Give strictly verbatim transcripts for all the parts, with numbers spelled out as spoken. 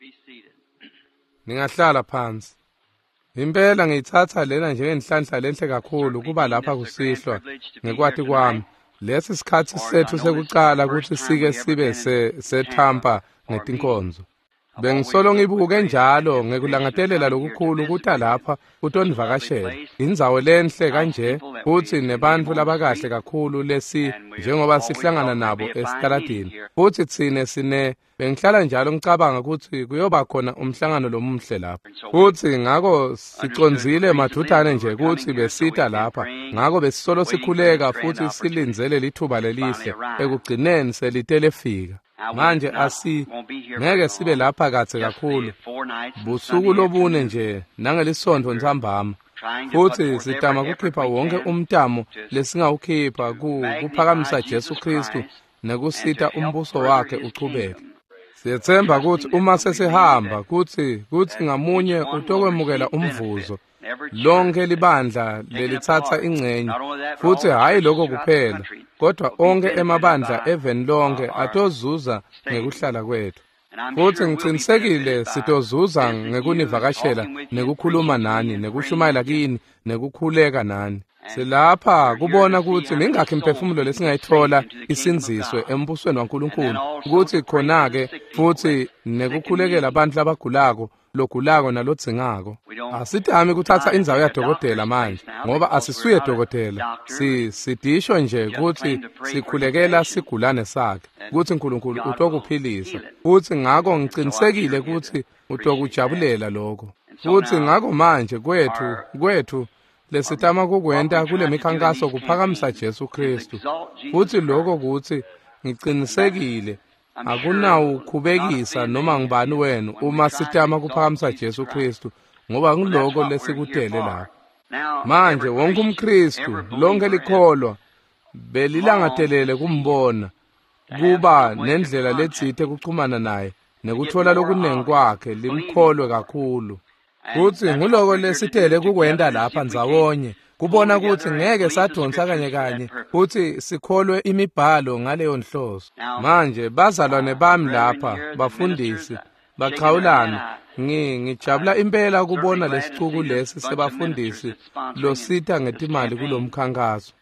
Be seated. Ningahlala phansi. Impela ngiyitsatsa lena njengenhlanhla lenhle kakhulu kuba lapha kusihlwa ngekwati kwami. Lesi sikhatsi setfu sekucala kutsi sike sibe seTampa ngetinkonzo. Bengisolo ngibuke njalo ngekulangadelela lokukhulu kuta lapha kutonivakashela. Indzawo lenhle kanje futsi nebantfu labakahle kakhulu lesi njengoba sihlangana nabo esitaladini. Futsi tsine sine bengihlala njalo ngicabanga kutsi kuyoba khona umhlangano lomuhle lapha. Futsi ngako sicondzile madvutane nje kutsi besita lapha. Ngako besisolo sikhuleka futsi silindzele lithuba lelihle ekugcineni selite lefika. Manje asi ngeke sibe lapha kadze kakhulu busuku lobune nje nangelisonto ntsambama futsi sitama kukhipha wonke umtamo lesingawukhipha kuphakamisa Jesu Kristu nekusita umbuso wakhe uchubeke. Siyetsemba kutsi uma sesihamba kutsi kutsi ngamunye utokwemukela umvuzo lonke libandla lelitsatsa ingcenye futsi hhayi lokho kuphela kodwa onke emabandla eveni lonke atozuza ngekuhlala kwethu. Futsi ngicinisekile sitozuza ngekunivakashela nekukhuluma nani nekushumayela kini nekukhuleka nani. Silapha kubona kutsi mingakhi imiphefumulo lesingayithola isindziswe embusweni waNkulunkulu kutsi khona-ke futsi nekukhulekela abantu labagulako logulako nalodzingako. Asitami kuthatha indzawo yadokotela manje ngoba asisuye dokotela. Si sidisho nje kutsi sikhulekela sigulane sakhe kutsi uNkulunkulu utokuphilisa. Futsi ngako ngicinisekile kutsi utokujabulela lokho. Futsi ngako manje kwethu kwethu lesitama kukwenta kule mikhankaso kuphakamisa Jesu Kristu. Futsi lokho kutsi ngicinisekile akunawukhubekisa noma ngubani wenu uma sitama kuphakamisa Jesu Kristu ngoba ngiloko lesikutele lapha. Manje wonke umKristu lonke likholwa belilangatelele kumbona kuba nendlela letsite kuchumana naye nekuthola lokunengi kwakhe limkholwe kakhulu. Futsi nguloko lesitele kukwenta lapha ndzawonye kubona kutsi ngeke sadonsa kanye kanye futsi sikholwe imibhalo ngaleyo nhloso. Manje bazalwane bami lapha bafundisi bachawulana ngi ngijabula impela kubona lesicuku lesi sebafundisi losita ngetimali kulomkhankaso.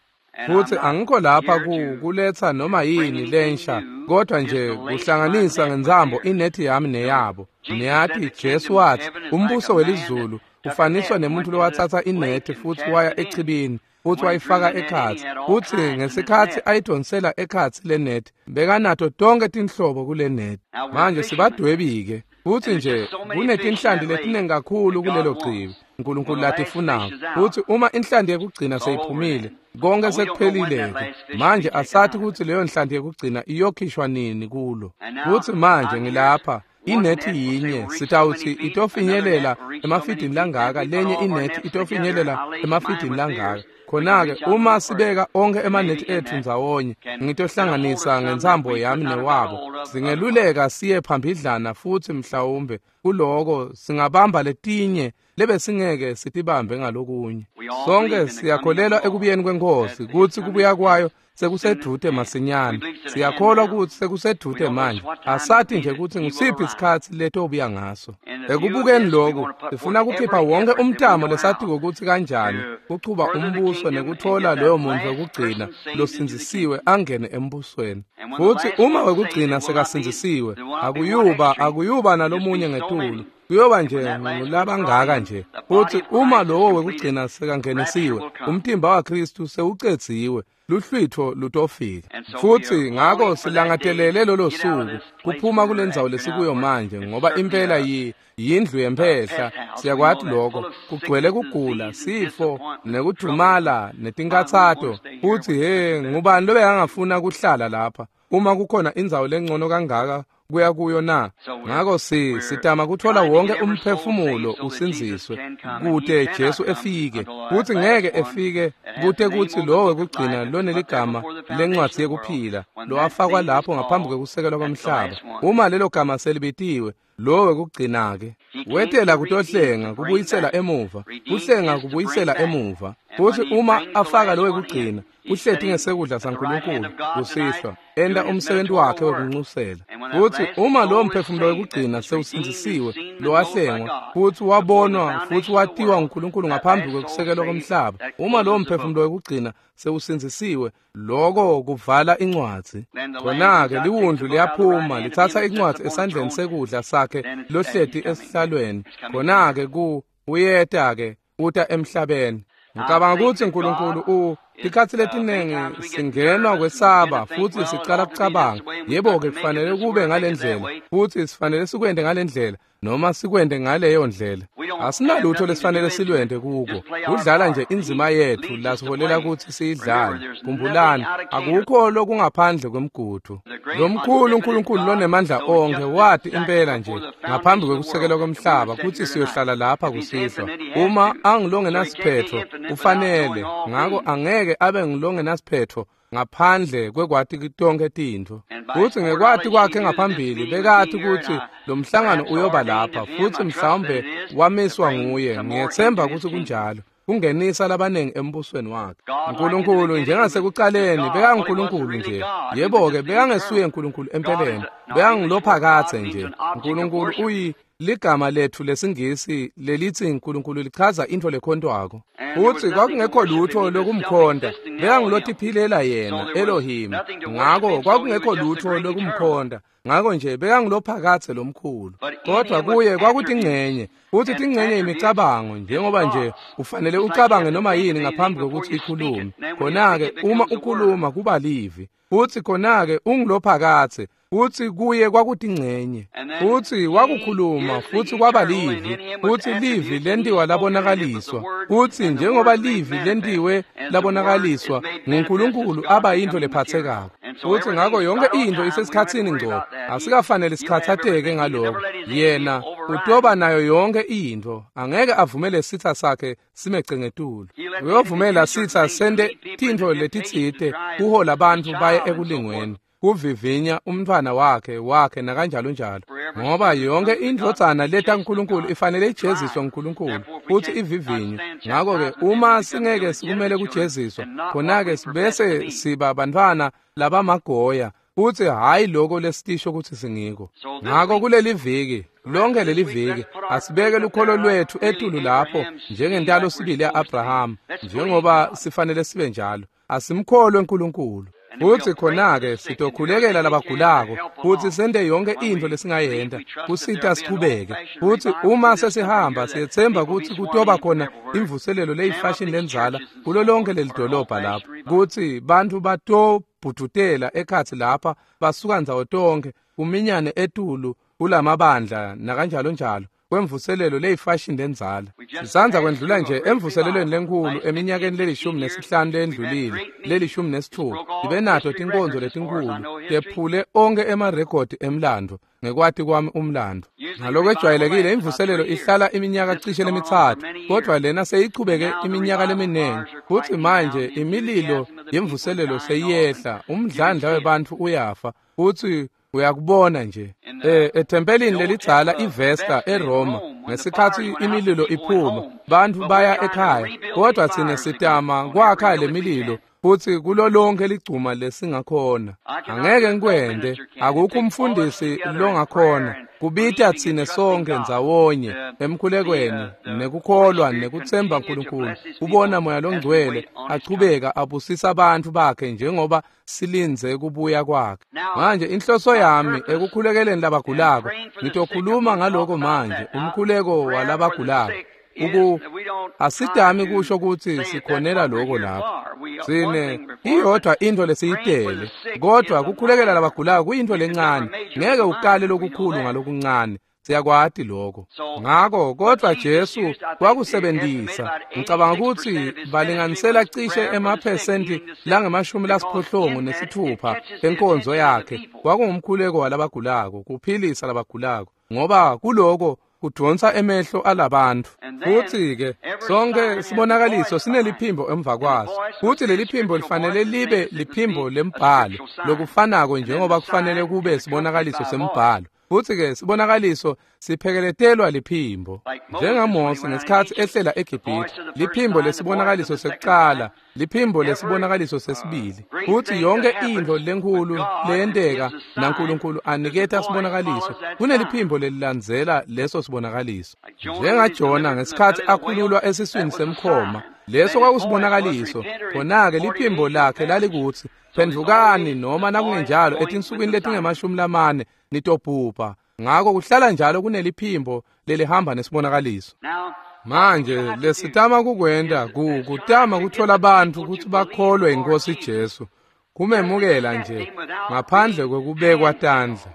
Futsi angikho lapha kuletsa noma yini lensha kodwa nje kuhlanganisa ngensambo inethi yami neyabo. Niyati Jesu wathi umbuso welizulu ufaniswa nemuntu lowatsatsa inethi futsi waya echibini futsi wayifaka ekhatsi. Futsi ngesikhatsi ayidonsela ekhatsi le nethi bekanato tonke tinhlobo kule nethi. Manje sibadwebi-ke futsi nje kunetinhlanti letinengi kakhulu kulelo chibi uNkulunkulu latifunako. Futsi uma inhlanti yekugcina seyiphumile konke sekuphelile-ke. Manje asathi kutsi leyo nhlanti yekugcina iyokhishwa nini kulo. Futsi manje ngilapha inethi yinye sitawutsi itofinyelela emafidini langaka lenye inethi itofinyelela emafidini langaka. Khona-ke uma sibeka onke emanethi ethu ndzawonye ngitohlanganisa ngentsambo yami newabo singeluleka siye phambidlana futsi mhlawumbe kuloko singabamba letinye lebesingeke sitibambe ngalokunye. Sonke siyakholelwa ekubuyeni kwenkosi kutsi kubuya kwayo sekusedvute masinyane. Siyakholwa kutsi sekusedvute manje. Asati nje kutsi ngusiphi isikhatsi letobuya ngaso. Ekubukeni lokhu sifuna kukhipha wonke umtamo lesatiko kutsi kanjani kuchuba umbuso nekuthola loyo muntu wekugcina losindzisiwe angene embusweni. Futsi uma wekugcina sekasindzisiwe akuyuba akuyuba nalomunye ngetulu. Kuyoba nje ngulabangaka nje. Futsi uma lowo wekugcina sekangenisiwe umtimba waKristu sewucedziwe luhlwitho lutofika. Futsi ngako silangatelele lolo suku kuphuma kulendzawo lesikuyo manje ngoba impela yi yindlu yemphehla. Siyakwati lokho kugcwele kugula sifo nekudumala netinkatsato. Futsi he ngubani lobekangafuna kuhlala lapha uma kukhona indzawo lengcono kangaka kuya kuyo na? Ngako si sitama kuthola wonke umphefumulo usindziswe kute Jesu efike. Futsi ngeke efike kute kutsi lowo wekugcina loneligama lencwadzi yekuphila lowafakwa lapho ngaphambi kwekusekelwa kwemhlaba. Uma lelo gama selibitiwe Lo wekugcina-ke wetela kutohlenga kubuyisela emuva, kuhlenga kubuyisela emuva. Futsi uma afaka lo wekugcina, uhleti ngesekudla saNkulunkulu kusihlwa, enta umsebenti wakhe wekunxusela. Futsi uma lowo mphefumulo wekugcina sewusindzisiwe, lowahlengwa futsi wabonwa futsi watiwa nguNkulunkulu ngaphambi kwekusekelwa komhlaba, uma lowo mphefumulo wekugcina sewusindzisiwe, loko kuvala incwadzi. Khona-ke liwundlu liyaphuma litsatsa incwadzi esandleni sekudla sakhe lohleti esihlalweni. Khona-ke ku uyeta-ke uta emhlabeni. Ngicabanga kutsi uNkulunkulu u tikhatsi letiningi singenwa kwesaba futsi sicala kucabanga, yebo-ke kufanele kube ngalendlela futsi sifanele sikwente ngalendlela noma sikwente ngaleyo ndlela. Asinalutho lesifanele silwente kuko, kudlala nje indzima yetfu lasiholela kutsi siyidlale. Khumbulani, akukho lokungaphandle kwemgudu. Lomkhulu uNkulunkulu lonemandla onkhe wati impela nje ngaphambi kwekusekelwa komhlaba kutsi siyohlala lapha kusihlwa. Uma angilongenasiphetfo ufanele, ngako angeke abe ngilongenasiphetfo ngaphandle kwekwati tonkhe tintfo. Futsi ngekwati kwakhe ngaphambili bekati kutsi lo mhlangano uyoba lapha, futsi mhlawumbe wamiswa nguye. Ngiyetsemba kutsi kunjalo, kungenisa labanengi embusweni wakhe. uNkulunkulu njengasekucaleni bekanguNkulunkulu nje. Yebo-ke bekangesuye uNkulunkulu empeleni, bekangulophakadze nje. uNkulunkulu uyi ligama letfu lesingisi lelithi uNkulunkulu lichaza intfo lekhontwako. Futsi kwakungekho lutho lokumkhonta, bekangulotiphilela yena Elohim. Ngako kwakungekho lutho lokumkhonta, ngako nje bekangulophakadze lomkhulu. Kodwa kuye kwakutingcenye, futsi tingcenye imicabango, njengoba nje ufanele ucabange noma yini ngaphambi kokuthi ikhulume. Khona-ke uma ukhuluma kuba livi, futsi khona-ke ungulophakadze. Futsi kuye kwakutingcenye, futsi wakukhuluma futsi kwaba livi, futsi livi lentiwa labonakaliswa. Futsi njengoba livi lentiwe labonakaliswa nguNkulunkulu aba yintfo lephatsekako. Futsi ngako yonke intfo isesikhatsini ngco, asikafanele sikhathateke ngaloko. Yena utoba nayo yonke intfo, angeke avumele sitsa sakhe simece ngetulu. Uyovumela sitsa sente tintfo letitsite kuhola bantfu baye ekulingweni, kuvivinya umntfwana wakhe wakhe nakanjalo njalo, ngoba yonke indvodzana leta uNkulunkulu ifanele ijeziswe nguNkulunkulu futsi ivivinywe. Ngako-ke uma singeke sikumele kujeziswa, khona-ke sibese siba bantfwana labamagoya, futsi hhayi loko lesitisho kutsi singiko. Ngako kuleli viki, lonke leli viki, asibeke lukholo lwetfu etulu lapho njengentalo sibili ya-Abrahama, njengoba sifanele sibe njalo. Asimkholwe uNkulunkulu. Futsi khona-ke sitokhulekela labagulako futsi sente yonke intfo lesingayenta kusita sichubeke. Futsi uma sesihamba siyetsemba kutsi kutoba khona imvuselelo leyifashini lendzala kulo lonke leli dolobha lapho, kutsi bantfu batobhudutela ekhatsi lapha basuka ndzawo tonkhe kuminyane etulu kulamabandla nakanjalo njalo kwemvuselelo leyifashini lendzala. Sisandza kwendlula nje emvuselelweni lenkhulu eminyakeni lelishumi nesihlanu lendlulile, lelishumi nesitfupha. Sibe nato tinkonzo letinkhulu tephule onkhe emarekhodi emlandvo ngekwati kwami umlandvo. Ngalokwejwayelekile imvuselelo ihlala iminyaka cishe lemitsatfu, kodvwa lena seyichubeke iminyaka leminingi. Futsi manje imililo yemvuselelo seyiyehla, umdlandla webantfu uyafa, futsi uyakubona nje. E, ethempelini lelidzala iVesta eRoma, ngesikhatsi imililo iphuma, bantfu baya ekhaya, kodvwa tsine sitama kwakha le mililo futsi kulo lonke ligcuma lesingakhona. Angeke ngikwente, akukho umfundisi longakhona kubita tsine sonke ndzawonye emkhulekweni nekukholwa nekutsemba uNkulunkulu, kubona Moya Longcwele achubeka abusisa bantfu bakhe njengoba silindze kubuya kwakhe. Manje inhloso yami ekukhulekeleni labagulako, ngitokhuluma ngaloko manje, umkhuleko walabagulako. Uku asidami kusho kutsi sikhonela loko lapho. Sine iyodwa intfo lesiyitele, kodvwa kukhulekela labagulako kuyintfo lencane. Ngeke ukale lokukhulu ngalokuncane, siyakwati lokho. Ngako kodvwa Jesu wakusebentisa. Ngicabanga kutsi balinganisela cishe emaphesenti langemashumi lasiphohlongo nesitfupha enkonzo yakhe kwakungumkhuleko walabagulako, kuphilisa labagulako, ngoba kuloko kudvonsa emehlo alabantu. Futsi-ke sonke sibonakaliso sineliphimbo emva kwaso, futsi leli phimbo lifanele libe liphimbo lembhalo, lokufanako njengoba kufanele kube sibonakaliso sembhalo. Futsi-ke sibonakaliso siphekeletelwa liphimbo. NjengaMose ngesikhatsi ehlela eGibhithe, liphimbo lesibonakaliso sekucala, liphimbo lesibonakaliso sesibili. Futsi yonke intfo lenkhulu leyenteka naNkulunkulu aniketa sibonakaliso, kuneliphimbo lelilandzela leso sibonakaliso. NjengaJona ngesikhatsi akhululwa esiswini semkhoma, leso kwakusibonakaliso. Khona-ke liphimbo lakhe lalikutsi, phendvukani noma nakungenjalo etinsukwini letingemashumi lamane nitobhubha. Ngako kuhlala njalo kuneliphimbo lelihamba nesibonakaliso. Manje lesitama kukwenta kutama kutfola bantfu kutsi bakholwe iNkhosi Jesu, kumemukela nje ngaphandle kwekubekwa tandla.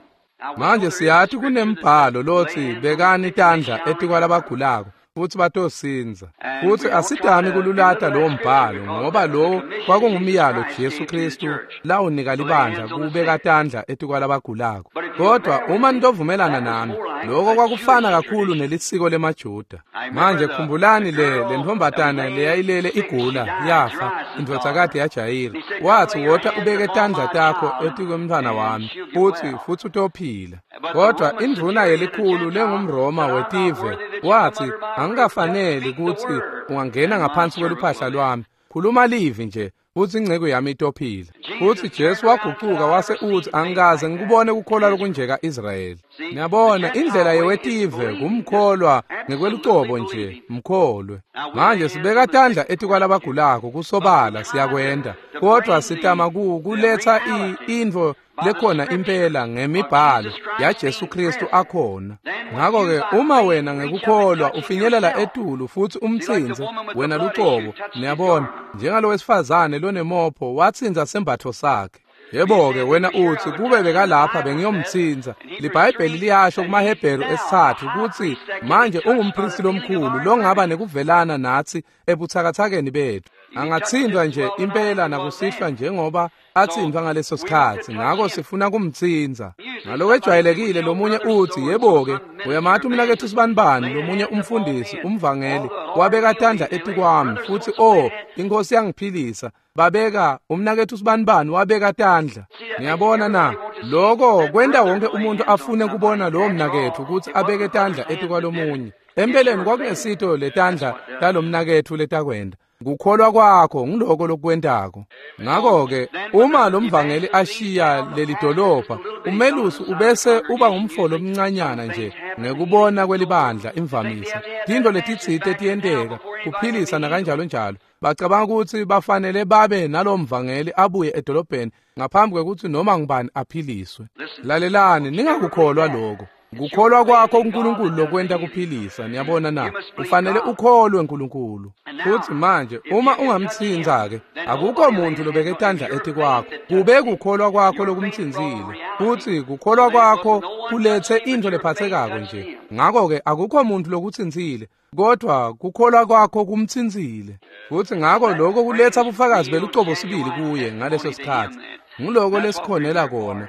Manje siyati kunembhalo lotsi bekani tandla etikwalabagulako futsi batosindza. Futsi asidami kululata lowo mbhalo, ngoba lowo kwakungumyalo Jesu Kristu lawunika libandla kubeka tandla etikwalabagulako. Kodwa uma nitovumelana nami, lokho kwakufana kakhulu nelisiko lemaJuda. Manje khumbulani le lentfombatana leyayilele igula yafa, indvodzakati yaJayira. Watsi, wota ubeke tandla takho etikwemntfwana wami, futsi futsi utophila. Kodwa indvuna yelikhulu lengumRoma wetive watsi, angikafaneli kutsi ungangena ngaphansi kweluphahla lwami, khuluma livi nje futsi inceku yami itophila. Futsi Jesu wagucuka wase utsi, angikaze ngikubone kukholwa lokunje ka-Israyeli. Niyabona, indlela yewetive kumkholwa ngekwelucobo nje, mkholwe. Manje sibeka tandla etikwalabagulako kusobala siyakwenta, kodwa sitama kuletsa intfo lekhona impela ngemibhalo yaJesu Kristu akhona. Ngakho-ke uma wena ngekukholwa ufinyelela etulu futsi umtsintse wena lucobo, niyabona, njengalowesifazane lonemopho watsintsa sembatfo sakhe. Yebo-ke wena utsi, kube bekalapha bengiyomtsintsa. LiBhayibheli liyasho kumaHebheru esitsatfu kutsi manje ungumphristi lomkhulu longaba nekuvelana natsi ebutsakatsakeni betfu. Angatsintfwa nje impela nakusihlwa njengoba atsintfwa ngaleso sikhatsi, ngako sifuna kumtsintsa. Ngalokwejwayelekile lomunye utsi, yebo-ke uyamati umnaketfu sibanibani, lomunye umfundisi umvangeli wabeka tandla etikwami futsi o iNkhosi yangiphilisa. Babeka umnaketfu sibanibani wabeka tandla. Niyabona na, lokho kwenta wonke umuntu afune kubona lowo mnaketfu kutsi abeke tandla etikwalomunye. Empeleni kwakungesito letandla talomnaketfu letakwenta, kukholwa kwakho ngiloko lokwentako. Ngakho-ke uma lomvangeli ashiya leli dolobha, umelusi ubese uba ngumfo lomncanyana nje ngekubona kwelibandla imvamisa. Tintfo letitsite tiyenteka, kuphilisa nakanjalo njalo. Bacabanga kutsi bafanele babe nalomvangeli abuye edolobheni ngaphambi kwekutsi noma ngubani aphiliswe. Lalelani, ningakukholwa lokho. Kukholwa kwakho kuNkulunkulu lokwenta kuphilisa, niyabona na? Ufanele ukholwe uNkulunkulu. Futsi manje uma ungamtsintsa-ke, akukho muntu lobeke tandla etikwakho. Kube kukholwa kwakho lokumtsintsile, futsi kukholwa kwakho kulethe intfo lephatsekako nje. Ngakho-ke akukho muntu lokutsintsile, kodwa kukholwa kwakho kumtsintsile. Futsi ngako lokho kuletha bufakazi belucobo sibili kuye ngaleso sikhatsi. Nguloko lesikhonela kona,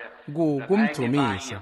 kumdvumisa.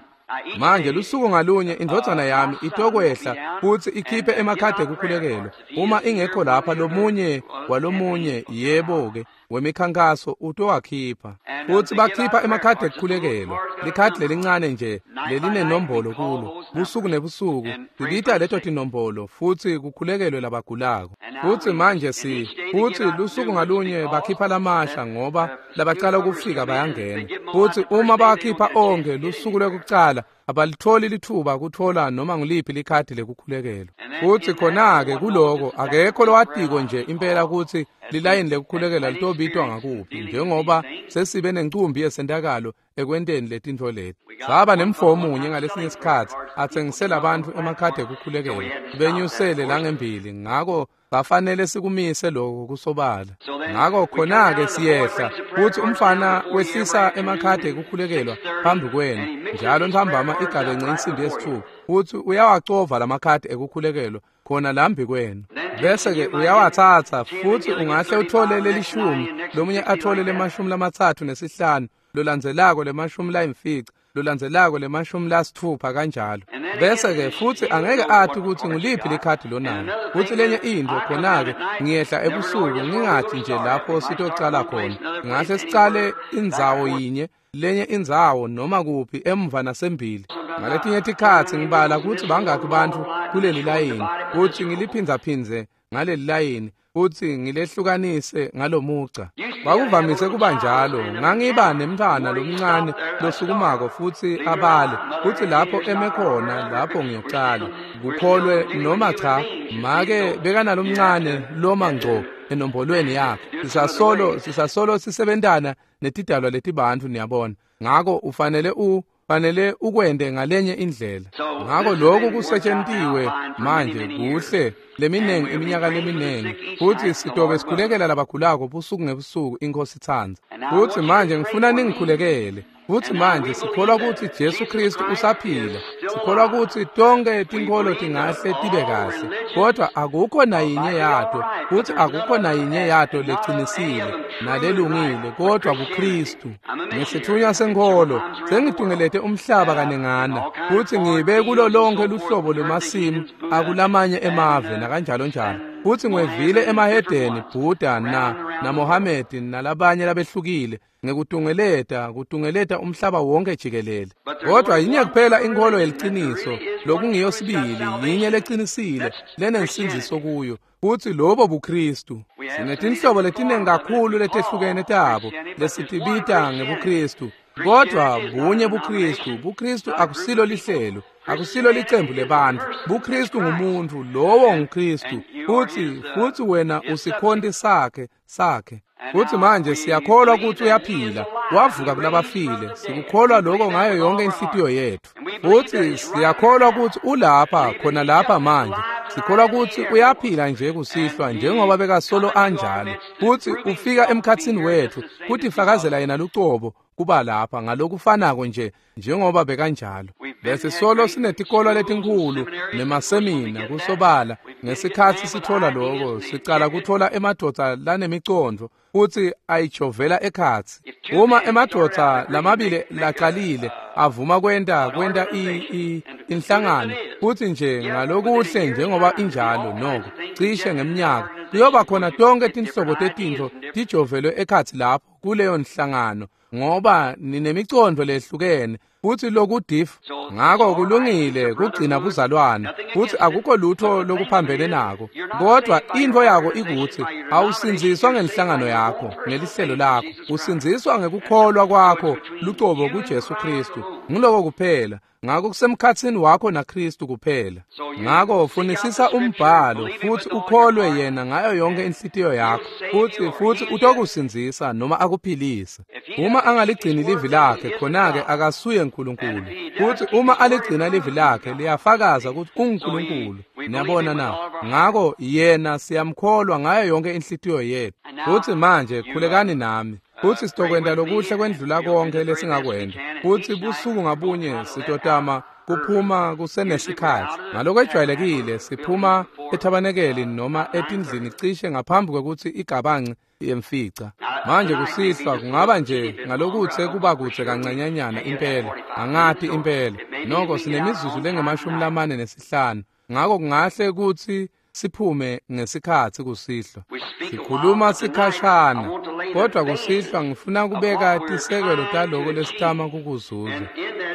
Manje lusuku ngalunye indvodzana yami itokwehla futsi ikhiphe emakhadi ekukhulekelwa. Uma ingekho lapha lomunye walomunye, yebo-ke, wemikhankaso utowakhipha. Futsi bakhipha emakhadi ekukhulekelwa, likhadi lelincane nje lelinenombolo kulo. Busuku nebusuku sibita leto tinombolo futsi kukhulekelwe labagulako. Futsi manje si futsi lusuku ngalunye bakhipha lamasha ngoba labacala ukufika bayangena. Futsi uma bakhipha onke lusuku lwekucala, abalitholi lithuba kutfola noma nguliphi likhadi lekukhulekelwa. Futsi khona-ke kuloko akekho lowatiko nje impela kutsi lilayini lekukhulekela litobitwa ngakuphi, njengoba sesibe nencumbi yesentakalo ekwenteni letintfo leti. Saba nemfo omunye ngalesinye isikhatsi atsengisela bantfu emakhadi ekukhulekelwa, benyusele langembili, ngako bafanele sikumise lokho kusobala. Ngako khona-ke siyehla futsi umfana wehlisa emakhadi ekukhulekelwa phambi kwenu njalo ntambama igabence insimbi yesitfupha, futsi uyawacova lamakhadi ekukhulekelwa khona lambi kwenu. Bese-ke uyawatsatsa futsi ungahle uthole lelishumi, lomunye athole lemashumi lamatsatfu nesihlanu, lolandzelako lemashumi layimfica, lolandzelako lemashumi lasitfupha kanjalo. Bese-ke futsi angeke ati kutsi nguliphi likhadi lonalo. Futsi lenye intfo khona-ke ngiyehla ebusuku ngingathi nje lapho sitocala khona. Ngahle sicale indzawo yinye, lenye indzawo noma kuphi emva nasembili. Ngaletinye tikhatsi ngibala kutsi bangaki bantfu kuleli layini, kutsi ngiliphindzaphindze ngaleli layini, futsi ngilehlukanise ngalomugca. Kwakuvamise kuba njalo. Ngangiba nemntfwana lomncane losukumako futsi abale, futsi lapho eme khona lapho ngiyocala. Kukholwe noma cha, make bekanalomncane loma ngco enombolweni yakhe. Sisasolo sisasolo sisebentana netidalwa letibantfu, niyabona. Ngako ufanele u fanele ukwente ngalenye indlela. Ngako lokhu kusetshentiwe manje kuhle leminengi iminyaka leminengi, futsi sitobe sikhulekela labagulako busuku ngebusuku, iNkhosi itsandza. Futsi manje ngifuna ningikhulekele. Futsi manje sikholwa kutsi Jesu Kristu usaphila. Sikholwa kutsi tonke tinkholo tingahle tibe kahle, kodvwa akukho nayinye yato, futsi akukho nayinye yato lecinisile nalelungile, kodvwa buKristu. Ngesitfunywa senkholo sengitungelete umhlaba kanengana, futsi ngibe kulo lonke luhlobo lwemasimu akulamanye emave nakanjalo njalo. Futsi ngwevile emahedeni, Buddha na naMohamedi nalabanye labehlukile, ngekutungeleta kutungeleta umhlaba wonke jikelele. Kodwa yinye kuphela inkholo yeliciniso, lokungiyo sibili, yinye lecinisile lenensindziso kuyo, futsi lobo buKristu. Sinetinhlobo letinengi kakhulu letehlukene tabo lesitibita ngebuKristu, kodvwa bunye buKristu. BuKristu akusilo lihlelo, akusilo licembu lebantfu. BuKristu ngumuntfu, lowo nguKristu, futsi futsi wena usikhonti sakhe sakhe. Futsi manje siyakholwa kutsi uyaphila, wavuka kulabafile. Sikukholwa lokho ngayo yonke inhlitiyo yetfu. Futsi siyakholwa kutsi ulapha khona lapha manje. Sikholwa kutsi uyaphila nje kusihlwa njengoba bekasolo anjalo. Futsi ufika emkhatsini wetfu kutifakazela yena lucobo kuba lapha ngalokufanako nje njengoba bekanjalo. Besisolo sinetikolo letinkhulu nemasemina kusobala. Ngesikhatsi sithola lokho, sicala kuthola emadvodza lanemicondvo futsi ayijovela ekhatsi. Uma emadvodza lamabili lacalile avuma kwenta kwenta i inhlangano, futsi nje ngalokuhle njengoba injalo noko cishe ngemnyaka kuyoba khona tonke tinhlobo tetintfo tijovelwe ekhatsi lapho kuleyo nhlangano, ngoba ninemicondvo lehlukene futsi lokudif. Ngako kulungile kugcina buzalwane, futsi akukho lutho lokuphambene nako, kodwa intfo yako ikutsi awusindziswa ngenhlangano yakho, ngelihlelo lakho. Usindziswa ngekukholwa kwakho lucobo kuJesu Kristu. Ngiloko kuphela. Ngako kusemkhatsini wakho naKristu kuphela. Ngako funisisa umbhalo futsi ukholwe yena ngayo yonke inhlitiyo yakho, futsi futsi utokusindzisa noma akuphilise. Uma angaligcini livi lakhe, khona-ke akasuye uNkulunkulu. Futsi uma aligcina livi lakhe, liyafakaza kutsi unguNkulunkulu. Niyabona na? Ngako yena siyamkholwa ngayo yonke inhlitiyo yetfu. Futsi manje khulekani nami. Futsi sitokwenta lokuhle kwendlula konke lesingakwenta. Futsi busuku ngabunye sitotama kuphuma kusenesikhatsi. Ngalokwejwayelekile siphuma ethabanekeli noma etindlini cishe ngaphambi kwekutsi igabanci yemfica. Manje kusihlwa kungaba nje ngalokutse kuba kudze kancanyanyana impela, angati impela. Noko sinemizuzu lengemashumi lamane nesihlanu. Ngako kungahle kutsi siphume ngesikhatsi kusihlwa. Sikhuluma sikhashana, kodwa kusihlwa ngifuna kubeka tisekelo taloko lesitama kukuzuza.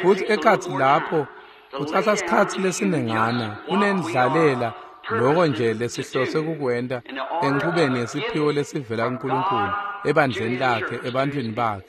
Futsi ekhatsi lapho kutsatsa sikhatsi lesinengana kunendlalela loko nje lesihlose kukwenta enchubeni yesiphiwo lesivela kuNkulunkulu ebandleni lakhe, ebantwini bakhe.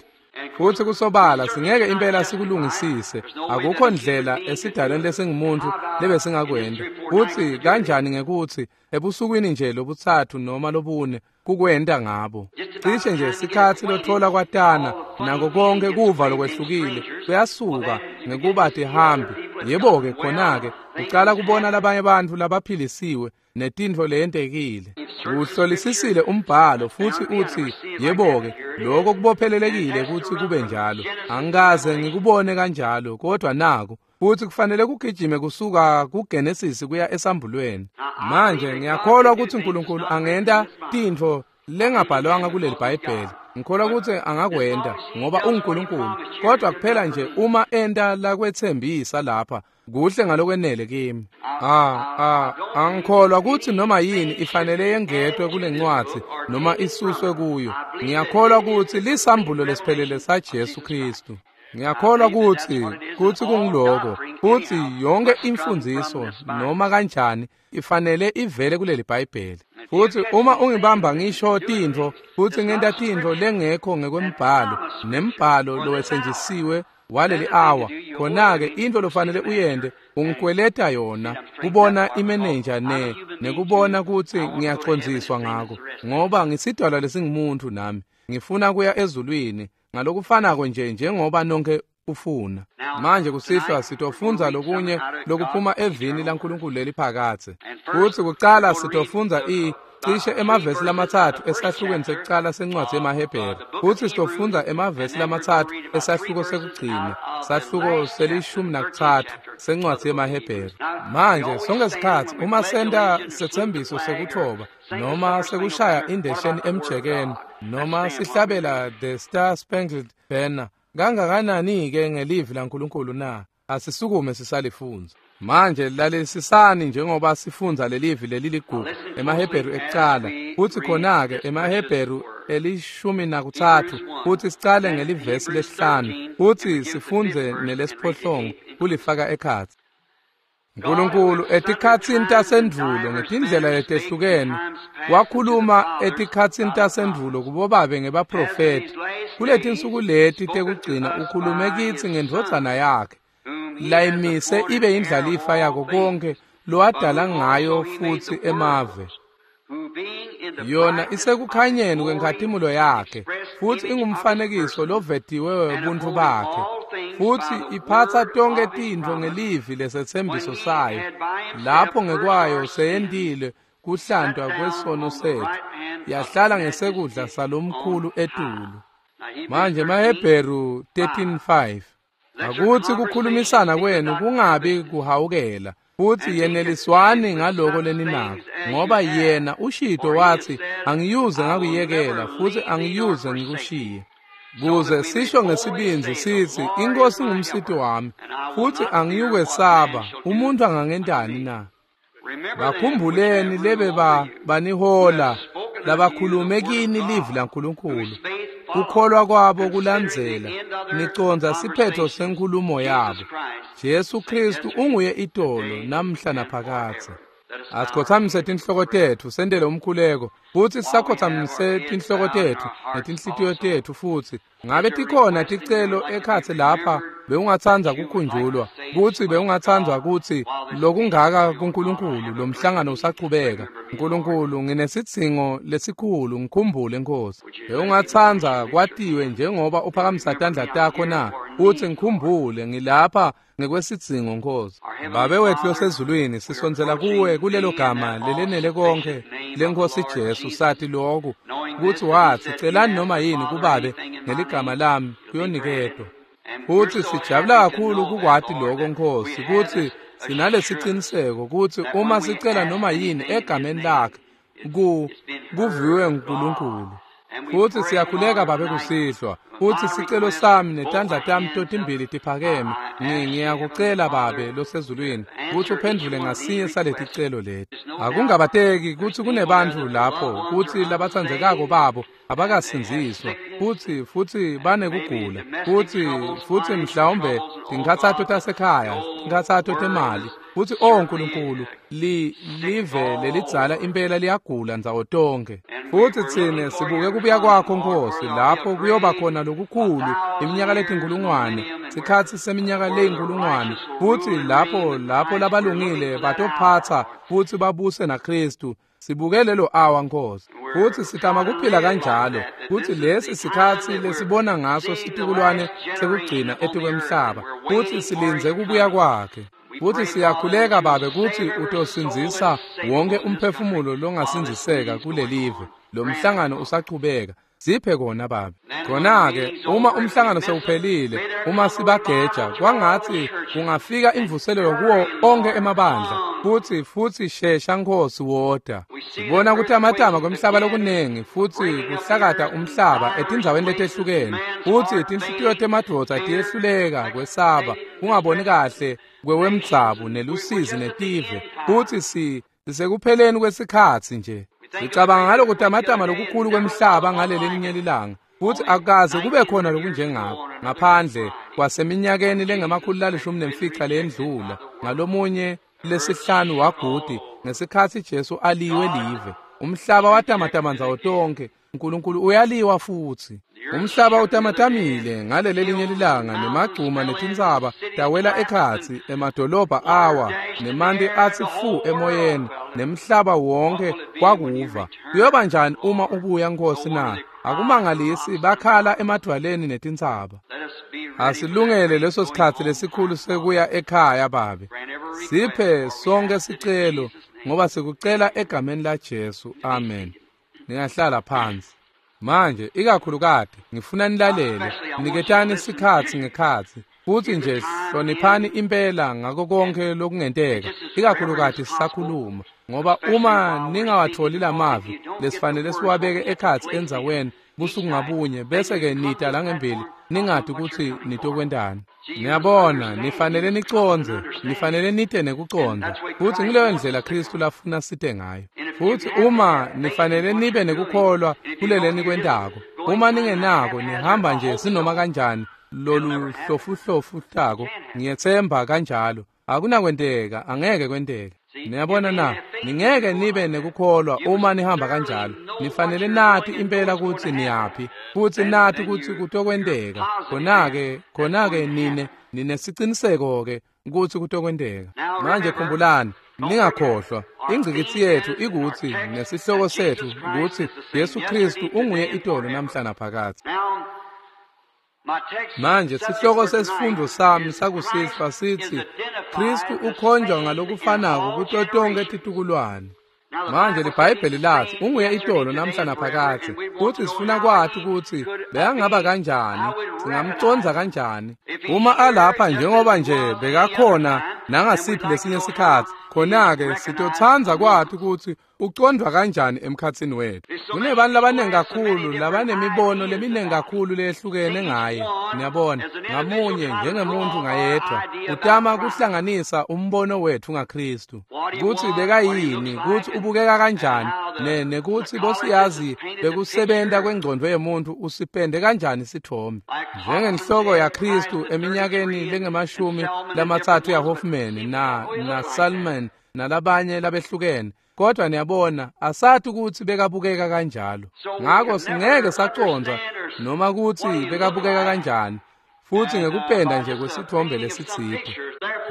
Futsi kusobala singeke impela sikulungisise. Akukho ndlela esidalweni lesingumuntu lebesingakwenta. Futsi kanjani ngekutsi ebusukwini nje lobutsatfu noma lobune kukwenta ngabo. Cishe nje sikhatsi lothola kwatana nako konke kuva lokwehlukile kuyasuka ngekuba tihambi. Yebo-ke khona-ke ucala kubona labanye bantfu labaphilisiwe netintfo leyentekile. Uhlolisisile umbhalo futsi utsi, yebo-ke, lokho kubophelelekile kutsi kube njalo. Angikaze ngikubone kanjalo, kodwa naku. Futsi kufanele kugijime kusuka kuGenesis kuya esambulweni. Manje ngiyakholwa kutsi uNkulunkulu angenta tintfo lengabhalwanga kuleli Bhayibheli. Ngikholwa kutsi angakwenta ngoba unguNkulunkulu, kodwa kuphela nje uma enta lakwetsembisa lapha kuhle ngalokwenele kimi. Ah ah angikholwa kutsi noma yini ifanele yengetwe kule ncwadzi noma isuswe kuyo. Ngiyakholwa kutsi lisambulo lesiphelele saJesu Kristu. Ngiyakholwa kutsi kutsi kungiloko kutsi yonke imfundziso noma kanjani ifanele ivele kuleli Bhayibheli. Futsi uma ungibamba ngisho tintfo futsi ngenta tintfo lengekho ngekwembhalo nembhalo lowetsenjisiwe waleli awa, khona-ke intfo lofanele uyente ungikweleta yona kubona imenenja ne nekubona kutsi ngiyacondziswa ngako, ngoba ngisidalwa lesingumuntu nami ngifuna kuya ezulwini ngalokufanako nje njengoba nonke ufuna. Manje kusihlwa sitofundza lokunye lokuphuma evini laNkulunkulu leliphakadze. Futsi kucala sitofundza i cishe emavesi lamatsatfu esahlukweni sekucala sencwadzi yemaHebheru. Futsi sitofundza emavesi lamatsatfu esahluko sekugcina, sahluko selishumi nakutsatfu sencwadzi yemaHebheru. Manje sonke sikhatsi uma senta setsembiso sekuthoba noma sekushaya indesheni emjekeni noma sihlabela The Star Spangled Banner, kangakanani-ke ngelivi laNkulunkulu na? Asisukume sisalifundza. Manje lalelisisani njengoba sifundza lelivi leliligugu emaHebheru ekucala, futsi khona-ke emaHebheru elishumi nakutsatfu, futsi sicale ngelivesi lesihlanu futsi sifundze nelesiphohlongo kulifaka ekhatsi. Nkulunkulu etikhatsini tasendvulo ngetindlela letehlukene wakhuluma etikhatsini tasendvulo kubobabe ngebaprofethi. Kuletinsuku leti tekugcina ukhulume kitsi ngendvodzana yakhe layimise ibe indlalifa yako konke lowadala ngayo futsi emave. Yona isekukhanyeni kwenkhatimulo yakhe futsi ingumfanekiso lovetiwe webuntu bakhe, futsi iphatsa tonke tintfo ngelivi lesetsembiso sayo, lapho ngekwayo seyentile kuhlantwa kwesono setfu, yahlala ngesekudla salomkhulu etulu. Manje emaHebheru thirteen five. Akutsi kukhulumisana kwenu kungabi kuhawukela, futsi yeneliswani ngaloko leninako, ngoba yena ushito watsi angiyuze ngakuyekela futsi angiyuze ngikushiye. Kuze sisho ngesibindzi sitsi iNkosi ngumsiti wami futsi angiyukwesaba, umuntu angangentani na? Bakhumbuleni lebe ba banihola labakhulume kini livi laNkulunkulu, kukholwa kwabo kulandzela nicondza siphetho senkhulumo yabo. Jesu Kristu unguye itolo namhla naphakadze. Asikhothamise tinhloko tetfu sentele umkhuleko, futsi sisakhothamise tinhloko tetfu netinhlitiyo tetfu. Futsi ngabe tikhona ticelo ekhatsi lapha bewungatsandza kukhunjulwa, kutsi bewungatsandza kutsi lokungaka kuNkulunkulu lomhlangano usachubeka. Nkulunkulu, nginesidzingo lesikhulu, ngikhumbule Nkosi. Bewungatsandza kwatiwe njengoba uphakamisa tandla takho na? Utsi ngikhumbule, ngilapha ngekwesidzingo Nkosi. Babe wetfu losezulwini, sisondzela kuwe kulelo gama lelenele konke leNkosi Jesu, sathi lokhu kutsi watsi celani noma yini kubabe ngeligama lami kuyoniketwa. Futsi sijabula kakhulu kukwati lokho Nkosi, kutsi sinalesiciniseko kutsi uma sicela noma yini egameni lakhe ku kuviwe nguNkulunkulu. Futsi siyakhuleka Babe kusihlwa, futsi sicelo sami netandla tami totimbili tiphakeme, ngiyakucela Babe losezulwini kutsi uphendvule ngasinye saleticelo leti. Akungabateki kutsi kunebantfu lapho kutsi labatsandzekako babo abakasindziswa, futsi futsi banekugula, futsi futsi mhlawumbe tinkhatsato tasekhaya, tinkhatsato temali, futsi oh Nkulunkulu, li live lelidzala impela liyagula ndzawo tonke. Futsi tsine sibuke kubuya kwakho Nkosi, lapho kuyoba khona lokukhulu iminyaka letinkulungwane, sikhatsi seminyaka leyinkulungwane, futsi lapho lapho labalungile batophatsa futsi babuse naKristu. Sibuke lelo awa Nkosi, futsi sitama kuphila kanjalo kutsi lesi sikhatsi lesibona ngaso situkulwane sekugcina etikwemhlaba, futsi silindze kubuya kwakhe. Futsi siyakhuleka Babe kutsi utosindzisa wonke umphefumulo longasindziseka kulelive lo mhlangano usachubeka. Siphe kona Babe. Khona-ke uma umhlangano sewuphelile, uma sibageja, kwangatsi kungafika imvuselelo kuwo onke emabandla, futsi futsi shesha Nkosi woda. Sibona kutamatama kwemhlaba lokunengi, futsi kuhlakata umhlaba etindzaweni letehlukene, futsi tinhlitiyo temadvodza tiyehluleka kwesaba, kungaboni kahle kwewemdzabu nelusizi netive, futsi si sisekupheleni kwesikhatsi nje. Sicabanga ngalokutamatama lokukhulu kwemhlaba ngalelelinye lilanga, Futsi akukaze kube khona lokunjengako ngaphandle kwaseminyakeni lengemakhulu lalishumi nemfica leyendlula ngalomunye lesihlanu wagudi ngesikhatsi Jesu aliwe live. Umhlaba watamatama ndzawo tonkhe. Nkulunkulu uyaliwa futsi. Umhlaba utamatamile ngaleli linye lilanga nemagcuma netintsaba tawela ekhatsi, emadolobha awa nemanti atsi fu emoyeni nemhlaba wonke kwakuva. Kuyoba njani uma ubuya Nkosi na? Akumangalisi bakhala emadvwaleni netintsaba. Asilungele leso sikhatsi lesikhulu sekuya ekhaya Babe. Siphe sonke sicelo ngoba sikucela egameni la Jesu. Amen. Ningahlala phansi. Manje ikakhulukati ngifuna nilalele, niketani isikhatsi ngekhatsi futsi nje hloniphani impela ngako konke lokungenteka, ikakhulukati sisakhuluma, ngoba uma ningawatholi lamavi lesifanele siwabeke ekhatsi endzaweni busuku ngabunye bese ke nita la ngembili ningati kutsi nitokwentani. Niyabona, nifanele nicondze, nifanele nite nekucondza, futsi ngileyo ndlela Kristu lafuna site ngayo. Futsi uma nifanele nibe nekukholwa kulele nikwentako, uma ningenako nihamba nje sinoma kanjani lolu hlofuhlofutako, ngiyetsemba kanjalo akunakwenteka, angeke kwenteke. Niyabona na, ningeke nibe nekukholwa uma nihamba kanjalo. Nifanele nati impela kutsi niyaphi futsi nati kutsi kutokwenteka. Khona-ke khona-ke nine ninesiciniseko-ke kutsi kutokwenteka. Manje khumbulani, ningakhohlwa, ingcikitsi yetfu ikutsi nesihloko setfu kutsi Jesu Kristu unguye itolo namhla naphakadze. Manje sihloko sesifundo sami sakusihlwa sitsi Kristu ukhonjwa ngalokufanako kuto tonkhe titukulwane. Manje liBhayibheli lathi unguye itolo namhla naphakadze, kutsi sifuna kwati kutsi bekangaba kanjani, singamcondza kanjani uma alapha njengoba nje bekakhona nangasiphi lesinye sikhatsi. Khona-ke sitotsandza kwati kutsi ucondvwa kanjani emkhatsini wetfu. Kunebantu labanengi kakhulu labanemibono leminingi kakhulu leyehlukene ngaye. Niyabona, ngamunye njengemuntu ngayedwa utama kuhlanganisa umbono wetfu ngaKristu, kutsi bekayini, kutsi ubukeka kanjani, ne nekutsi bosiyazi bekusebenta kwengcondvo yemuntu usipende kanjani sithombe. Njengenhloko yaKristu eminyakeni lengemashumi lamatsatfu yaHoffman na na Salmon nalabanye labehlukene, kodwa niyabona asati kutsi bekabukeka kanjalo. Ngako singeke sacondza noma kutsi bekabukeka kanjani futsi ngekupenda nje kwesithombe lesitsite.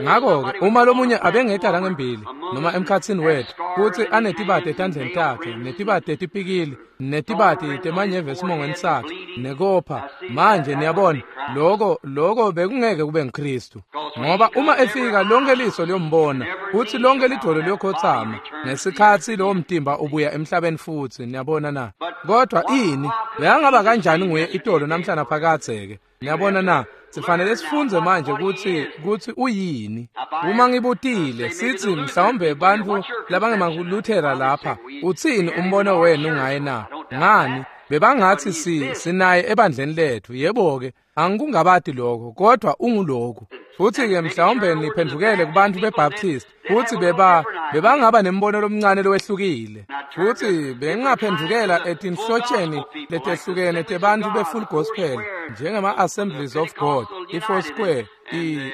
Ngako-ke uma lomunye abengeta la ngembili noma emkhatsini wetfu kutsi anetibati etandleni takhe netibati etipikili netibati temanyeve esimongweni sakhe nekopha, manje niyabona loko loko bekungeke kube nguKristu, ngoba uma efika lonke liso liyombona futsi lonke lidvolo liyokhotsama ngesikhatsi lowo mtimba ubuya emhlabeni futsi. Niyabona na? Kodwa ini bekangaba kanjani nguye itolo namhla naphakadze-ke? Niyabona na? Sifanele sifundze manje kutsi kutsi uyini. Uma ngibutile sithi mhlawumbe bantfu labangemaluthera lapha, utsini umbono wenu ngaye na? Ngani bebangathi si sinaye ebandleni letfu. Yebo-ke, angikungabati lokho, kodwa unguloku. Futsi-ke mhlawumbe niphendvukele kubantfu beBaptist, futsi beba bebangaba nembono lomncane lowehlukile. Futsi bengingaphendvukela etinhlotsheni letehlukene tebantfu be-Full Gospel, njengema-Assemblies of God, i-Four Square,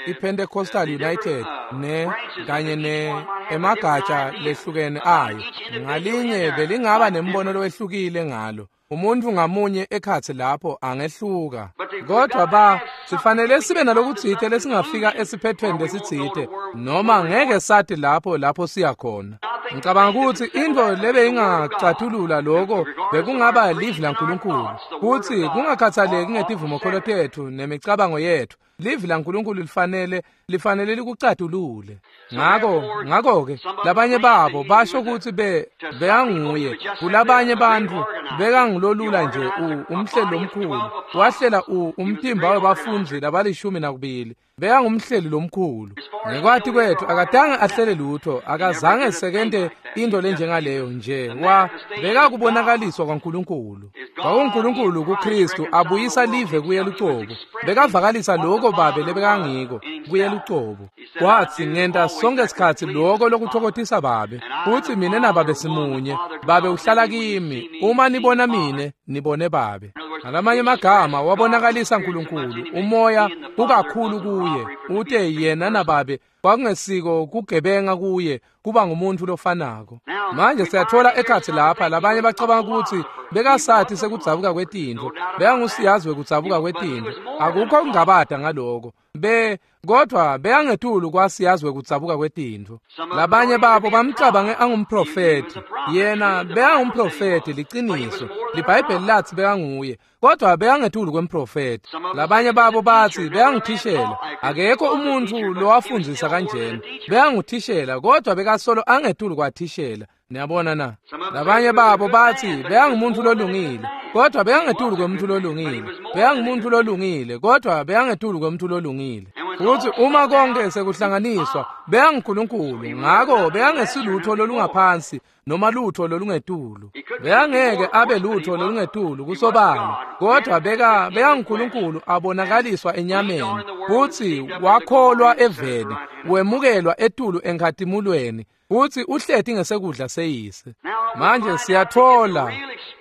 i-Pentecostal United, ne kanye ne emagatsha lehlukene ayo. Ngalinye belingaba nembono lowehlukile ngalo. Umuntu ngamunye ekhatsi lapho angehluka. Kodwa ba sifanele sibe nalokutsite lesingafika esiphethweni lesitsite, noma ngeke sathi lapho lapho siya khona. Ngicabanga kutsi intfo lebe ingacathulula lokho bekungaba livi laNkulunkulu, kutsi kungakhathaleki ngetivumokholo tetfu nemicabango yetfu, livi laNkulunkulu lifanele lifanele likucatulule. Ngako ngako-ke labanye babo basho kutsi be bekanguye, kulabanye bantfu bekangulolula nje umhleli lomkhulu, wahlela umtimba webafundzi labalishumi nakubili, bekangumhleli lomkhulu. Ngekwati kwetfu akatange ahlele lutho, akazange sekente into lenjengaleyo nje, wa bekakubonakaliswa kwaNkulunkulu. KwakuNkulunkulu kuKristu abuyisa live kuye lucobo, bekavakalisa lokho Babe lebekangiko kuye lucobo. Watsi ngenta sonke sikhatsi lokho lokuthokotisa Babe, futsi mine naBabe simunye, Babe uhlala kimi, uma nibona mine nibone Babe. Ngalamanye amagama wabonakalisa Nkulunkulu, umoya ukakhulu kuye, ute yena nababe kwakungesiko kugebenga kuye kuba ngumuntu lofanako. Manje siyathola ekhatsi lapha labanye bacabanga ukuthi bekasathi sekudzabuka kwetintfo, bekangusiyazi wekudzabuka kwetintfo. Akukho kungabada ngaloko. Be kodwa bekangetulu kwasiyazi wekudzabuka kwetintfo. Labanye babo bamcabange angumprofeti. Yena bekangumprofeti liciniso. LiBhayibheli lathi bekanguye, kodwa bekangetulu kwemprofeti. Labanye babo bathi bekanguthishela. Akekho umuntu lowafundzisa kanjena. Bekanguthishela kodwa bekasolo angetulu kwathishela. Niyabona na? Labanye babo bathi bekangumuntu lolungile, kodwa bekangetulu kwemuntu lolungile. Bekangumuntu lolungile, kodwa bekangetulu kwemuntu lolungile. Futhi uma konke sekuhlanganiswa, bekanguNkulunkulu, ngako bekangesilutho lolungaphansi noma lutho lolungetulu. Bekangeke abe lutho lolungetulu kusobala, kodwa beka bekanguNkulunkulu abonakaliswa enyameni. Futhi wakholwa eveni, wemukelwa etulu enkhatimulweni, futhi uhleti ngesekudla seyise. Manje siyathola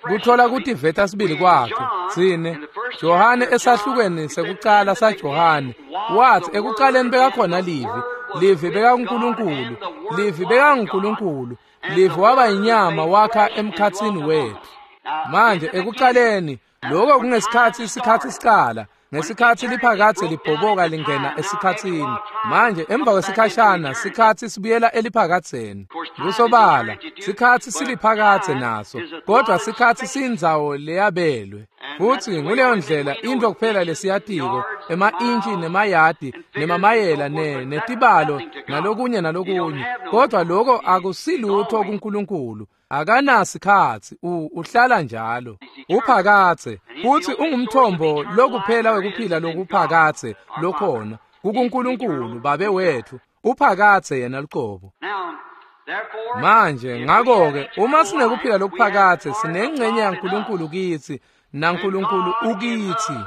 kuthola kutiveta sibili kwakhe. Tsine Johane esahlukweni sekucala saJohane wathi ekucaleni bekakhona livi, livi bekaNkulunkulu, livi bekaNkulunkulu, livi waba inyama wakha emkhatsini wethu. Manje ekucaleni lokho kungesikhathi isikhathi sicala, ngesikhathi liphakathe libhoboka lingena esikhathini. Manje emva kwesikhashana sikhathi sibuyela eliphakatheni. Kusobala sikhathi siliphakathe naso, kodwa sikhathi sindzawo leyabelwe. Futhi nguleyo ndlela into kuphela lesiyatiko, ema-intshi nemayadi nemamayela ne netibalo nalokunye nalokunye, kodwa lokho akusilutho kuNkulunkulu. Akanasikhathi, uhlala njalo uphakathe, futhi ungumthombo lokuphela wekuphila lokuphakathe lokhona kuNkulunkulu Babe wethu. Uphakathe yena luqobo. Manje ngakho-ke uma sinekuphila lokuphakathe, sinengxenye yaNkulunkulu kithi naNkulunkulu ukithi.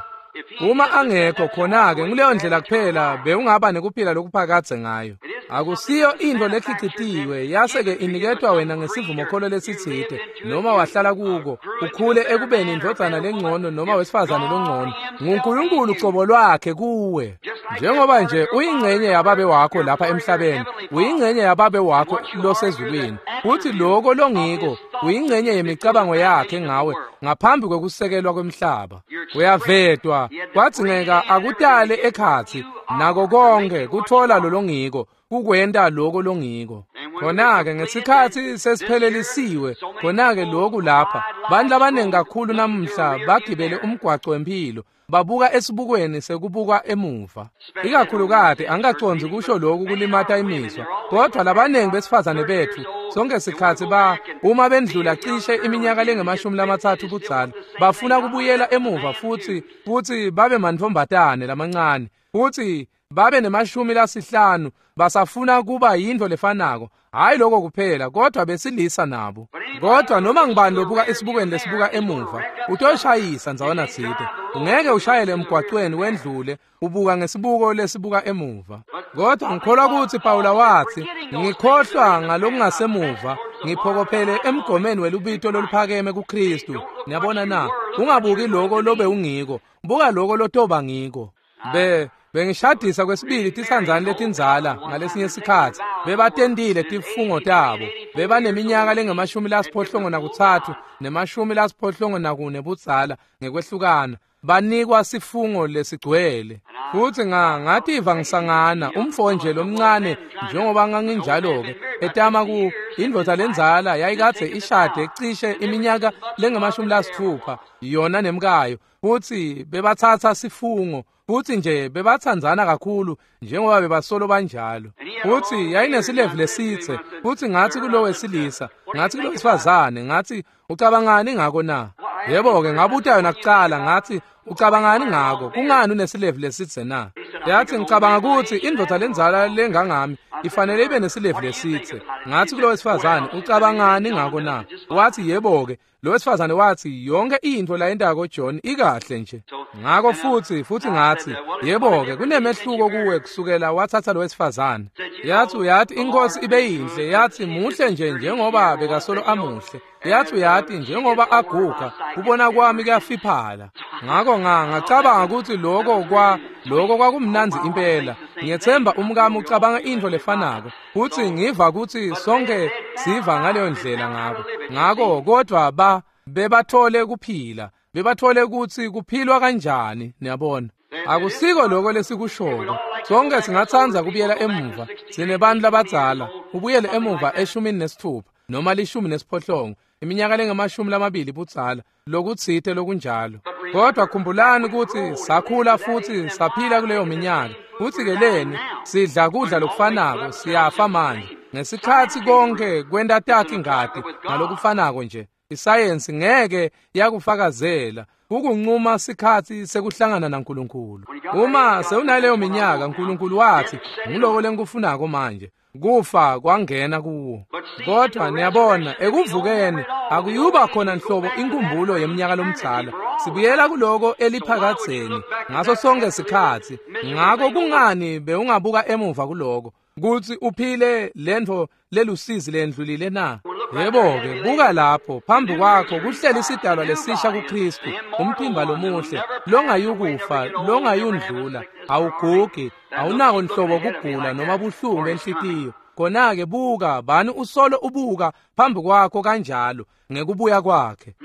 Uma angekho khona-ke nguleyo ndlela kuphela bewungaba nekuphila lokuphakathe ngayo. Akusiyo into lekhicitiwe yase-ke iniketwa wena ngesivumokholo lesitsite noma wahlala kuko ukhule ekubeni indvodzana lengcono noma wesifazane longcono. NguNkulunkulu cobo lwakhe kuwe. Njengoba nje uyingxenye yababe wakho lapha emhlabeni, uyingxenye yababe wakho losezulwini. Futhi lokho longiko uyingxenye yemicabango yakhe ngawe ngaphambi kwekusekelwa kwemhlaba. Uyavetwa kwadzingeka akutale ekhatsi nako konke kuthola lolongiko kukwenta lokho longiko. Khona-ke ngesikhathi sesiphelelisiwe, khona-ke lokhu lapha bantu labaningi kakhulu namuhla bagibele umgwaco wempilo, babuka esibukweni sekubuka emuva. Ikakhulukati angikacondzi kusho lokhu kulimata imizwa, kodwa labaningi besifazane bethu sonke sikhathi ba uma bendlula cishe iminyaka lengemashumi lamathathu budzala bafuna kubuyela emuva futhi futhi babe mantfombatane lamancane futhi babe nemashumi lasihlanu, basafuna kuba yintfo lefanako. Hayi lokho kuphela, kodwa besilisa nabo. Kodwa noma ngibani lobuka esibukweni lesibuka emuva utoshayisa ndzawana tsite. Ungeke ushayele emgwacweni wendlule ubuka ngesibuko lesibuka emuva. Kodwa ngikholwa ukuthi Pawula wathi, ngikhohlwa ngalokungasemuva, ngiphokophele emgomeni welubito loluphakeme kuKristu. Niyabona na? Ungabuki lokho lobe ungiko, buka lokho lotoba ngiko. Be bengishadisa kwesibili tisandzane letindzala ngalesinye sikhatsi. Bebatentile tifungo tabo. Bebaneminyaka lengemashumi lasiphohlongo nakutsatfu nemashumi lasiphohlongo nakune budzala ngekwehlukana. Banikwa sifungo lesigcwele. Futhi nga ngativa ngisangana umfo nje lomncane njengoba nganginjalo-ke etama ku indvodza lendzala yayikadze ishade cishe iminyaka lengemashumi lasitfupha yona nemkayo. Futhi bebathatha sifungo, futhi nje bebathandzana kakhulu njengoba bebasolo banjalo. Futhi yayinesilevu lesitse. Futhi ngathi kulo wesilisa, ngathi kulo wesifazane, ngathi ucabangani ngako na? Yebo-ke ngabuta yona kucala, ngathi ucabangani ngako? Kungani unesilevu lesitse na? Yathi ngicabanga ukuthi indvodza lendzala lengangami ifanele ibe nesilevu lesitse. Ngathi kulo wesifazane, ucabangani ngako na? Wathi yebo-ke. Lo wesifazane wathi yonke into layentako John ikahle nje. Ngako futsi futsi ngatsi, yebo-ke, kunemehluko kuwe kusukela watsatsa lo wesifazane. Yathi uyati inkosi ibe yinhle, yathi muhle nje njengoba bekasolo amuhle. Yathi uyati njengoba aguga, kubona kwami kuyafiphala. Ngako nga ngacabanga kutsi lokho kwa lokho kwakumnandzi impela. Ngiyethemba umkami ucabanga intfo lefanako. Futsi ngiva kutsi sonke siva ngaleyo ndlela ngako. Ngako kodwa ba bebathole kuphila, bebathole kutsi kuphilwa kanjani, niyabona. Akusiko lokho lesikushoko. Sonke singatsandza kubuyela emuva. Sinebantu labadzala, ubuyele emuva eshumini nesithupha noma lishumi nesiphohlongo, iminyaka lengamashumi lamabili budzala, lokutsite lokunjalo. Kodwa khumbulani kutsi sakhula futsi saphila kuleyo minyaka. Futsi ke leni sidla kudla lokufanako, siyafa manje. Ngesikhatsi konke kwenta takhe ingati ngalokufanako nje. Isayensi ngeke yakufakazela ukuncuma sikhatsi sekuhlangana naNkulunkulu. Uma sewunaleyo minyaka, uNkulunkulu wathi ngiloko lengikufunako manje. Kufa kwangena kuwo. Kodwa niyabona ekuvukeni akuyuba khona nhlobo inkumbulo yeminyaka lomdzala. Sibuyela kuloko eliphakadzeni ngaso sonke sikhatsi. Ngako kungani bewungabuka emuva kuloko kutsi uphile lentfo lelusizi lendlulile na? Yebo-ke, buka lapho phambi kwakho kuhleli isidalwa lesisha kuKristu, umtimba lomuhle longayukufa, longayundlula, awugugi, awunako nhlobo kugula noma buhlungu benhlitiyo. Khona-ke buka bani usolo ubuka phambi kwakho kanjalo ngekubuya kwakhe.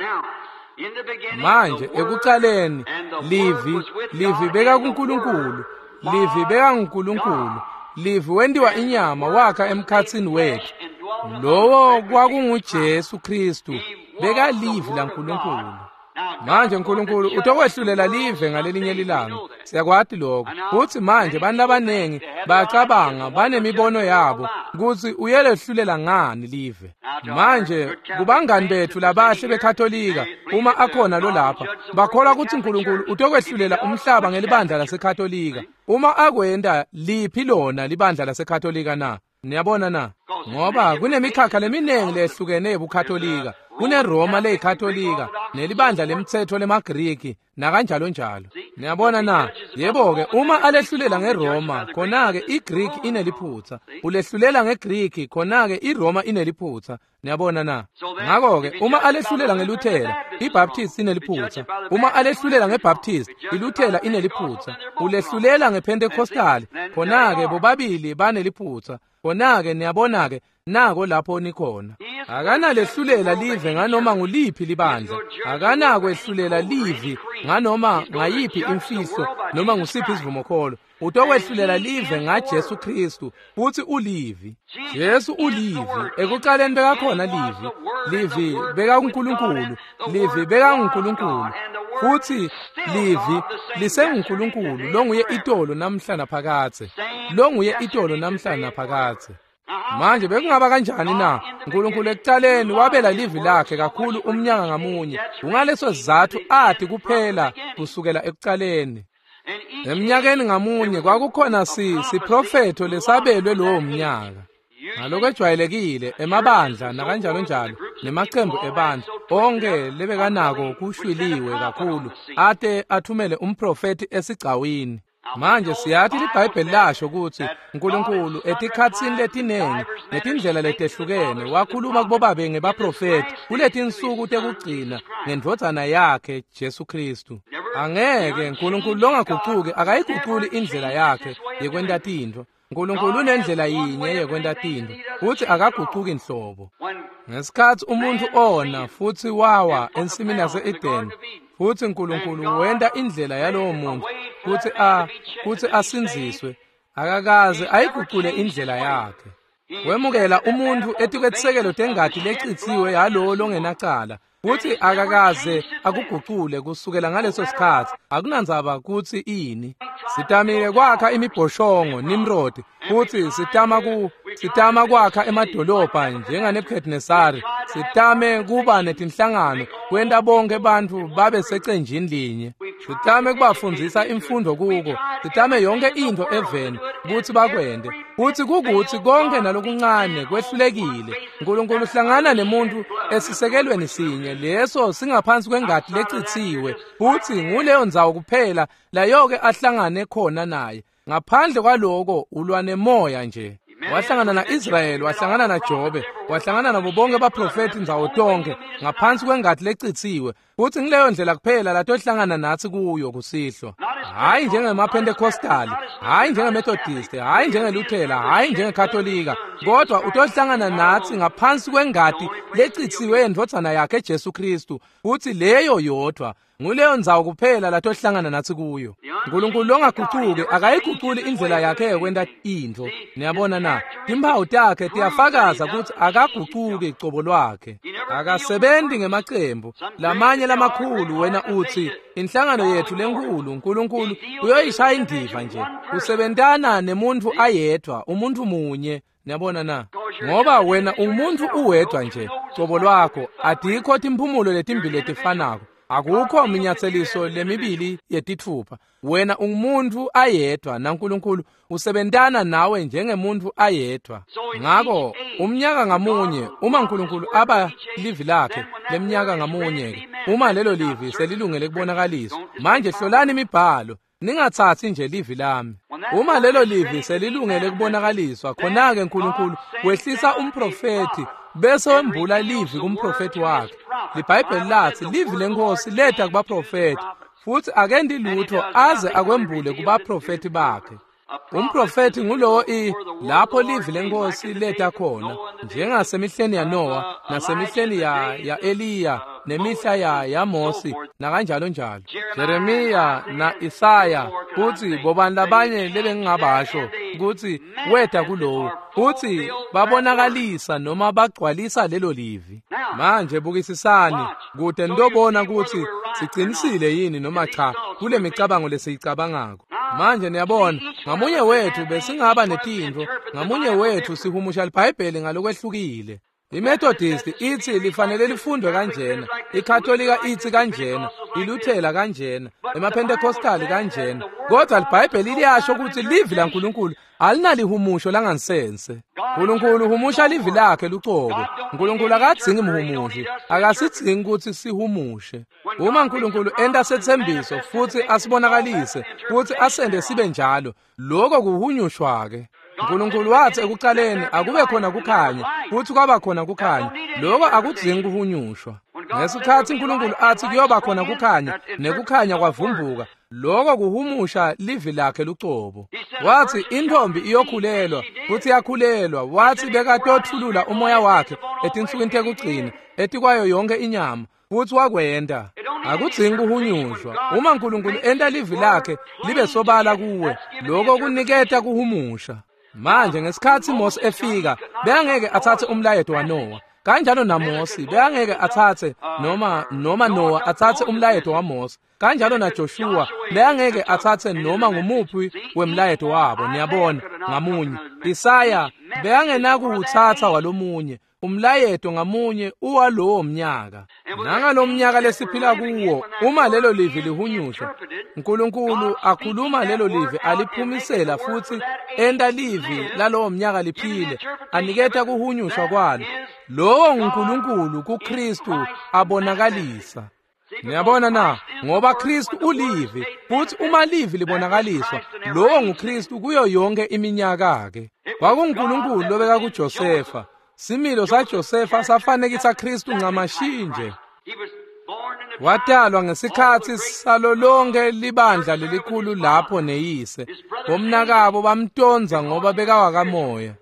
Manje ekucaleni livi livi beka kuNkulunkulu, livi beka nguNkulunkulu, livi wentiwa inyama wakha emkhatsini wethu. Lowo kwakunguJesu Kristu, bekalivi laNkulunkulu. Manje uNkulunkulu utokwehlulela live ngalelinye lilanga. Siyakwati lokho. Futsi manje bantu labanengi bayacabanga banemibono yabo kutsi uyelehlulela ngani live. Manje kubangani bethu labahle beKatolika, uma akhona lo lapha, bakholwa kutsi uNkulunkulu utokwehlulela umhlaba ngelibandla laseKatolika. Uma akwenta, liphi lona libandla laseKatolika na? Niyabona na? Ngoba kunemikhakha leminingi lehlukene yebuKatolika. KuneRoma leyiKatolika, nelibandla lemtsetfo lemaGriki, nakanjalo njalo. Niyabona na? Yebo-ke, uma alehlulela ngeRoma, khona-ke iGriki ineliphutsa. Ulehlulela ngeGriki, khona-ke iRoma ineliphutsa. Niyabona na? Ngako-ke, uma alehlulela ngeLuthela, iBaptist ineliphutsa. Uma alehlulela ngeBaptist, iLuthela ineliphutsa. Ulehlulela ngePentecostal, khona-ke bobabili baneliphutsa. Khona-ke niyabona-ke, nako lapho nikhona. Akanalehlulela live nganoma nguliphi libandla. Akanakwehlulela livi nganoma ngayiphi imfihlo noma ngusiphi isivumokholo. Utokwehlulela live ngaJesu Kristu, futsi ulivi. Jesu ulivi. Ekucaleni bekakhona livi. Livi bekakuNkulunkulu. Livi bekanguNkulunkulu. Futsi livi lisenguNkulunkulu longuye itolo namhla naphakadze. Longuye itolo namhla naphakadze. Manje bekungaba kanjani na? uNkulunkulu ekucaleni wabela livi lakhe kakhulu umnyaka ngamunye. Kungaleso sizatfu athi kuphela kusukela ekucaleni. Emnyakeni ngamunye kwakukhona si siprofetho lesabelwe lowo mnyaka. Ngalokwejwayelekile emabandla nakanjalo njalo nemacembu ebandla onke lebekanako kushwiliwe kakhulu ate athumele umprofethi esigcawini. Manje siyathi liBhayibheli lasho kutsi uNkulunkulu etikhatsini letinengi netindlela letehlukene wakhuluma kubobabe ngebaprofethi kuletinsuku tekugcina ngendvodzana yakhe Jesu Kristu. Angeke uNkulunkulu longagucuki akayiguculi indlela yakhe yekwenta tintfo. uNkulunkulu unendlela yinye yekwenta tintfo, futsi akagucuki nhlobo. Ngesikhatsi umuntfu ona futsi wawa ensimini yase-Edeni, futsi uNkulunkulu wenta indlela yalowo muntu kutsi a kutsi asindziswe, akakaze ayigucule indlela yakhe. Wemukela umuntfu etikwetisekelo tengati lecitsiwe yalowo longenacala, futsi akakaze akugucule kusukela ngaleso sikhatsi. Akunandzaba kutsi ini. Sitamile kwakha imibhoshongo Nimrod, futsi sitama ku Sitama kwakha emadolobha njengaNebuchadnezzar. Sitame kuba netinhlangano kwenta bonke bantfu babe secenjini linye. Sitame kubafundzisa imfundo kuko. Sitame yonke intfo eveni kutsi bakwente. Futsi kukuthi konke nalokuncane kwehlulekile. Nkulunkulu uhlangana nemuntu esisekelweni sinye leso singaphansi kwengati lecitsiwe, futsi nguleyo ndzawo kuphela layoke ahlangane khona naye. Ngaphandle kwaloko ulwa nemoya nje. Wahlangana na-Israyeli, wahlangana naJobe, wahlangana nabo bonke baprofethi ndzawo tonke ngaphansi kwengati lecitsiwe, futsi ngileyo ndlela kuphela latohlangana natsi kuyo kusihlwa. Hhayi njengemaPentecostali, hhayi njengeMethodist, hhayi njengeLuthela, hhayi njengeKatolika, kodwa utohlangana natsi ngaphansi kwengati lecitsiwe yendvodzana yakhe Jesu Kristu, futsi leyo yodvwa nguleyo ndzawo kuphela latohlangana natsi kuyo. Nkulunkulu longagucuki akayiguculi indlela yakhe yokwenta intfo. Niyabona na? Timphawu takhe tiyafakaza kutsi akagucuki cobo lwakhe. Akasebenzi ngemacembu lamanye lamakhulu. Wena utsi inhlangano yethu lenkulu, Nkulunkulu uyoyishaya indiva nje. Usebentana nemuntfu ayedvwa, umuntfu munye. Niyabona na? Ngoba wena umuntfu uwedvwa nje cobo lwakho. Atikho timphumulo letimbili letifanako. Akukho minyatseliso lemibili yetitfupha. Wena ungumuntu ayedvwa naNkulunkulu usebentana nawe njengemuntu ayedvwa. Ngako umnyaka ngamunye uma uNkulunkulu aba livi lakhe lemnyaka ngamunye, uma lelo livi selilungele kubonakaliswa. Manje hlolani imibhalo, ningatsatsi nje livi lami. Uma lelo livi selilungele kubonakaliswa, khona-ke uNkulunkulu wehlisa umprofethi bese wembula livi kumprofethi wakhe. LiBhayibheli lathi livi lenkosi leta kubaprofethi, futsi akendi lutho aze akwembule kubaprofethi bakhe. Umprofethi ngulowo i lapho livi lenkosi leta khona, njengasemihleni yaNoah nasemihleni ya ya Eliya nemihla ya yaMosi nakanjalo njalo. Jeremiya na Isaya, kutsi bobani labanye lebengingabasho kutsi weta kulowo, kutsi babonakalisa noma bagcwalisa lelo livi. Manje bukisisani kute nitobona kutsi sicinisile yini noma cha kule micabango lesiyicabangako. Manje niyabona, ngamunye wethu besingaba netintfo, ngamunye wethu sihumusha liBhayibheli ngalokwehlukile. IMethodist ithi lifanele lifundwe kanjena, iKatolika ithi kanjena, iLuthela kanjena, emaPentecostali kanjena, kodwa liBhayibheli liyasho ukuthi livi laNkulunkulu alinalihumusho langansense. Nkulunkulu uhumusha livi lakhe lucobo. Nkulunkulu akadzingi mhumushi, akasidzingi ukuthi sihumushe. Uma Nkulunkulu enta setsembiso futhi asibonakalise futhi asende sibe njalo, lokho kuhunyushwa ke. Nkulunkulu wathi ekuqaleni akube khona kukhanya, futhi kwaba khona kukhanya. Lokho akudzingi kuhunyushwa. Ngesikhathi uNkulunkulu athi kuyoba khona kukhanya, nekukhanya kwavumbuka, lokho kuhumusha livi lakhe lucobo. Wathi intombi iyokhulelwa, futhi yakhulelwa. Wathi bekatothulula umoya wakhe etinsukwini tekugcina etikwayo yonke inyama, futhi wakwenta. Akudzingi kuhunyushwa. Uma uNkulunkulu enta livi lakhe libe sobala kuwe, lokho kuniketa kuhumusha. Manje ngesikhathi Mose efika, bekangeke athathe umlayeto waNoah. Kanjalo naMose bekangeke athathe noma noma Noah athathe umlayeto waMose. Kanjalo naJoshua bekangeke athathe noma ngumuphi wemlayeto wabo. Niyabona, ngamunye. Isaya bekangenakuwutsatsa walomunye. Umlayeto ngamunye uwalowo mnyaka. Nangalomnyaka lesiphila kuwo, uma lelo livi lihunyushwa, uNkulunkulu akhuluma lelo livi aliphumisela futhi enta livi lalowo mnyaka liphile, aniketa kuhunyushwa kwalo. Lowo nguNkulunkulu kuKristu abonakalisa. Niyabona na? Ngoba Kristu ulivi, futhi uma livi libonakaliswa, lowo nguKristu kuyo yonke iminyaka ke. KwakunguNkulunkulu lobeka kuJosefa. Similo saJosefa safanekisa Kristu ncamashinje. Watalwa ngesikhathi salo lonke libandla lelikhulu lapho neyise. Bomnakabo bamtonza ngoba bekawakamoya.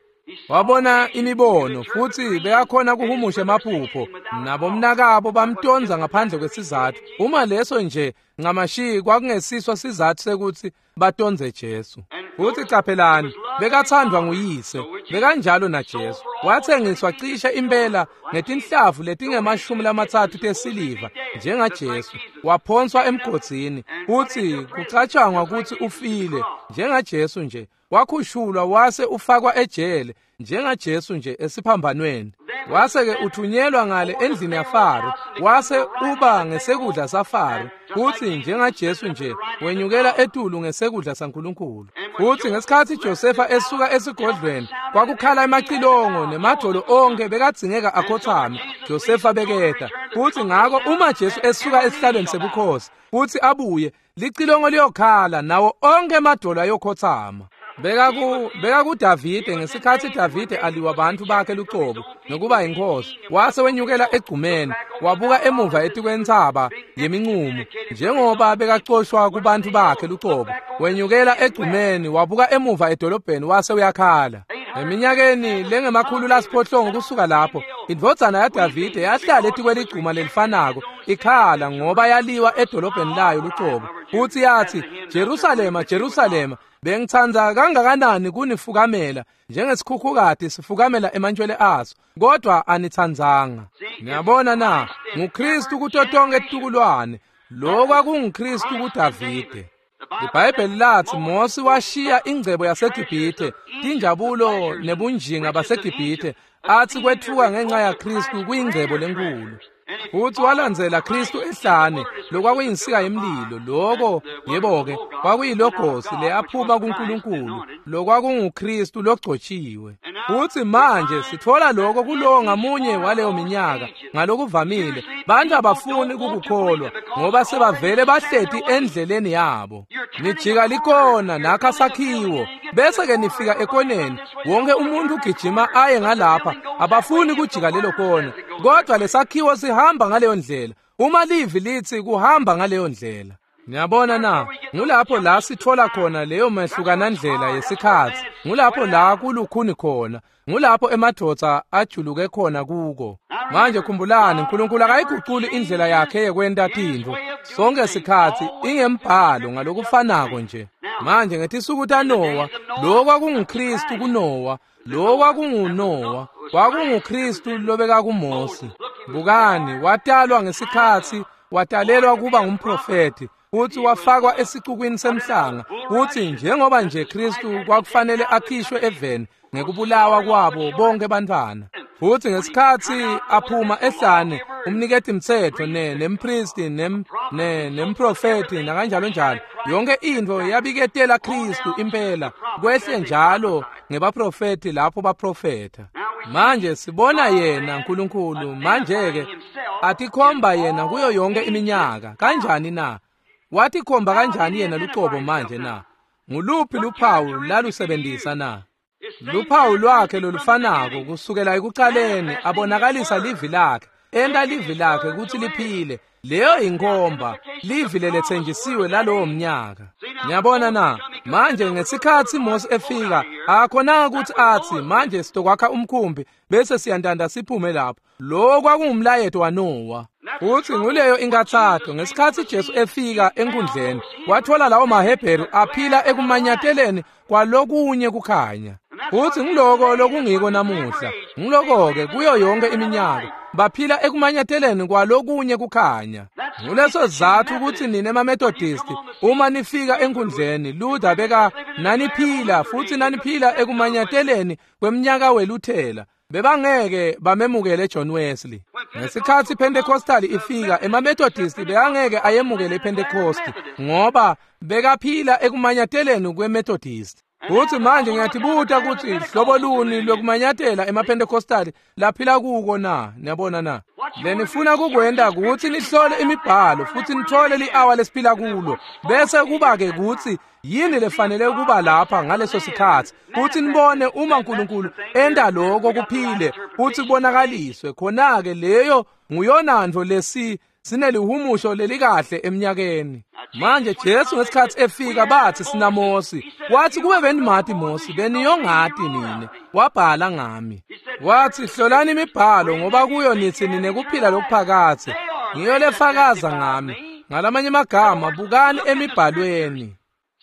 Wabona imibono futhi bekakhona kuhumusha emaphupho. Nabomnakabo bamtonza ngaphandle kwesizathu. Uma leso nje ncamashi kwakungesiswa sizathu sekuthi batonze Jesu. Futhi qaphelani, bekathandwa nguyise, bekanjalo naJesu. Wathengiswa cishe impela ngetinhlavu letingemashumi lamatsatfu tesiliva njengaJesu. Waphonswa emgodzini futhi kucatshangwa ukuthi ufile njengaJesu nje. Wakhushulwa wase ufakwa ejele njengaJesu nje esiphambanweni. Wase-ke uthunyelwa ngale endlini yaFaro, wase uba ngesekudla saFaro, futsi njengaJesu nje wenyukela etulu ngesekudla saNkulunkulu. Futsi ngesikhatsi Josefa esuka esigodlweni, kwakukhala emacilongo nemadvolo onkhe bekadzingeka akhotsame. Josefa beketa. Futsi ngako uma Jesu esuka esihlalweni sebukhosi futsi abuye, licilongo liyokhala nawo onkhe emadvolo ayokhotsama. Bekaku bekakuDavide ngesikhatsi Davide aliwa bantfu bakhe lucobo nokuba inkosi, wase wenyukela egcumeni, wabuka emuva etikwentsaba yeminqumo njengoba bekacoshwa kubantfu bakhe lucobo. Wenyukela egcumeni, wabuka emuva edolobheni, wase uyakhala. Eminyakeni lengemakhulu lasiphohlongo kusuka lapho, indvodzana yaDavide yahlala etikweligcuma lelifanako ikhala ngoba yaliwa edolobheni layo lucobo. Futsi yathi, Jerusalema, Jerusalema, bengitsandza kangakanani kunifukamela njengesikhukhukati sifukamela emantjwele aso, kodwa anitsandzanga. Niyabona na, nguKristu kuto tonkhe titukulwane. Lokwa kunguKristu kuDavide. IBhayibheli lathi Mosi washiya ingcebo yaseGibhithe, tinjabulo nebunjinga baseGibhithe, athi kwetfuka ngenxa yaKristu kuyingcebo lenkulu. Futsi walandzela Kristu ehlane, lokwakuyinsika yemlilo, loko yebo-ke kwakuyilogosi leyaphuma kuNkulunkulu, lokwakunguKristu logcotshiwe. Futsi manje sitfola loko kulowo ngamunye waleyo minyaka. Ngalokuvamile bantfu abafuni kukukholwa ngoba sebavele bahleti endleleni yabo. Nijika likona nakha sakhiwo, bese-ke nifika ekoneni, wonke umuntu ugijima aye ngalapha, abafuni kujika lelo kona, kodwa lesakhiwo sihamba ngaleyo ndlela. Uma livi lithi kuhamba ngaleyo ndlela. Niyabona na, ngulapho la sitfola khona leyo mehlukanandlela yesikhatsi, ngulapho la kulukhuni khona, ngulapho emadvodza ajuluke khona kuko. Manje khumbulani, uNkulunkulu akayiguculi indlela yakhe yekwenta tintfo sonke sikhatsi, ingembhalo ngalokufanako nje. Manje ngetisuku taNowa, lo kwakunguKristu kuNowa, lo kwakunguNowa, kwakunguKristu lobeka kuMosi. Bukani, watalwa ngesikhatsi, watalelwa kuba ngumprofeti, futsi wafakwa esicukwini semhlanga, kutsi njengoba nje Kristu kwakufanele akhishwe eveni ngekubulawa kwabo bonke bantfwana. Futsi ngesikhatsi aphuma ehlane, umniketi mtsetfo ne nempristi nem ne nemprofeti nakanjalo njalo, yonke intfo yabiketela Kristu impela, kwehle njalo ngebaprofeti lapho baprofetha. Manje sibona yena uNkulunkulu manje-ke atikhomba yena kuyo yonke iminyaka. Kanjani na? Watikhomba kanjani yena lucobo manje na? Nguluphi luphawu lalusebenzisa na? Luphawu lwakhe lolufanako kusukela ekucaleni, abonakalisa livi lakhe, enta livi lakhe kutsi liphile. Leyo inkhomba, livi leletsenjisiwe lalowo mnyaka. Niyabona na? Manje ngesikhatsi Mose efika, akhonanga kutsi atsi manje sitokwakha umkhumbi bese siyantanta siphume lapho. Lo kwakungumlayeto waNowa. Futsi nguleyo inkathato ngesikhatsi Jesu efika enkundleni, watfola lawo maHebheru aphila ekumanyateleni kwalokunye kukhanya. Futsi ngiloko lokungiko namuhla, ngiloko-ke kuyo yonke iminyaka, baphila ekumanyateleni kwalokunye kukhanya. Nguleso sizatfu kutsi nine emaMethodisti uma nifika enkundleni, Luther beka naniphila futsi naniphila ekumanyateleni kwemnyaka weLuthela, bebangeke bamemukele John Wesley. Ngesikhatsi iPentecostal ifika, emaMethodisti bekangeke ayemukele iPentecost ngoba bekaphila ekumanyateleni kweMethodist. Futsi manje ngiyatibuta kutsi hlobo luni lwekumanyatela emaPentecostal laphila kuko na? Niyabona na? Lenifuna kukwenta kutsi nihlole imibhalo futsi nitfole li-awa lesiphila kulo, bese kuba-ke kutsi yini lefanele kuba lapha ngaleso sikhatsi, futsi nibone uma uNkulunkulu enta loko kuphile futsi kubonakaliswe khona-ke. Leyo nguyonantfo lesi sinelihumusho lelikahle eminyakeni. Manje Jesu ngesikhatsi efika bathi sinaMosi, wathi kube benimati Mosi beniyongati nine, wabhala ngami. Wathi hlolani imibhalo ngoba kuyo nithi ninekuphila lokuphakadze, ngiyo lefakaza ngami. Ngalamanye amagama, bukani emibhalweni.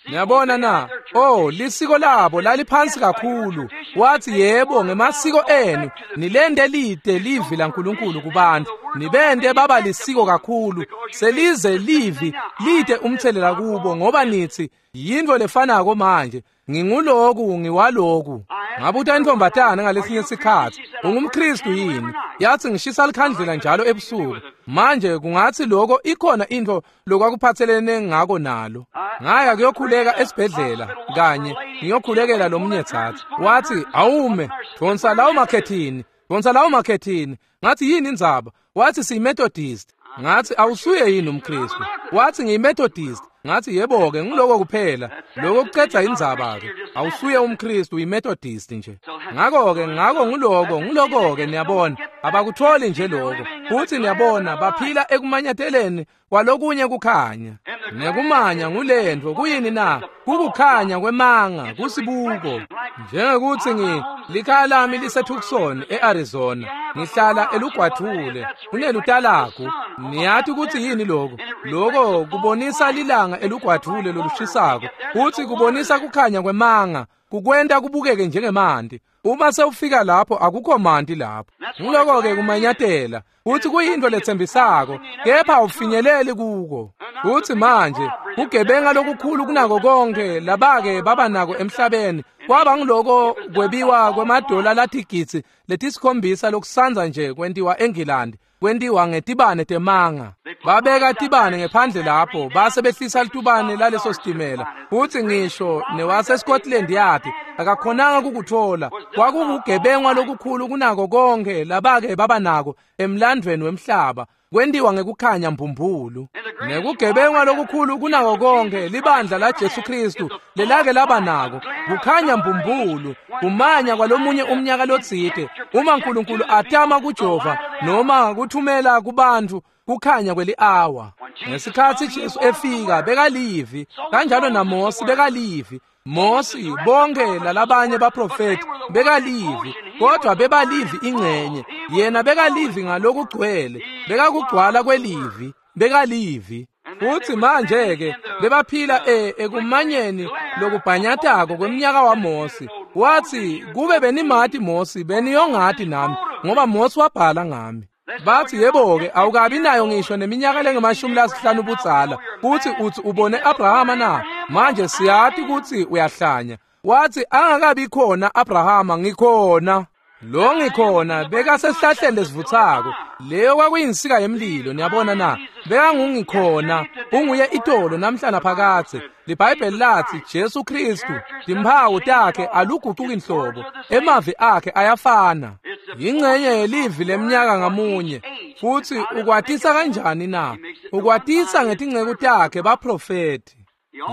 Niyabona na? Oh, lisiko labo laliphansi kakhulu. Wathi yebo, ngemasiko enu nilende lide livi laNkulunkulu kubantu, nibende baba lisiko kakhulu, selize livi lide umthelela kubo, ngoba nithi yintfo lefanako manje. Nginguloku ngiwaloku. Ngabuta intfombatana ngalesinye sikhatsi, ungumKhristu yini? Yathi ngishisa likhandlela njalo ebusuku. Manje kungathi lokho ikhona into lokwakuphathelene ngako nalo. Ngaya kuyokhuleka esibhedlela kanye ngiyokhulekela lomunye thatha. Wathi awume, donsa lawo makhethini, donsa lawo makhethini. Ngathi yini indzaba? Wathi siyiMethodist. Ngathi awusuye yini umKhristu? Wathi ngiyiMethodist. Ngathi yebo ke ngiloko kuphela. Lokho kucedza indzaba ke. Awusuye umKhristu, uyiMethodist nje. Ngakho ke ngakho ngiloko ngiloko ke niyabona. Abakutholi nje lokho. Futhi niyabona baphila ekumanyateleni kwalokunye kukhanya. Nekumanya ngulento kuyini na? Kukukhanya kwemanga, kusibuko. Njengekuthi ngi likhaya lami liseTucson eArizona. Ngihlala elugwadvule kunelutalagu. Niyathi ukuthi yini lokho? Lokho kubonisa lilanga elugwadvule lolushisako. Futhi kubonisa kukhanya kwemanga, kukwenta kubukeke njengemanti. Uma sewufika lapho akukho manti lapho. Ngiloko ke kumanyatela. Futhi kuyinto letsembisako, kepha awufinyeleli kuko. Futhi manje kugebenga lokukhulu kunako konke labake baba nako emhlabeni kwaba ngiloko kwebiwa kwemadola latigitsi letisikhombisa lokusanza nje kwentiwa eNgilandi, kwentiwa ngetibane temanga. Babeka tibane ngephandle lapho base behlisa litubane laleso sitimela. Futhi ngisho newase Scotland Yard akakhonanga ukukuthola. Kwakukugebengwa lokukhulu kunako konke labake baba nako emlandweni wemhlaba, kwentiwa ngekukhanya mbumbulu. Nekugebengwa lokukhulu kunako konke libandla la Jesu Kristu lelake laba nako kukhanya mbumbulu, kumanya kwalomunye umnyaka lotsite. Uma uNkulunkulu atama kujova noma kuthumela kubantu kukhanya kweli-awa. Ngesikhatsi Jesu efika bekalivi, kanjalo naMosi bekalivi. Mosi bonke lalabanye baprofeti bekalivi, kodwa bebalivi ingcenye. Yena bekalivi ngalokugcwele, bekakugcwala kwelivi, bekalivi. Futhi manje ke bebaphila e ekumanyeni lokubhanyatako kweminyaka waMosi. Wathi kube benimati Mosi beniyongati nami, ngoba Mosi wabhala ngami. Bathi yebo ke awukabi nayo ngisho neminyaka lengemashumi lasihlanu budzala, futhi uthi ubone Abrahama na? Manje siyati ukuthi uyahlanya. Wathi angakabi khona Abrahama ngikhona. Lo ngikhona bekasesihlahleni lesivuthako. Leyo kwakuyinsika yemlilo, niyabona na? Bekangungikhona, unguye itolo namhla naphakadze. LiBhayibheli lathi Jesu Kristu timphawu takhe aluguquki inhlobo, emavi akhe ayafana. Yingcenye yelivi leminyaka ngamunye. Futhi ukwatisa kanjani na? Ukwatisa ngetinceku takhe baprofeti.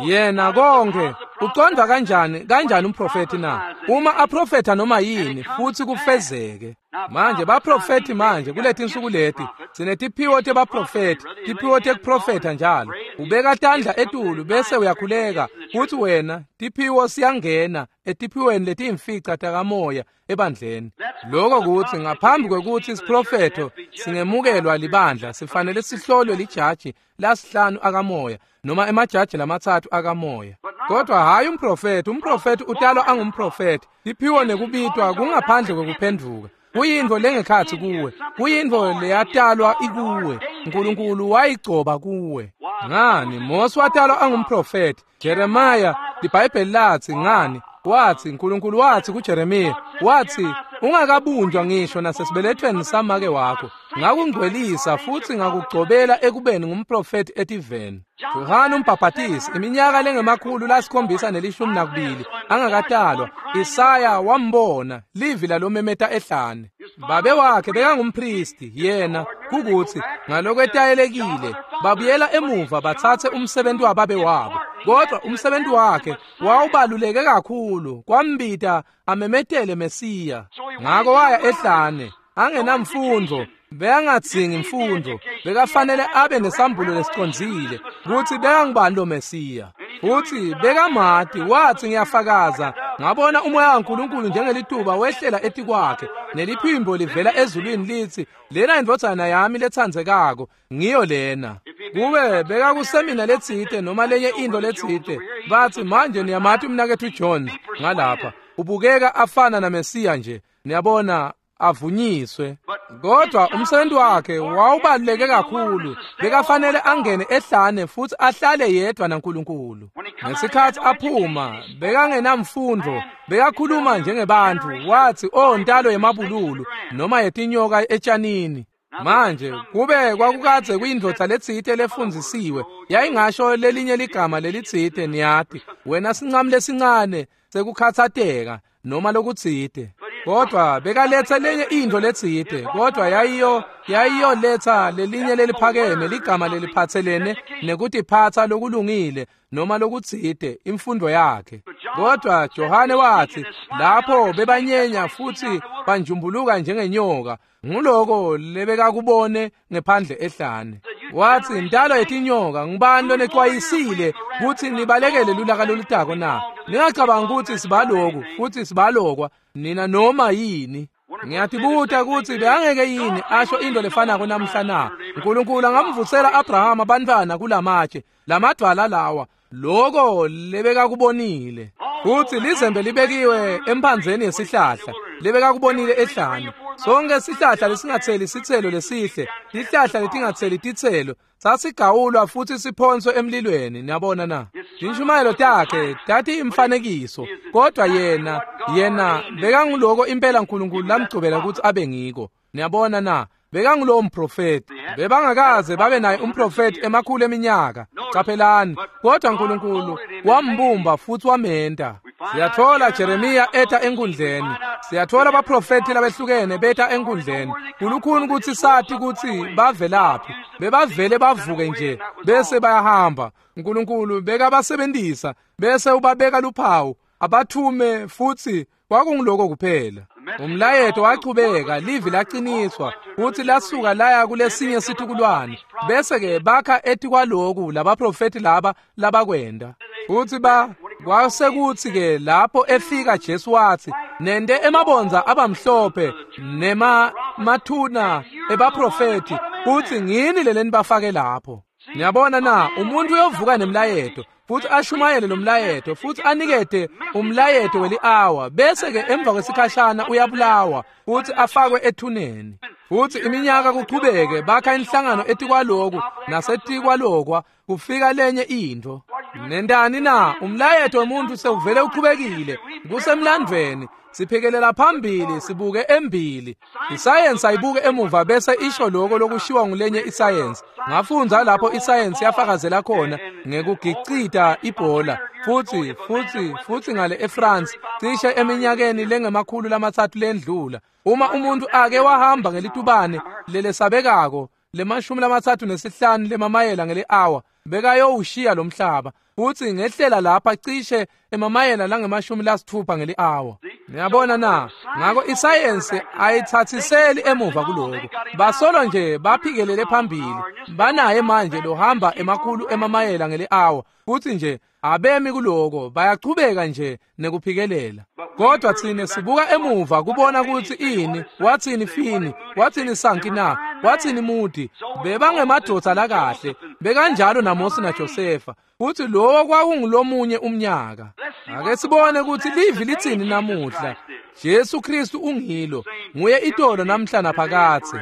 Yena konke ucondwa kanjani kanjani umprofeti na? Uma aprofetha noma yini futhi kufezeke. Manje baprofeti manje kuletinsuku leti sinetiphiwo tebaprofeti, tiphiwo tekuprofetha njalo. Ubeka tandla etulu bese uyakhuleka futhi wena tiphiwo siyangena etiphiweni letiyimfica takamoya ebandleni. Lokho kuthi ngaphambi kwekuthi isiprofetho singemukelwa libandla sifanele sihlolwe lijaji lasihlanu akamoya noma emajaji lamatsatfu akamoya. Kodwa hayi umprofeti, umprofeti utalwa angumprofeti. Tiphiwo nekubitwa kungaphandle kwekuphenduka. Kuyintfo lengekhatsi kuwe, kuyintfo leyatalwa ikuwe. uNkulunkulu wayigcoba kuwe. Ngani Mose watalwa angumprofeti. Jeremiah liBhayibheli lathi ngani wathi uNkulunkulu wathi kuJeremiya wathi ungakabunjwa ngisho nasesibelethweni samake wakho ngakungcwelisa futhi ngakugcobela ekubeni ngumprofeti etiveni. Yohana umbhaphatisi iminyaka lengemakhulu lasikhombisa nelishumi nakubili angakatalwa, Isaya wambona livi lalomemeta ehlane. Babe wakhe bekangumpristi yena kukuthi ngalokwetayelekile babuyela emuva bathathe umsebenzi wababe wabo, kodwa umsebenzi wakhe wawubaluleke kakhulu kwambita amemetele Mesiya. Ngako waya ehlane angenamfundo, bekangadzingi imfundo, bekafanele abe nesambulo lesicondzile kutsi bekangubani lo Mesiya. Futhi bekamati, wathi ngiyafakaza ngabona umoya kaNkulunkulu njengelituba wehlela etikwakhe neliphimbo livela ezulwini lithi lena indvodzana yami letsandzekako ngiyo lena. Kube bekakusemina letsite noma lenye into letsite bathi manje niyamati umnaketfu John ngalapha ubukeka afana naMesiya nje, niyabona avunyiswe. Kodwa umsebenzi wakhe wawubaluleke kakhulu, bekafanele angene ehlane futhi ahlale yedwa naNkulunkulu. Ngesikhathi aphuma bekangenamfundo, bekakhuluma njengebantu, wathi oh ntalo yemabululu noma yetinyoka etshanini. Manje kube kwakukadze kuyindvodza letsite lefundzisiwe, yayingasho lelinye ligama lelitsite, niyati wena sincane lesincane sekukhatsateka noma lokutsite. Kodwa bekaletha lenye into letsite, kodwa yayiyo yayiyoletha lelinye leliphakeme ligama leliphatselene nekutiphatsa lokulungile noma lokutsite, imfundo yakhe. Kodwa Johane wathi lapho bebanyenya futhi banjumbuluka njengenyoka, nguloko lebekakubone ngephandle ehlane. Wathi intalo yetinyoka, ngubani lonexwayisile kutsi nibalekele lulaka lolutako na? Ningacabanga ukuthi sibaloku futhi sibalokwa nina noma yini. Ngiyatibuta kutsi bekangeke yini asho into lefanako namhla na? uNkulunkulu angamvusela Abrahama abantwana kulamatshe lamadwala lawa, loko lebekakubonile. Futhi lizembe libekiwe emphandzeni yesihlahla lebekakubonile ehlane. Sonke sihlahla lesingatheli sithelo lesihle, tihlahla letingatheli titselo sasigawulwa futhi siphonswe emlilweni. Niyabona na? Tinshumayelo takhe tati imfanekiso, kodwa yena yena bekanguloko impela uNkulunkulu lamgcobela ukuthi abe ngiko. Niyabona na? Bekangulowo mprofeti. Bebangakaze babe naye umprofeti emakhulu eminyaka. Caphelani, kodwa uNkulunkulu wambumba futhi wamenta. Siyathola Jeremiya eta enkundleni, siyathola abaprofeti labehlukene beta enkundleni. Kulukhuni ukuthi sathi ukuthi bavelaphi, bebavele bavuke nje bese bayahamba. uNkulunkulu bekabasebenzisa bese ubabeka luphawu abathume, futhi kwakungiloko kuphela. Umlayeto wachubeka, livi laqiniswa futhi lasuka laya kulesinye situkulwane. Bese ke bakha etikwaloku labaprofeti laba labakwenda. Futhi ba kwasekuthi ke lapho efika Jesu wathi nende emabonza abamhlophe nema mathuna ebaprofeti, futhi ngini leleni bafake lapho. Niyabona na? Umuntu uyovuka nemlayeto futhi ashumayele lo mlayeto futhi anikete umlayeto weli-hour, bese ke emva kwesikhashana uyabulawa futhi afakwe ethuneni. Futhi iminyaka kuchubeke bakha inhlangano etikwaloku nasetikwalokwa, kufika lenye into. Nendani na? Umlayeto womuntu sewuvele uchubekile, kusemlandvweni. Siphekelela phambili, sibuke embili. Isayensi ayibuke emuva bese isho lokho lokushiwa ngulenye isayensi. Ngafundza lapho isayensi yafakazela khona ngekugicita ibhola futhi futhi futhi ngale eFrance cishe eminyakeni lengemakhulu lamatsatfu lendlula. Uma umuntu ake wahamba ngelitubane lelesabekako lemashumi lamatsatfu nesihlanu lemamayela ngeli-hour, bekayowushiya lo mhlaba. Futhi ngehlela lapha cishe emamayela langemashumi lasithupha ngeli-hour. Niyabona na? Ngako isayensi ayithathiseli emuva kuloko. Basolo nje baphikelele phambili. Banaye manje lohamba emakhulu emamayela ngeli-hour. Futhi nje abemi kuloko, bayachubeka nje nekuphikelela. Kodwa thina sibuka emuva kubona ukuthi ini, wathini Fini, wathini Sanki na, wathini Mudi, bebangemadoda lakahle, bekanjalo naMose naJosefa. Futhi lowo kwakungulomunye umnyaka. Ake sibone ukuthi livi lithini namuhla. Jesu Kristu ungilo, nguye itolo namhla naphakathe.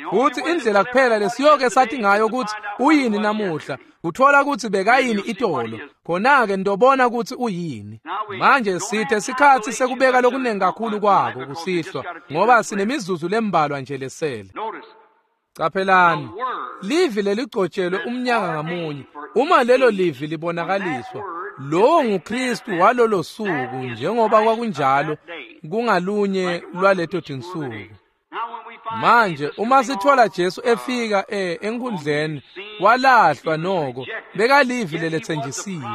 Futhi indlela kuphela lesiyoke sathi ngayo ukuthi uyini namuhla, uthola ukuthi bekayini itolo, khona-ke ndobona ukuthi uyini. Manje sithe sikhathi sekubeka lokunengi kakhulu kwako kusihlwa, ngoba sinemizuzu lembalwa nje lesele. Caphelani, livi leligcotshelwe umnyaka ngamunye. Uma lelo livi libonakaliswa, lowo nguKristu walolo suku, njengoba kwakunjalo kungalunye lwaleto tinsuku. Manje uma sithola Jesu efika eh enkundleni, walahlwa noko, bekalivi lelethenjisiwe.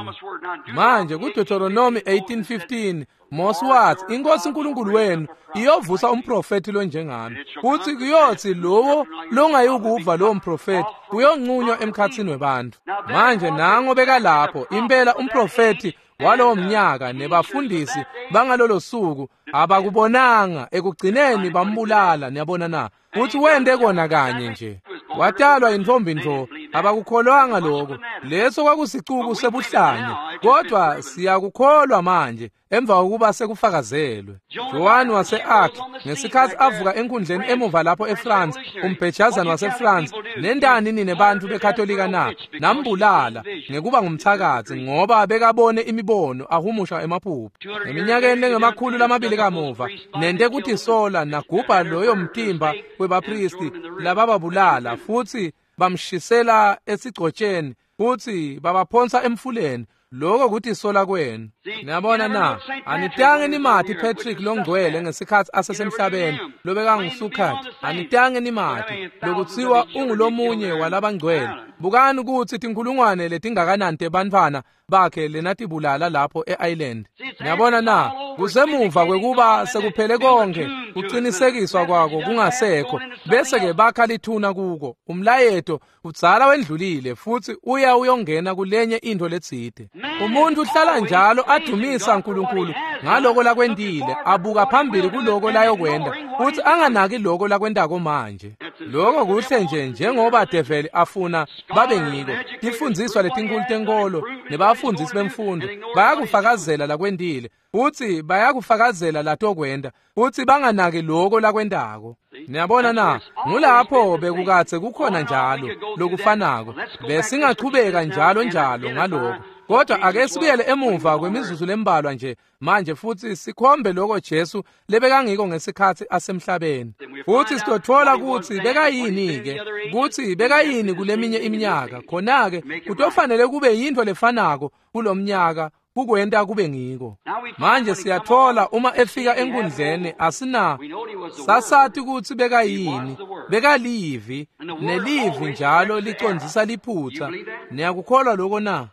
Manje kuDeuteronomy eighteen fifteen Mose wathi inkosi uNkulunkulu wenu iyovusa umprofeti lonjengami, futhi kuyothi lowo longayukuva lowo mprofeti uyonqunywa emkhathini webantu. Manje nango bekalapho impela umprofeti walowo mnyaka nebafundisi bangalolo suku abakubonanga, ekugcineni bambulala. Niyabona na? Futhi wende kona kanye nje. Watalwa intombi nto, Abakukholwanga lokho. Leso kwakusicuku sebuhlanya, kodwa siyakukholwa manje emva kokuba sekufakazelwe. Joan wase-Arc ngesikhathi avuka enkundleni emuva lapho eFrance, umbhejazane waseFrance, nendani nine bantu beKatolika na nambulala ngekuba ngumthakathi ngoba bekabone imibono ahumusha emaphupho. Eminyakeni lengemakhulu lamabili kamuva nente kutisola nagubha loyo mtimba webapristi labababulala futhi bamshisela esigcotsheni futhi babaphonsa emfuleni. Lokho kutisola kwenu. Niyabona na? Anitange nimati Patrick longcwele ngesikhathi asesemhlabeni lobekangusukhathi. Anitange nimati lokutsiwa ungulomunye walabangcwele. Bukani ukuthi tinkhulungwane letingakanani tebantfwana bakhe lenatibulala lapho e-Ireland. Niyabona na? Kusemuva kwekuba sekuphele konke kucinisekiswa kwako kungasekho, bese ke bakha lithuna kuko. Umlayeto udzala wendlulile futhi uya uyongena kulenye into letsite. Umuntu uhlala njalo adumisa uNkulunkulu ngaloko lakwentile, abuka phambili kuloko layokwenda futhi anganaki loko lakwentako manje. Lokho kuhle nje njengoba develi afuna babe ngiko. Tifundziswa letinkulu tenkolo nebafundisi bemfundo bayakufakazela lakwentile futhi bayakufakazela latokwenda futhi banganaki loko lakwentako. Niyabona na? Ngulapho bekukatse kukhona njalo lokufanako. Besingachubeka njalo njalo ngaloko. Kodwa ake sibuyele emuva kwemizuzu lembalwa nje manje futhi sikhombe lokho Jesu lebekangiko ngesikhathi asemhlabeni. Futhi sitothola ukuthi bekayini ke, ukuthi bekayini kuleminye iminyaka. Khona ke kutofanele kube yinto lefanako kulomnyaka kukwenta kube ngiko. Manje siyathola uma efika enkundleni asina sasathi ukuthi bekayini, bekalivi, nelivi njalo licondzisa liphutha. Niyakukholwa lokho na?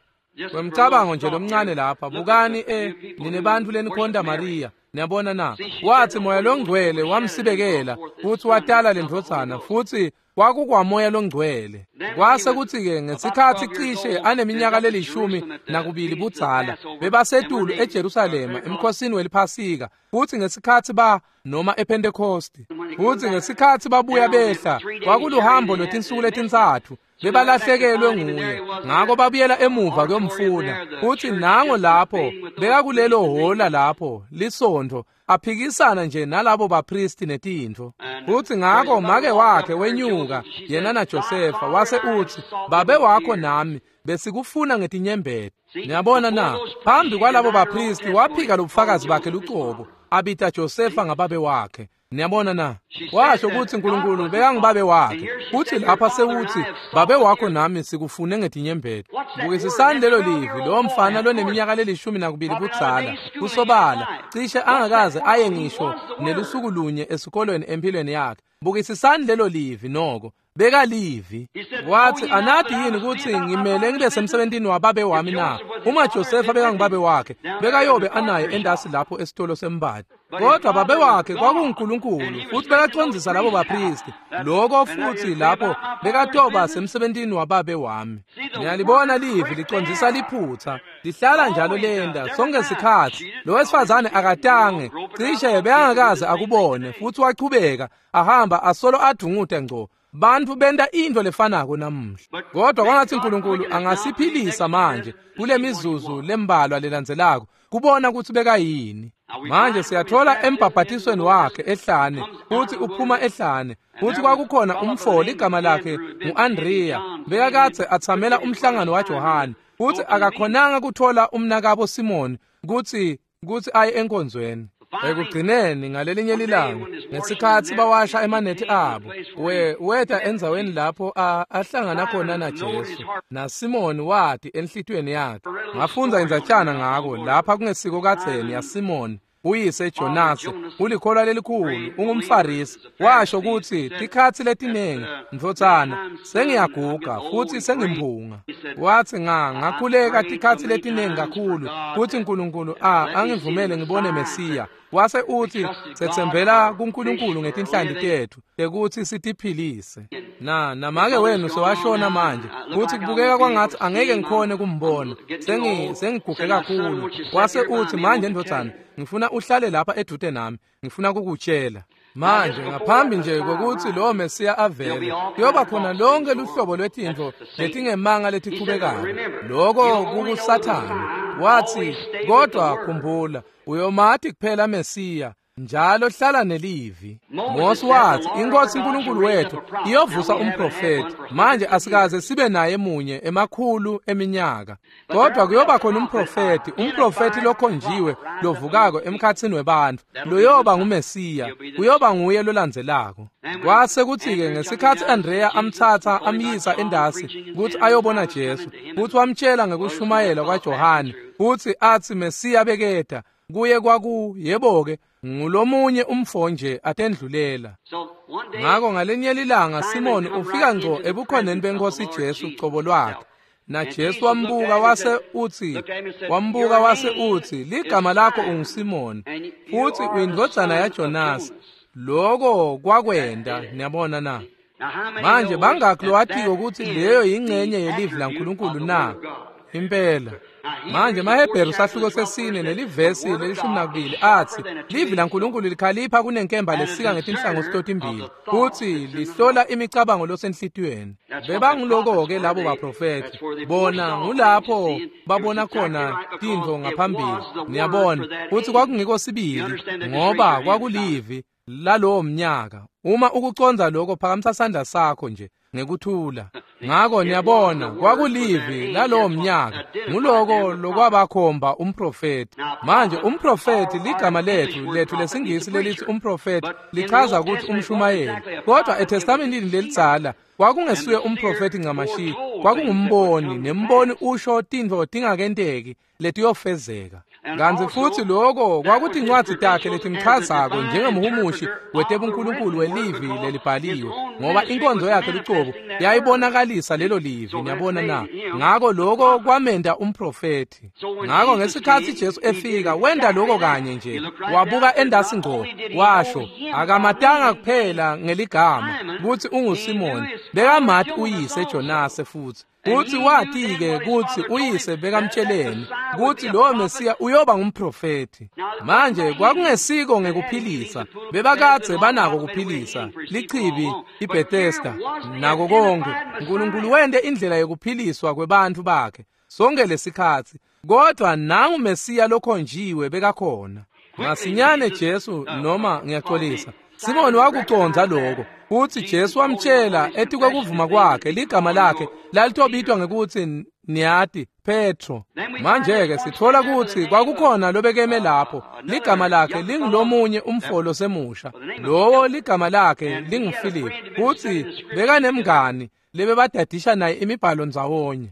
Kwemcabango nje lomncane lapha, bukani e nine bantu lenikhonta Maria. Niyabona na? Wathi moya longcwele wamsibekela futhi watala lendvodzana futhi kwakukwamoya longcwele. Kwase kuthi-ke ngesikhathi cishe aneminyaka lelishumi nakubili budzala bebasetulu eJerusalema emkhosini weliphasika, futhi ngesikhathi ba noma ePentecost, futhi ngesikhathi babuya behla kwakuluhambo lwetinsuku letintsatfu bebalahlekelwe nguye. Ngako babuyela emuva kuyomfuna, futhi nango lapho bekakulelo hola lapho lisontfo aphikisana nje nalabo bapristi netintfo. Futhi ngako make wakhe wenyuka yena naJosefa wase uthi, babe wakho nami besikufuna ngetinyembeti. Niyabona na? Phambi kwalabo bapristi waphika lobufakazi bakhe lucobo, abita Josefa ngababe wakhe. Niyabona na? Washo ukuthi uNkulunkulu bekangubabe wakhe. Uthi lapha sewuthi babe wakho nami sikufune ngetinyembeti. Bukisisani lelo livi lo mfana loneminyaka lelishumi nakubili budzala kusobala cishe angakaze aye ngisho nelusuku lunye esikolweni empilweni yakhe. Bukisisani lelo livi noko bekalivi. Wathi anadi yini ukuthi ngimele ngibe semsebentini wababe wami na? Uma Josefa bekangubabe wakhe bekayobe anaye endasi lapho esitolo sembadi. Kodwa babe wakhe kwakunguNkulunkulu futhi bekacondzisa labo bapristi. Lokho futhi lapho bekatoba semsebentini wababe wami. Niyalibona livi licondzisa liphutha, lihlala njalo lenda sonke sikhathi. Lo wesifazane akatange cishe bekangakaze akubone futhi wachubeka ahamba asolo adungude ngco. Bantu benta into lefanako namuhla. Kodwa kwangathi uNkulunkulu angasiphilisa manje kule mizuzu lembalwa lelandzelako kubona ukuthi bekayini. Manje siyathola embhabhatisweni wakhe ehlane, futhi uphuma ehlane, futhi kwakukhona umfo ligama lakhe ngu-Andrea, bekakadze athamela umhlangano waJohane, futhi akakhonanga kuthola umnakabo Simoni kutsi kutsi aye enkonzweni. Ekugcineni ngalelinye lilanga ngesikhathi bawasha emanethi abo, we weta endzaweni lapho ahlangana khona naJesu, naSimoni wathi enhlitiyweni yakhe. Ngafundza indzatshana ngako lapha kungesiko kadzeni yaSimoni uyise Jonasi, ulikholwa lelikhulu, ungumFarisi. Washo ukuthi tikhatsi letinengi ndvodzana sengiyaguga futhi sengimphunga. Wathi nga ngakhuleka tikhatsi letinengi kakhulu futhi uNkulunkulu a angivumele ngibone Mesiya. Wase uthi setsembela kuNkulunkulu ngetinhlanti tethu tekuthi sitiphilise. Na namake wenu sewashona manje futhi kubukeka kwangathi angeke ngikhone kumbona, sengi sengiguge kakhulu. Wase uthi manje ndvodzana ngifuna uhlale lapha edude nami, ngifuna kukutshela. Manje ngaphambi nje kokuthi lowo Mesiya avele, kuyoba khona lonke luhlobo lwetintfo letingemanga letichubekayo. Loko kukuSathane. Wathi, kodwa khumbula, uyomati kuphela Mesiya, njalo hlala nelivi. Mose wathi, iNkosi uNkulunkulu wethu iyovusa umprofeti. Manje asikaze sibe naye munye emakhulu eminyaka, kodwa kuyoba khona umprofeti, umprofeti lokhonjiwe lovukako emkhatsini webantfu, loyoba nguMesiya, kuyoba nguye lolandzelako. Kwase kuthi-ke ngesikhatsi Andrea amtsatsa amyisa endasi kutsi ayobona Jesu, kutsi wamtshela ngekushumayela kwaJohane, kutsi atsi Mesiya beketa kuye kwaku yebo-ke ngulomunye umfo nje atendlulela. Ngako ngalenye lilanga Simoni ufika ngco ebukhoneni benkosi Jesu cobo lwakhe, na Jesu wambuka wase utsi wambuka wase utsi ligama lakho unguSimoni futsi uyindvodzana yaJonasi. Loko kwakwenda, niyabona na? Manje bangakhi lowatiko kutsi leyo yingcenye yelivi laNkulunkulu na? Impela. Manje maHebheru sahluko sesine nelivesi lelishumi nakubili atsi livi laNkulunkulu likhalipha kunenkemba lesika ngetinhlangothi totimbili, kutsi lihlola imicabango losenhlitiyweni. Bebanguloko-ke labo baprofethi, bona ngulapho babona khona tintfo ngaphambili, niyabona kutsi kwakungiko sibili, ngoba kwakulivi lalowo mnyaka. Uma ukucondza lokho, phakamisa sandla sakho nje ngekuthula. Ngako niyabona kwakulivi lalowo mnyaka, nguloko lokwabakhomba umprofeti. Manje umprofeti, ligama lethu lethu lesingisi lelithi umprofeti lichaza ukuthi umshumayeli, kodwa eTestamentini lelidzala kwakungesuye umprofeti ncamashi, kwakungumboni, nemboni usho tintfo tingakenteki letiyofezeka. Kantsi futsi loko kwakutincwadzi takhe letimchazako njengemhumushi wetebunkulunkulu welivi lelibhaliwe, ngoba inkonzo yakhe lucobo yayibonakalisa lelo livi, niyabona na? Ngako loko kwamenda umprofethi. Ngako ngesikhatsi Jesu efika wenda loko kanye nje, wabuka endasi ngco, washo akamatanga kuphela ngeligama kutsi unguSimoni, bekamati uyise Jonase futsi kutsi wati-ke kutsi uyise bekamtsheleni kutsi lowo Mesiya uyoba ngumprofethi. Manje kwakungesiko ngekuphilisa, bebakadze banako kuphilisa, lichibi iBethesda nako konke. Nkulunkulu wente indlela yekuphiliswa kwebantfu bakhe sonke lesikhatsi, kodwa nangu Mesiya lokhonjiwe bekakhona. Masinyane Jesu, noma ngiyaxolisa, Simoni wakucondza lokho kutsi Jesu wamtshela etikwekuvuma kwakhe ligama lakhe lalitobitwa ngekutsi niyati Petro. Manje-ke sitfola kutsi kwakukhona lobekeme lapho, ligama lakhe lingulomunye umfo losemusha, lowo ligama lakhe linguFiliphu, kutsi bekanemngani lebebadadisha naye imibhalo ndzawonye.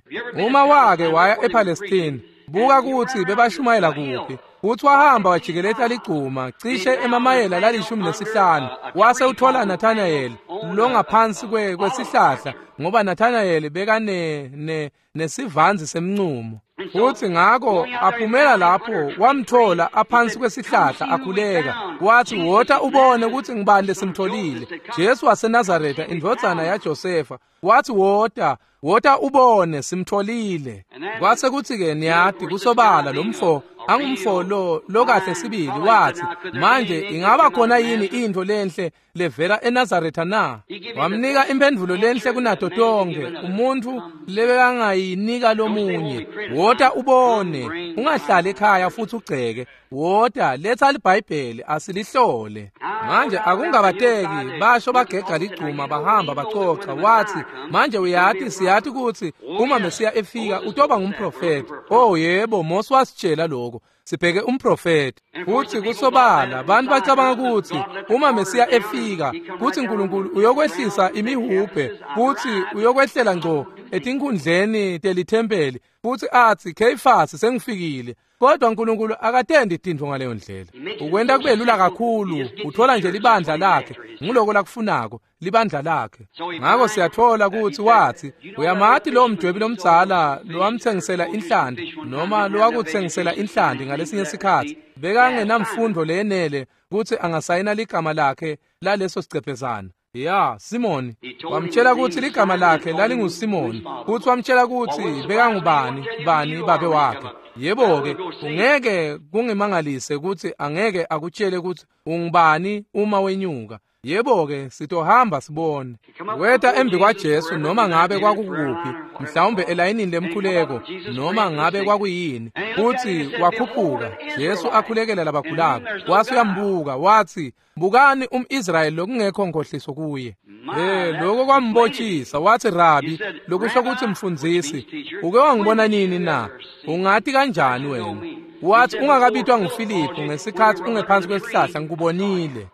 Uma wake waya ePalestine, buka kutsi bebashumayela kuphi. Kutsi wahamba wajikeleta ligcuma cishe emamayela lalishumi nesihlanu, wase uthola Nathanael longaphansi kwesihlahla, ngoba Nathanael bekane ne nesivanzi semncumo. Futsi ngako aphumela lapho wamthola aphansi kwesihlahla akhuleka, wathi wota ubone kutsi ngibani lesimtholile, Jesu waseNazaretha indvodzana yaJosefa. Wathi wota wota ubone simtholile. Kwase kuthi-ke niyati kusobala lo mfo angumfo lo lokahle sibili, wathi manje ingaba khona yini intfo lenhle levela eNazaretha na? Wamnika imphendvulo lenhle kunato tonke umuntfu lebekangayinika lomunye. Wota ubone, ungahlali ekhaya futhi ugceke, wota letha liBhayibheli asilihlole. Manje akungabateki basho bagega ligcuma bahamba bacoca. Wathi manje uyati siyati kutsi uma Mesiya efika utoba ngumprofeti. Oh yebo, Mose wasitshela lokho, sibheke umprofeti. Futhi kusobala abantu bacabanga kutsi uma Mesiya efika kutsi uNkulunkulu uyokwehlisa imihubhe, kutsi uyokwehlela ngco etinkhundleni telithempeli futsi atsi Kheyifasi sengifikile. Kodwa uNkulunkulu akatendi tintfo ngaleyo ndlela. Ukwenta kube lula kakhulu, uthola nje libandla lakhe, nguloko lakufunako, libandla lakhe. Ngako siyathola kutsi wathi uyamati lo mdwebi lomdzala lowamthengisela inhlanti, noma lowakuthengisela inhlanti ngalesinye sikhatsi, bekangenamfundo leyenele kutsi angasayina ligama lakhe laleso sicephezana. Ya, Simoni. Wamtshela kutsi ligama lakhe lalinguSimoni, futsi wamtshela kutsi bekangubani bani babe wakhe. Yebo-ke, ungeke kungimangalise kutsi angeke akutshele kutsi ungubani uma wenyuka. Yebo-ke, sitohamba sibone. Weta embi kwaJesu noma ngabe kwakukuphi, mhlawumbe elayinini lemkhuleko, noma ngabe kwakuyini, futsi wakhuphuka. Jesu akhulekela labagulako, wase uyambuka, watsi, "Bukani umIsrayeli lokungekho nkhohliso kuye." Eh, lokho kwambotshisa, watsi, "Rabi," lokusho kutsi mfundzisi, "uke wangibona nini na? Ungati kanjani wena?" Watsi, "Ungakabitwa nguFiliphu ngesikhatsi ungephansi kwesihlahla ngikubonile."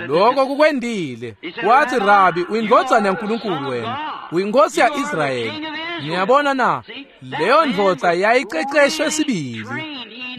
Lokho kukwendile. Watsi, "Rabi, uyindvodzana yaNkulunkulu wena, uyinkosi ya-Israyeli." Niyabona na? Leyo ndvodza yayiceceshwe sibili.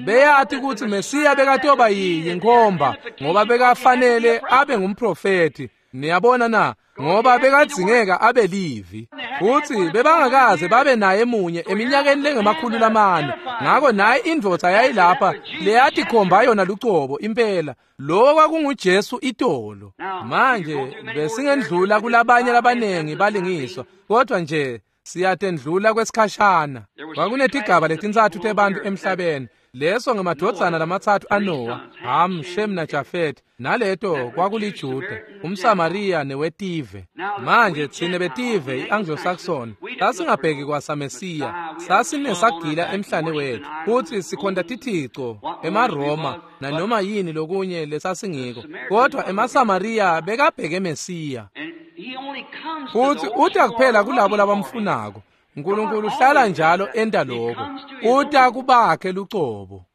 Beyati kutsi Mesiya bekatoba yinkhomba, ngoba bekafanele abe ngumprofethi. Niyabona na? Ngoba bekadzingeka abe livi. Futsi bebangakaze babe naye munye eminyakeni lengemakhulu lamane. Ngako naye indvodza yayilapha leyatikhomba yona lucobo impela. Lo kwakunguJesu itolo. Manje besingendlula kulabanye labanengi balingiswa, kodwa nje siyatendlula kwesikhashana. Kwakunetigaba letintsatfu tebantfu emhlabeni. Leso ngemadvodzana lamatsatfu aNowa, Ham, Shem naJafet, naleto kwakuliJuda, umSamariya newetive. Manje tsine betive i-Anglo-Saxon sasingabheki kwasaMesiya, sasinesagila emhlane wethu, futsi sikhonta tithico, emaRoma nanoma yini lokunye lesasingiko. Kodwa emaSamariya bekabheke Mesiya. Futsi uta kuphela kulabo labamfunako. Nkulunkulu uhlala njalo enta lokho. Uta kubakhe lucobo.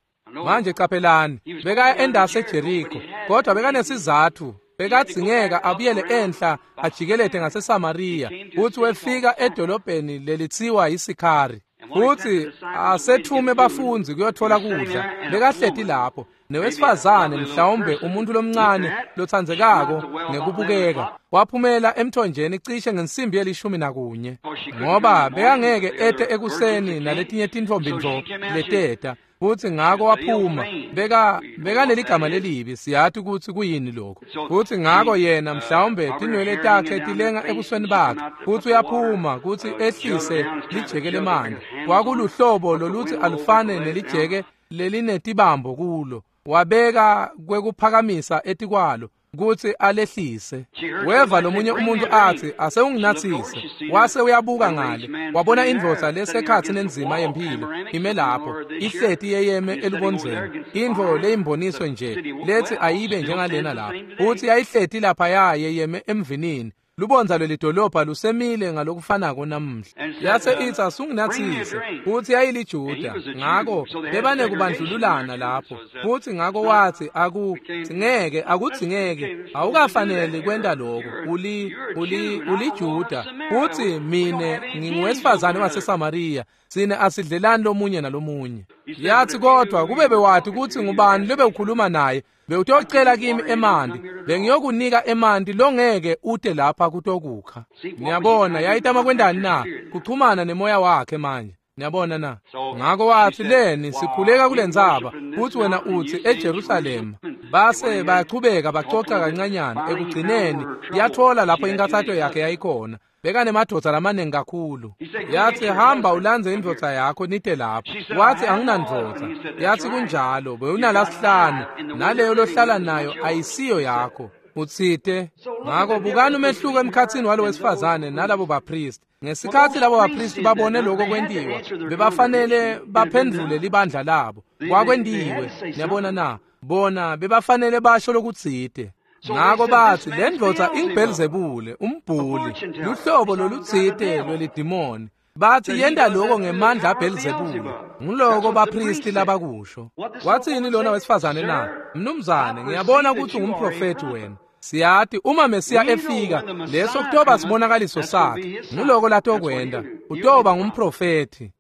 Manje qaphelani, bekaya endase eJeriko, kodwa bekanesizatfu. Bekadzingeka abuyele enhla ajikelete ngaseSamariya, futsi wefika edolobheni lelitsiwa yiSikhari. Futsi asethume bafundzi kuyothola kudla. Bekahleti lapho newesifazane, mhlawumbe umuntu lomncane lotsandzekako ngekubukeka, waphumela emthonjeni cishe ngensimbi yelishumi nakunye, ngoba bekangeke ete ekuseni naletinye tintfombi ntfo leteta. Futsi ngako waphuma, beka bekaneligama lelibi, siyati kutsi kuyini lokho. Futsi ngako yena mhlawumbe tinwele takhe tilenga ebusweni bakhe, futsi uyaphuma kutsi ehlise lijeke lemanti. Kwakuluhlobo lolutsi alufane nelijeke lelinetibambo kulo, wabeka kwekuphakamisa etikwalo kutsi alehlise. Weva lomunye umuntu atsi, "Asewunginatsise." Wase uyabuka ngale, wabona indvodza lesekhatsi nenzima yemphilo ime lapho, ihleti yeyeme elubondzeni, intfo leyimboniso nje lethi ayibe njengalena lapho. Futsi yayihleti laphaya yeyeme emvinini. Lubondza lwelidolobha lusemile ngalokufanako namuhla. Yase itsi, "Asunginatsise." Futsi yayiliJuda, ngako bebanekubandlululana lapho. Futsi ngako watsi, "Akudzingeke, akudzingeke, awukafanele kwenta lokho. Uli uli uliJuda, futsi mine nginguwesifazane waseSamariya. Sine asidlelani lomunye nalomunye." Yathi, "Kodwa kube bewati kutsi ngubani lobewukhuluma naye, bewutocela kimi emanti, bengiyokunika emanti longeke ute lapha kutokukha." Niyabona yayitama kwendani na? Kuchumana nemoya wakhe manje. Niyabona na? Ngako watsi, "Leni sikhuleka kulentsaba, futsi wena utsi eJerusalema." Base bayachubeka bacoca kancanyana. Ekugcineni yathola lapho inkathato yakhe yayikhona. Bekanemadvodza lamaningi kakhulu. Yathi, "Hamba ulandze indvodza yakho nite lapho." Watsi, "Anginandvodza." Yathi, "Kunjalo, bewunalasihlanu, naleyo lohlala nayo ayisiyo yakho." Utsite. Ngako bukani umehluko emkhatsini walo wesifazane nalabo bapristi. Ngesikhatsi labo bapristi babone lokho kwentiwa, bebafanele baphendvule libandla labo. Kwakwentiwe, niyabona na? Bona bebafanele basho lokutsite. Ngako batsi, "Le ndvodza inguBhelzebule, umbhuli, luhlobo lolutsite lwelidimoni." Batsi yenta lokho ngemandla aBhelzebule. Nguloko bapristi labakusho. Watsini lona wesifazane na? "Mnumzane, ngiyabona kutsi ungumprofethi wena. Siyati uma Mesiya efika, leso kutoba sibonakaliso sakhe. Nguloko latokwenta, utoba ngumprofethi."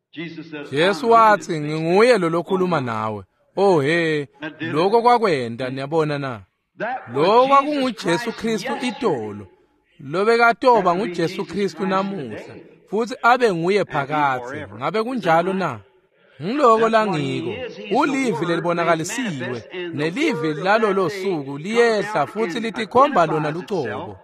Jesu watsi, "Nginguye lo lokhuluma nawe." Oh he, lokho kwakwenta, niyabona na? Lo kwakunguJesu Kristu itolo, lobekatoba nguJesu Kristu namuhla, futsi abe nguye phakadze. Ngabe kunjalo na? Ngiloko langiko. Ulivi lelibonakalisiwe, nelivi lalolo suku liyehla futsi litikhomba lona lucobo.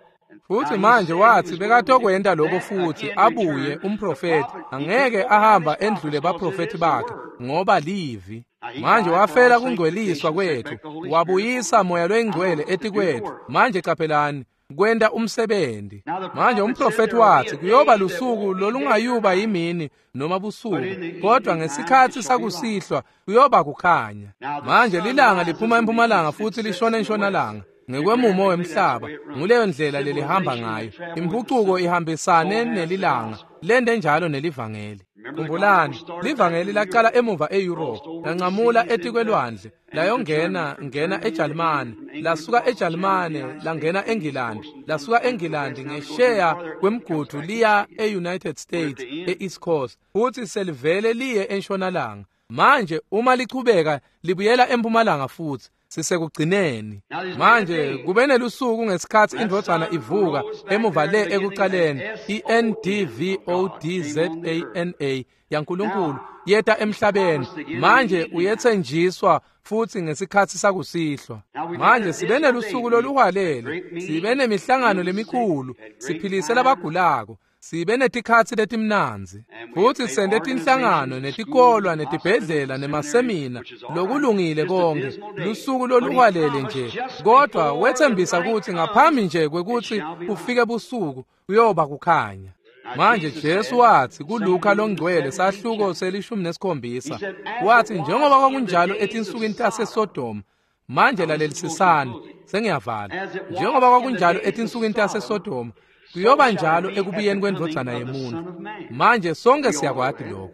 Futhi manje wathi bekatokwenta lokho futhi abuye umprofeti angeke ahamba endlule baprofeti bakhe ngoba livi. Manje wafela kungcweliswa kwethu, wabuyisa moya loyingcwele etikwethu. Manje qaphelani kwenta umsebenzi. Manje umprofeti wathi kuyoba lusuku lolungayuba yimini noma busuku, kodwa ngesikhathi sakusihlwa kuyoba kukhanya. Manje lilanga liphuma empumalanga futhi lishona entshonalanga ngekwemumo wemhlaba, nguleyo ndlela lelihamba ngayo. Impucuko ihambisane nelilanga, lende njalo nelivangeli. Khumbulani, livangeli laqala emuva eEurope, lanqamula etikwelwandle, layongena ngena eJalimane, lasuka eJalimane langena eNgilandi, lasuka eNgilandi ngesheya kwemgudu liya eUnited States eEast Coast, futhi selivele liye entshonalanga. Manje uma lichubeka libuyela empumalanga futhi sisekugcineni. Manje kube nelusuku ngesikhathi indvodzana ivuka emuva le ekuqaleni, I N D V O D Z A N A yaNkulunkulu yeta emhlabeni. Manje uyethenjiswa futhi ngesikhathi sakusihlwa. Manje sibe nelusuku loluhwalele, sibe nemihlangano lemikhulu, siphilise labagulako, sibe netikhatsi letimnandzi, futhi sente tinhlangano netikolwa netibhedlela nemasemina, lokulungile konke, lusuku loluhwalele nje. Kodwa wethembisa ukuthi ngaphambi nje kwekuthi kufike busuku kuyoba kukhanya. Manje Jesu wathi kuLuka longcwele sahluko selishumi nesikhombisa, wathi njengoba kwakunjalo etinsukwini taseSodoma. Manje lalelisisani, sengiyavala. Njengoba kwakunjalo etinsukwini taseSodoma, kuyoba njalo ekubuyeni kwendvodzana yemuntu. Manje sonke siyakwati lokho.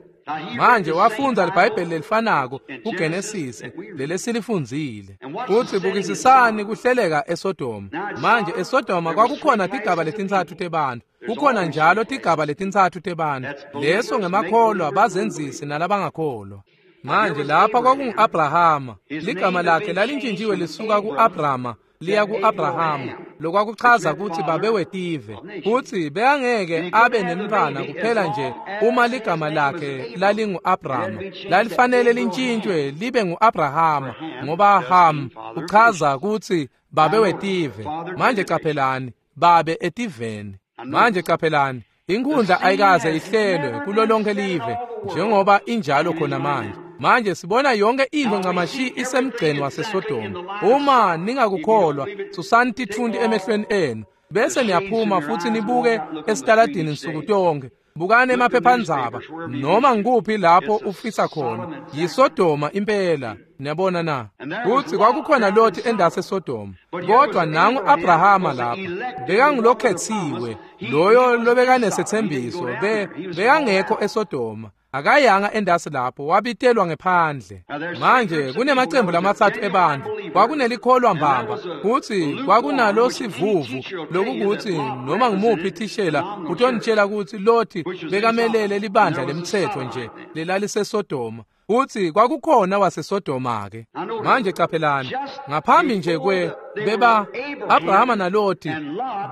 Manje wafundza iBhayibheli lelifanako kuGenesis lelesilifundzile. Futhi bukisisani kuhleleka eSodoma. Manje eSodoma kwakukhona tigaba letintsatfu tebantfu. Kukhona njalo tigaba letintsatfu tebantfu. Leso ngemakholwa, bazenzisi nalabangakholwa. Manje lapha kwakungu-Abrahama. Ligama lakhe lalintjintjiwe lisuka ku-Abrama liya ku-Abrahama, lokwakuchaza ukuthi babe wetive. Futhi bekangeke abe nemntfwana kuphela nje uma ligama lakhe lalingu-Abrama, lalifanele lintshintshwe libe ngu-Abrahama, ngoba Ham uchaza ukuthi babe wetive. Manje qaphelani, babe etiveni. Manje qaphelani, inkundla ayikaze ihlelwe kulo lonke live njengoba injalo khona manje. Manje sibona yonke into ncamashi isemgceni waseSodoma. Uma ningakukholwa, susani tithunti emehlweni enu bese niyaphuma futhi nibuke esitaladini nsuku tonke. Bukani emaphephandzaba noma ngikuphi lapho ufisa khona, yiSodoma impela. Niyabona na? Kuthi kwakukhona Loti endase Sodoma, kodwa nangu Abrahama lapha bekangulokhethiwe, loyo lobekanesethembiso, be bekangekho eSodoma. Akayanga endasi lapho, wabitelwa ngephandle. Manje kunemacembu lamatsatfu ebantfu. Kwakunelikholwa mbamba, futhi kwakunalo sivuvu, lokukuthi noma ngimuphi thishela utonitshela ukuthi Loti bekamelele libandla lemtsetfo nje lelaliseSodoma. Uthi kwakukhona waseSodoma ke. Manje qaphelani, ngaphambi nje kwe beba Abrahama naLoti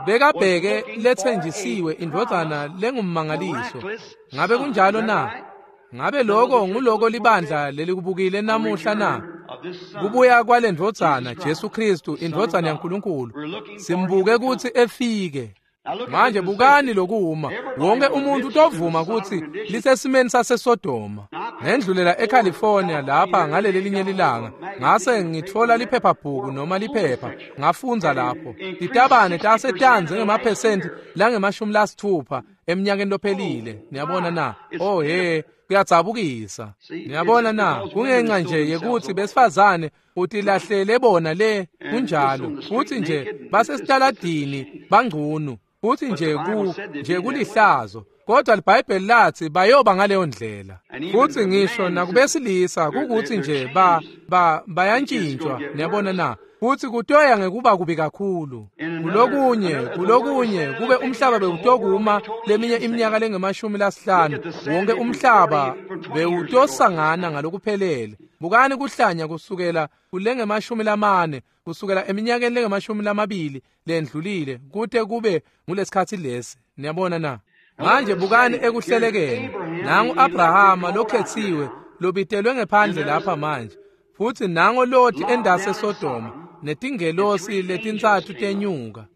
bekabheke lethenjisiwe indvodzana lengummangaliso. Ngabe kunjalo na? Ngabe lokho nguloko libandla lelikubukile namuhla na? Kubuya kwalendvodzana Jesu Kristu, indvodzana yaNkulunkulu, simbuke ukuthi efike. Manje bukani lokuma, wonke umuntu utovuma ukuthi lisesimeni saseSodoma. Ngendlulela eCalifornia lapha ngaleli linye lilanga, ngase ngithola liphephabhuku noma liphepha, ngafundza lapho. Titabane tasetanze ngemaphesenti langemashumi lasithupha eminyakeni lophelile. Niyabona na? Oh he, kuyadzabukisa. Niyabona na? Kungenxa nje yekuthi besifazane utilahlele bona le kunjalo, futhi nje basesitaladini bangcunu, futhi nje ku nje kulihlazo. Kodwa iBhayibheli lathi bayoba ngaleyo ndlela. Futhi ngisho nakubesilisa kukuthi nje ba ba bayantshintshwa. Niyabona na? Futhi kutoya ngekuba kubi kakhulu. Kulokunye, kulokunye kube umhlaba bewutokuma leminye iminyaka lengemashumi lasihlanu, wonke umhlaba bewutosangana ngalokuphelele. Bukani kuhlanya kusukela kulengemashumi lamane, kusukela eminyakeni lengemashumi lamabili lendlulile kute kube ngulesikhathi lesi. Niyabona na? Manje bukani ekuhlelekeni. Nangu Abrahama lokhethiwe lobitelwe ngephandle lapha manje. Futhi nango Loti endase Sodoma netingelosi letintsatfu tenyuka.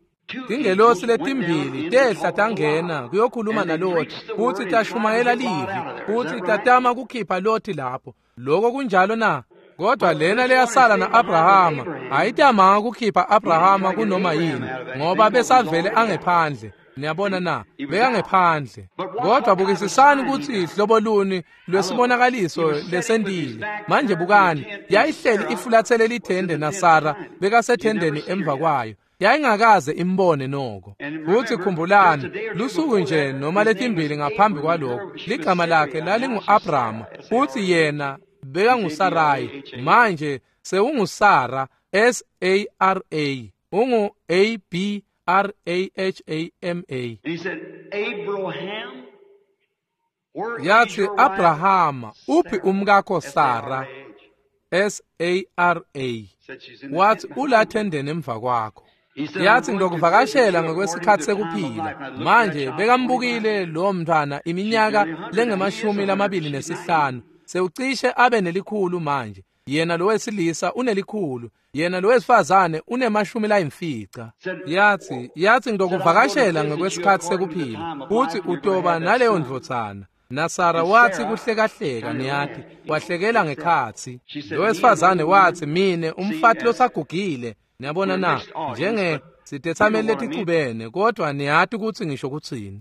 Tingelosi letimbili tehla tangena kuyokhuluma naLothi, futsi tashumayela livi, futsi tatama kukhipha Lothi lapho. Lokho kunjalo na? Kodwa lena leyasala na-Abrahama ayitamanga kukhipha Abrahama kunoma yini, ngoba besavele angephandle. Niyabona na? Bekangephandle. Kodwa bukisisani kutsi hlobo luni lwesibonakaliso lesentile. Manje bukani, yayihleli ifulathele lithende naSara bekasethendeni emva kwayo. Yayingakaze imbone noko. Futhi khumbulani, lusuku nje noma letimbili ngaphambi kwalokho, ligama lakhe lalingu-Abrahama, futhi yena bekanguSarayi. Manje sewungusara, S A R A, ungu A B R A H A M A. He said, Abraham, Yathi Abrahama, uphi umkakho Sara? S A R A. Wathi ulathendeni emva kwakho. Yathi ngizokuvakashela ngokwesikhathi sekuphila. Manje bekambukile lo mntwana iminyaka lengemashumi lamabili nesihlanu. Sewucishe abe nelikhulu manje. Yena lo wesilisa unelikhulu, yena lo wesifazane unemashumi layimfica. Yathi, yathi ngizokuvakashela ngokwesikhathi sekuphila, futhi utoba naleyo ndvodzana. NaSara wathi kuhlekahleka, niyathi, wahlekela ngekhatsi. Lo wesifazane wathi, mine umfati losagugile. Niyabona na? Njenge sitethameli leticubene, kodwa niyati kutsi ngisho kutsini.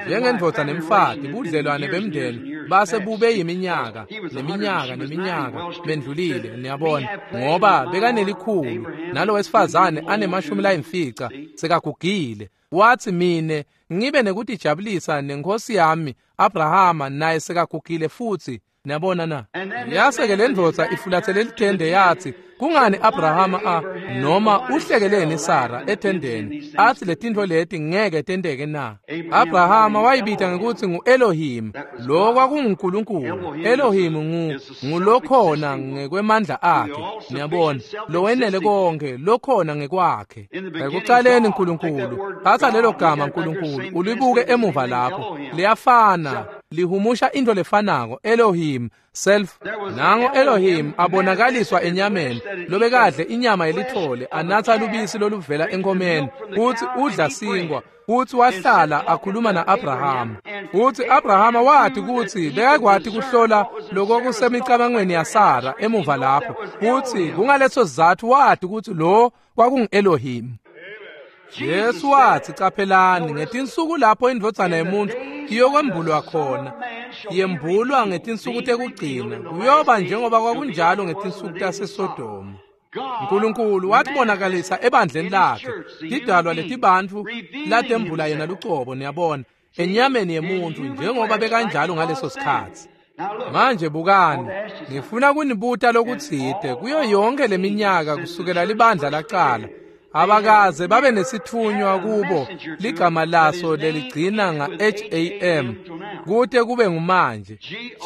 Njengendvodza nemfati, budlelwane bemndeni base bube yiminyaka neminyaka neminyaka bendlulile, niyabona, ngoba bekanelikhulu nalo wesifazane anemashumi layimfica sekagugile. Wathi mine ngibe nekutijabulisa nenkosi yami Abrahama naye sekagugile futhi. Niyabona na? Yase-ke le ndvodza ifulathele lithende yathi, kungani Abrahama a noma uhlekeleni Sara ethendeni athi letintfo leti ngeke tenteke na? Abrahama wayibita ngekutsi ngu-Elohim, lo kwakunguNkulunkulu. Elohim ngu ngulokhona ngekwemandla akhe, niyabona, lowenele konke, lokhona ngekwakhe. Ekucaleni Nkulunkulu, thatha lelo gama Nkulunkulu ulibuke emuva lapho, liyafana, lihumusha into lefanako, Elohim self. Nango Elohim abonakaliswa enyameni, lobekadle inyama yelithole, anatha lubisi loluvela enkomeni, futhi udla sinkwa, futhi wahlala akhuluma na-Abrahama. Futhi Abrahama wathi kutsi bekakwati kuhlola lokokusemicabangweni yaSara emuva lapho, futhi kungaleso sizatfu wathi kutsi lo kwakungu-Elohim. Jesu wathi, caphelani, ngetinsuku lapho indvodzana yemuntfu iyokwembulwa khona, yembulwa ngetinsuku tekugcina, kuyoba njengoba kwakunjalo ngetinsuku taseSodoma. Nkulunkulu watibonakalisa ebandleni lakhe, tidalwa letibantfu latembula yena lucobo, niyabona, enyameni yemuntfu njengoba bekanjalo ngaleso sikhatsi. Manje bukani, ngifuna kunibuta lokutsite. Kuyo yonke leminyaka kusukela libandla laqala, abakaze babe nesithunywa kubo ligama laso leligcina nga-H A M kute kube ngumanje,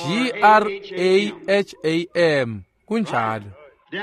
G R A H A M. Kunjalo.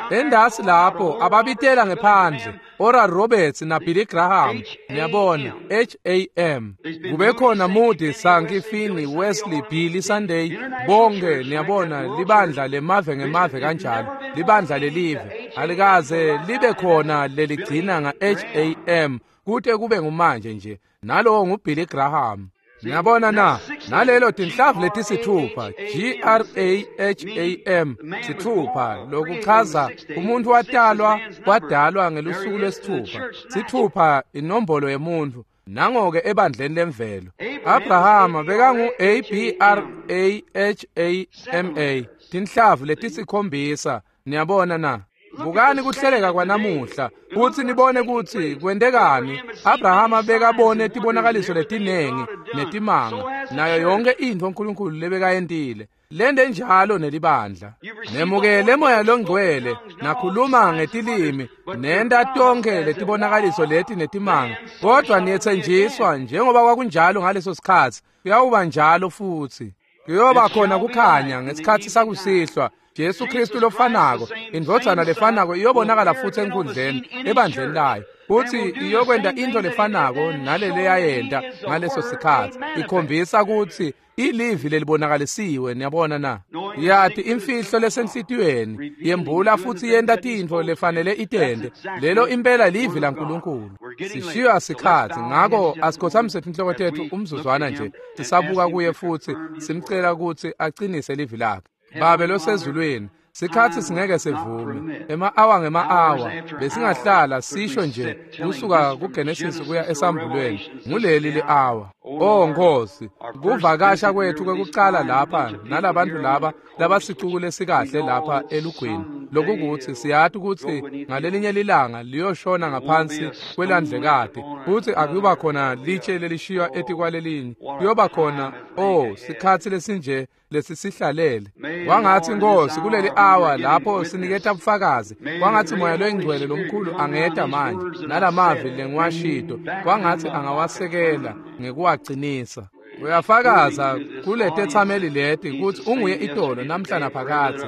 Endasi lapho ababitela ngephandle Oral Roberts na Billy Graham, niyabona, H A M. Kube khona Moody, Sankey, Finney, Wesley, Billy Sunday, bonke niyabona, libandla lemave ngemave kanjalo, libandla lelive alikaze libe khona leligcina nga-H A M kute kube ngumanje nje, nalowo nguBilly Graham. Niyabona na? Nalelo tinhlavu letisithupha, G R A H A M, sithupha, lokuchaza umuntu watalwa wadalwa ngelusuku lwesithupha. Sithupha inombolo yemuntu. Nango-ke ebandleni lemvelo. Abrahama bekangu A B R A H A M A, tinhlavu letisikhombisa. Niyabona na? Bukani kuhleleka kwanamuhla, kutsi nibone kutsi kwentekani. Abrahama bekabone tibonakaliso letinengi netimanga, nayo yonke intfo uNkulunkulu lebekayentile. Lente njalo nelibandla. Nemukele Moya Longcwele, nakhuluma ngetilimi, nenta tonkhe letibonakaliso leti netimanga, kodwa niyetsenjiswa njengoba kwakunjalo ngaleso sikhatsi, kuyawuba njalo futsi. Kuyoba khona kukhanya ngesikhatsi sakusihlwa, Jesu Kristu lofanako, indvodzana lefanako iyobonakala futsi enkundleni ebandleni layo, futsi iyokwenta into lefanako naleleyayenta ngaleso sikhatsi, ikhombisa kutsi ilivi lelibonakalisiwe. Niyabona na? Yati imfihlo lesenhlitiyweni, yembula futsi yenta tintfo lefanele itente. Lelo impela livi laNkulunkulu. Sishiywa sikhatsi, ngako asikhothamise tinhloko tetfu umzuzwana nje, sisabuka kuye futsi simcela kutsi acinise livi lakhe. Babe losezulwini, sikhatsi singeke sivume. Ema-awa ngema-awa besingahlala sisho nje kusuka kuGenesis kuya esambulweni, nguleli li-awa. Oh Nkosi, kuvakasha kwethu kwekucala lapha nalabantu laba labasicuku lesikahle lapha elugwini, lokukuthi siyati kutsi ngalelinye lilanga liyoshona ngaphansi kwelandlekati, futsi akuyoba khona litshe lelishiywa etikwalelinye. Kuyoba khona, oh, sikhatsi lesinje lesisihlalele. Kwangatsi Nkosi kuleli awa lapho siniketa bufakazi, kwangatsi Moya loyiNgcwele lomkhulu angeta manje nalamavi lengiwashito, kwangatsi angawasekela ngekuwacinisa. Uyafakaza kuletetsameli leti kutsi unguye itolo namhla naphakadze,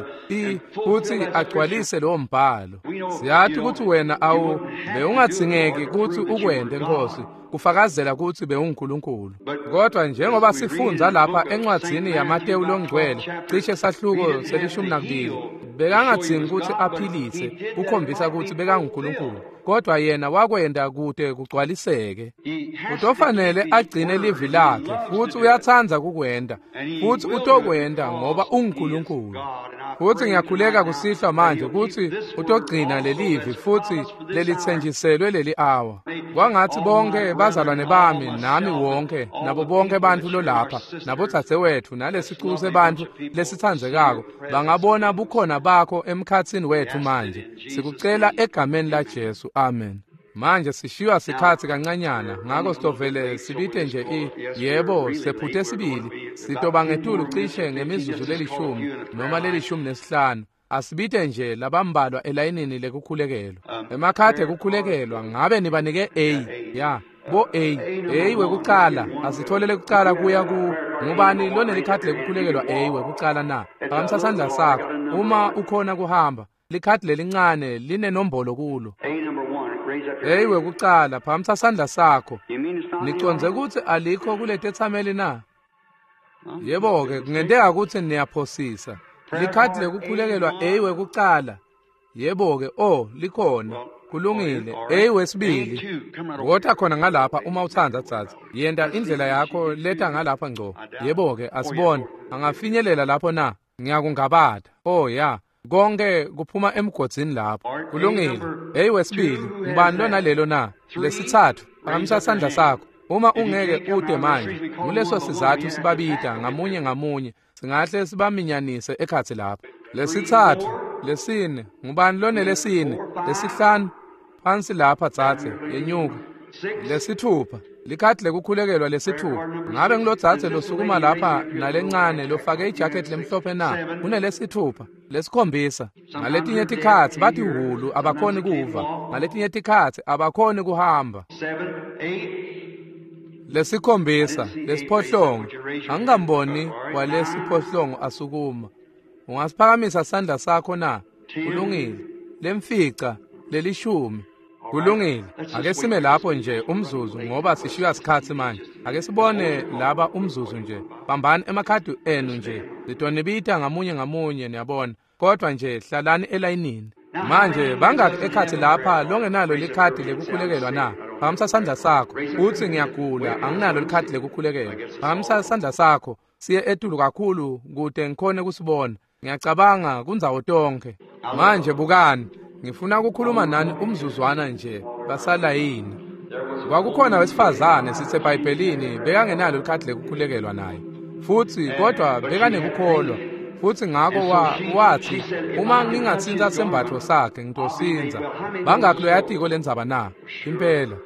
futsi agcwalise lowo mbhalo. Siyati kutsi wena awu bewungadzingeki kutsi ukwente Nkosi, kufakazela kutsi bewunguNkulunkulu. Kodwa njengoba sifundza lapha encwadzini yaMatewu longcwele, cishe sahluko selishumi nakubili, bekangadzingi kutsi aphilise kukhombisa kutsi bekanguNkulunkulu, kodwa yena wakwenta kute kugcwaliseke. Utofanele agcine livi lakhe, futsi uyatsandza kukwenta, futsi utokwenta ngoba unguNkulunkulu. Futsi ngiyakhuleka kusihlwa manje kutsi utogcina lelivi futsi lelitsenjiselwe leli awa. Kwangatsi bonke bazalwane bami nami wonke nabo bonke bantfu lolapha nabodzadzewetfu nalesicuku sebantfu lesitsandzekako bangabona bukhona bakho emkhatsini wetfu manje. Sikucela egameni la Jesu, amen. Manje sishiywa sikhatsi kancanyana, ngako sitovele sibite nje i yebo sephute sibili, sitoba ngetulu cishe ngemizuzu lelishumi noma lelishumi nesihlanu. Asibite nje labambalwa elayinini lekukhulekelwa. Emakhadi ekukhulekelwa ngabe nibanike A? Ya, bo A. A wekucala, asitholele kucala kuya ku ngubani lonelikhadi lekukhulekelwa A wekucala na? Phakamisa sandla sakho uma ukhona kuhamba. Likhadi lelincane linenombolo kulo. Hey wekucala, phakamisa sandla sakho. Nicondze kutsi alikho kuletetsameli na? Yebo-ke, kungenteka kutsi niyaphosisa. Likhadi lekukhulekelwa A wekucala. Yebo-ke, oh, likhona. Kulungile. A wesibili. Wota khona ngalapha uma utsandza dzadze. Yenta indlela yakho leta ngalapha ngco. Yebo-ke, asibone. Angafinyelela lapho na? Ngiyakungabata. Oh ya. Konke kuphuma emgodzini lapho. Kulungile. Hey wesibili, ngubani lona lelo na? Lesitsatfu, phakamisa sandla sakho. Uma ungeke ude manje, nguleso sizatfu sibabita ngamunye ngamunye, singahle sibaminyanise ekhatsi lapho. Lesitsatfu, lesine, ngubani lona lesine? Lesihlanu, phansi lapha dzadze, yenyuka. Lesithupha, likhadi lekukhulekelwa lesithupha. Ngabe ngilodzadze losukuma lapha nalencane lofake ijacket lemhlophe na? Kunelesithupha, lesikhombisa. Ngaletinye tikhatsi bathi hulu abakhoni kuva, ngaletinye tikhatsi abakhoni kuhamba. Lesikhombisa, lesiphohlongo. Angikamboni walesiphohlongo asukuma. Ungasiphakamisa sandla sakho na? Kulungile. Lemfica, lelishumi. Kulungile. Ake sime lapho nje umzuzu ngoba sishiywa sikhatsi manje. Ake sibone laba umzuzu nje. Bambani emakhadi enu nje. Litonibita ngamunye ngamunye niyabona. Kodwa nje hlalani elayinini. Manje bangaki ekhatsi lapha longenalo likhadi lekukhulekelwa na? Phakamisa sandla sakho. Utsi ngiyagula, anginalo likhadi lekukhulekelwa. Phakamisa sandla sakho. Siye etulu kakhulu kute ngikhone kusibona. Ngiyacabanga kundzawo tonke. Manje bukani. Ngifuna ukukhuluma nani umzuzwana nje basalayini. Kwakukhona wesifazane siseBhayibhelini bekangenalo likhadi lekukhulekelwa naye. Futsi kodwa bekanekukholwa. Futsi ngako wathi uma ngingatsintsa sembatfo sakhe ngitosindza. Bangakhi loyatiko lendzaba na? Impela.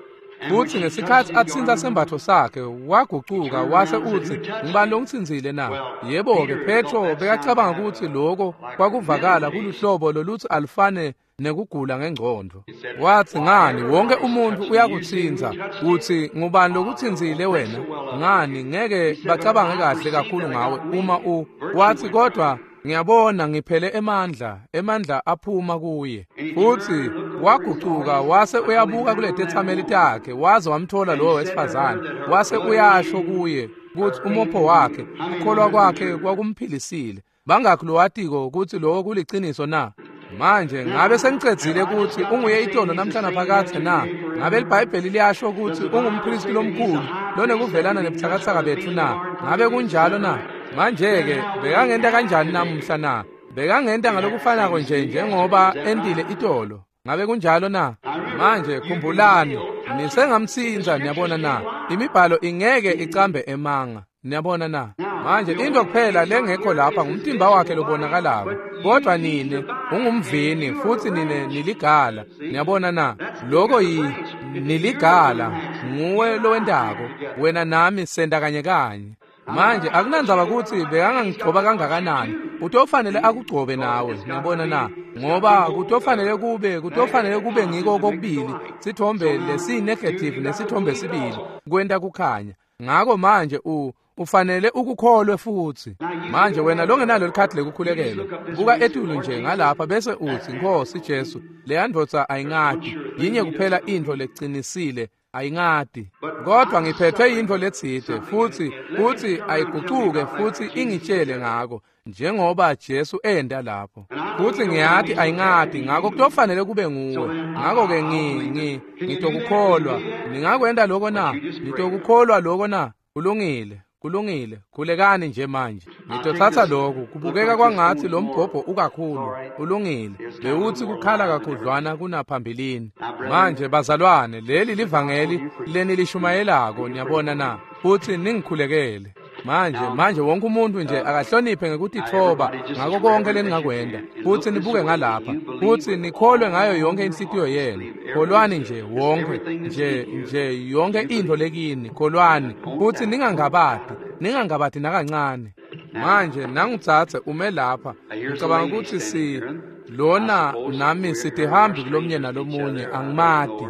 Futsi ngesikhatsi atsintsa sembatfo sakhe wagucuka wase utsi ngibani longitsintsile na? Yebo-ke, Petro bekacabanga kutsi loko kwakuvakala kuluhlobo lolutsi alufane nekugula ngengcondvo. Watsi ngani wonke umuntu uyakutsintsa, utsi ngubani lokutsintsile wena? Ngani ngeke bacabange kahle kakhulu ngawe uma u. Watsi kodwa Ngiyabona ngiphele emandla, emandla aphuma kuye. Futhi wagucuka wase uyabuka kuletethameli takhe, waze wamthola lowo wesifazane, wase uyasho kuye ukuthi umopho wakhe, ukukholwa kwakhe kwakumphilisile. Bangakhi lowatiko ukuthi lokho kuliciniso na? Manje ngabe sengicedzile ukuthi unguye itolo namhlanje phakathe na? Ngabe iBhayibheli liyasho ukuthi ungumpristi lomkhulu lonekuvelana nebuthakathaka bethu na? Ngabe kunjalo na? Manje-ke bekangenta kanjani namuhla na? Bekangenta ngalokufanako nje njengoba entile itolo. Ngabe kunjalo na? Manje khumbulani, nisengamtsinza, niyabona na? Imibhalo ingeke icambe emanga, niyabona na? Manje into kuphela lengekho lapha ngumtimba wakhe lobonakalako, kodwa nine ungumvini futhi nine niligala, niyabona na? Lokho yi niligala, nguwe lowendako, wena nami senda kanye kanye. Manje akunandzaba ukuthi bekangangigcoba kangakanani, utofanele akugcobe nawe, niyabona na? Ngoba kutofanele kube kutofanele kube ngiko kokubili, sithombe lesi negative nesithombe sibili kwenta kukhanya. Ngako manje u ufanele ukukholwe futhi. Manje wena longenalo likhadi lekukhulekelwa, buka etulu nje ngalapha bese uthi, Nkosi Jesu, leya ndvodza ayingati, yinye kuphela intfo lecinisile, ayingati, kodwa ngiphethwe yintfo letsite futhi futhi ayigucuke futhi ingitshele ngako, njengoba Jesu enda lapho. Futhi ngiyati ayingati, ngako kutofanele kube nguwe. Ngako-ke ngi ngi ngitokukholwa. Ningakwenta lokho na? Nitokukholwa lokho na? Kulungile, kulungile. Khulekani nje manje. Ngitothatha lokhu, kubukeka kwangathi lo mbhobho ukakhulu. Kulungile. Bewuthi kukhala kakhudlwana kunaphambilini. Manje bazalwane, leli livangeli lenilishumayelako, niyabona na? Futhi ningikhulekele. Manje manje wonke umuntu nje akahloniphe ngekutithoba ngako konke leningakwenda, futhi nibuke ngalapha, futhi nikholwe ngayo yonke inhlitiyo yenu. Kholwani nje wonke nje nje yonke intfo lekini, kholwani futhi ningangabadi, ningangabadi nakancane. Manje nangitsatse ume lapha, ngicabanga ukuthi si lona nami sitihambi kulomnye nalomunye, angimati.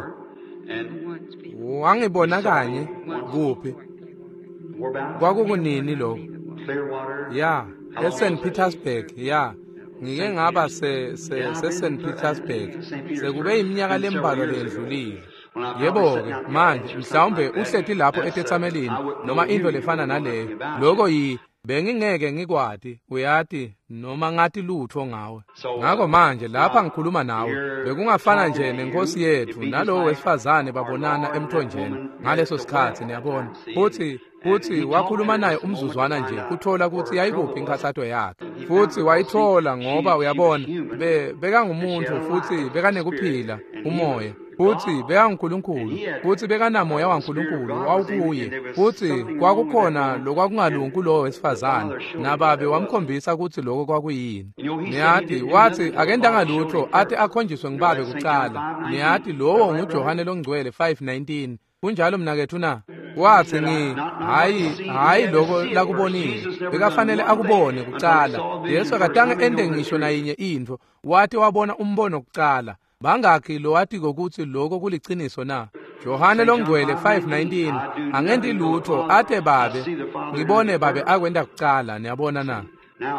Wangibona kanye kuphi? Kwakukunini lokho? Ya, eSaint Petersburg, ya. Ngike ngaba se se se Saint Petersburg. Sekube iminyaka lembalwa lendlulile. Yebo-ke, manje mhlawumbe uhleti lapho etethamelini noma into lefana naleyo. Lokho yi bengingeke ngikwati, uyati, noma ngathi lutho ngawe. Ngako manje lapha ngikhuluma nawe, bekungafana nje nenkosi yethu nalowo wesifazane babonana emthonjeni ngaleso sikhathi, niyabona. Futhi futhi wakhuluma naye umzuzwana nje kuthola ukuthi yayikuphi inkathato yakhe. Futhi wayithola ngoba uyabona be bekangumuntu futhi bekanekuphila umoya. Futhi bekanguNkulunkulu, futhi bekanamoya waNkulunkulu wawukuye. Futhi kwakukhona lokwakungalungi kulowo wesifazane, nababe wamkhombisa ukuthi lokho kwakuyini. Niyati wathi akendanga lutho athi akhonjiswe ngibabe kucala. Niyati lowo nguJohane longcwele five nineteen. Kunjalo mnakethu na? Wathi ngi hayi hayi lokho lakubonile, bekafanele akubone kucala. Jesu akatange ende ngisho nayinye intfo, wathi wabona umbono kucala. Bangakhi lowati kokuthi lokho kuliciniso na? Johane longcwele five nineteen, angenti lutho ate babe ngibone babe akwenda kucala, niyabona na?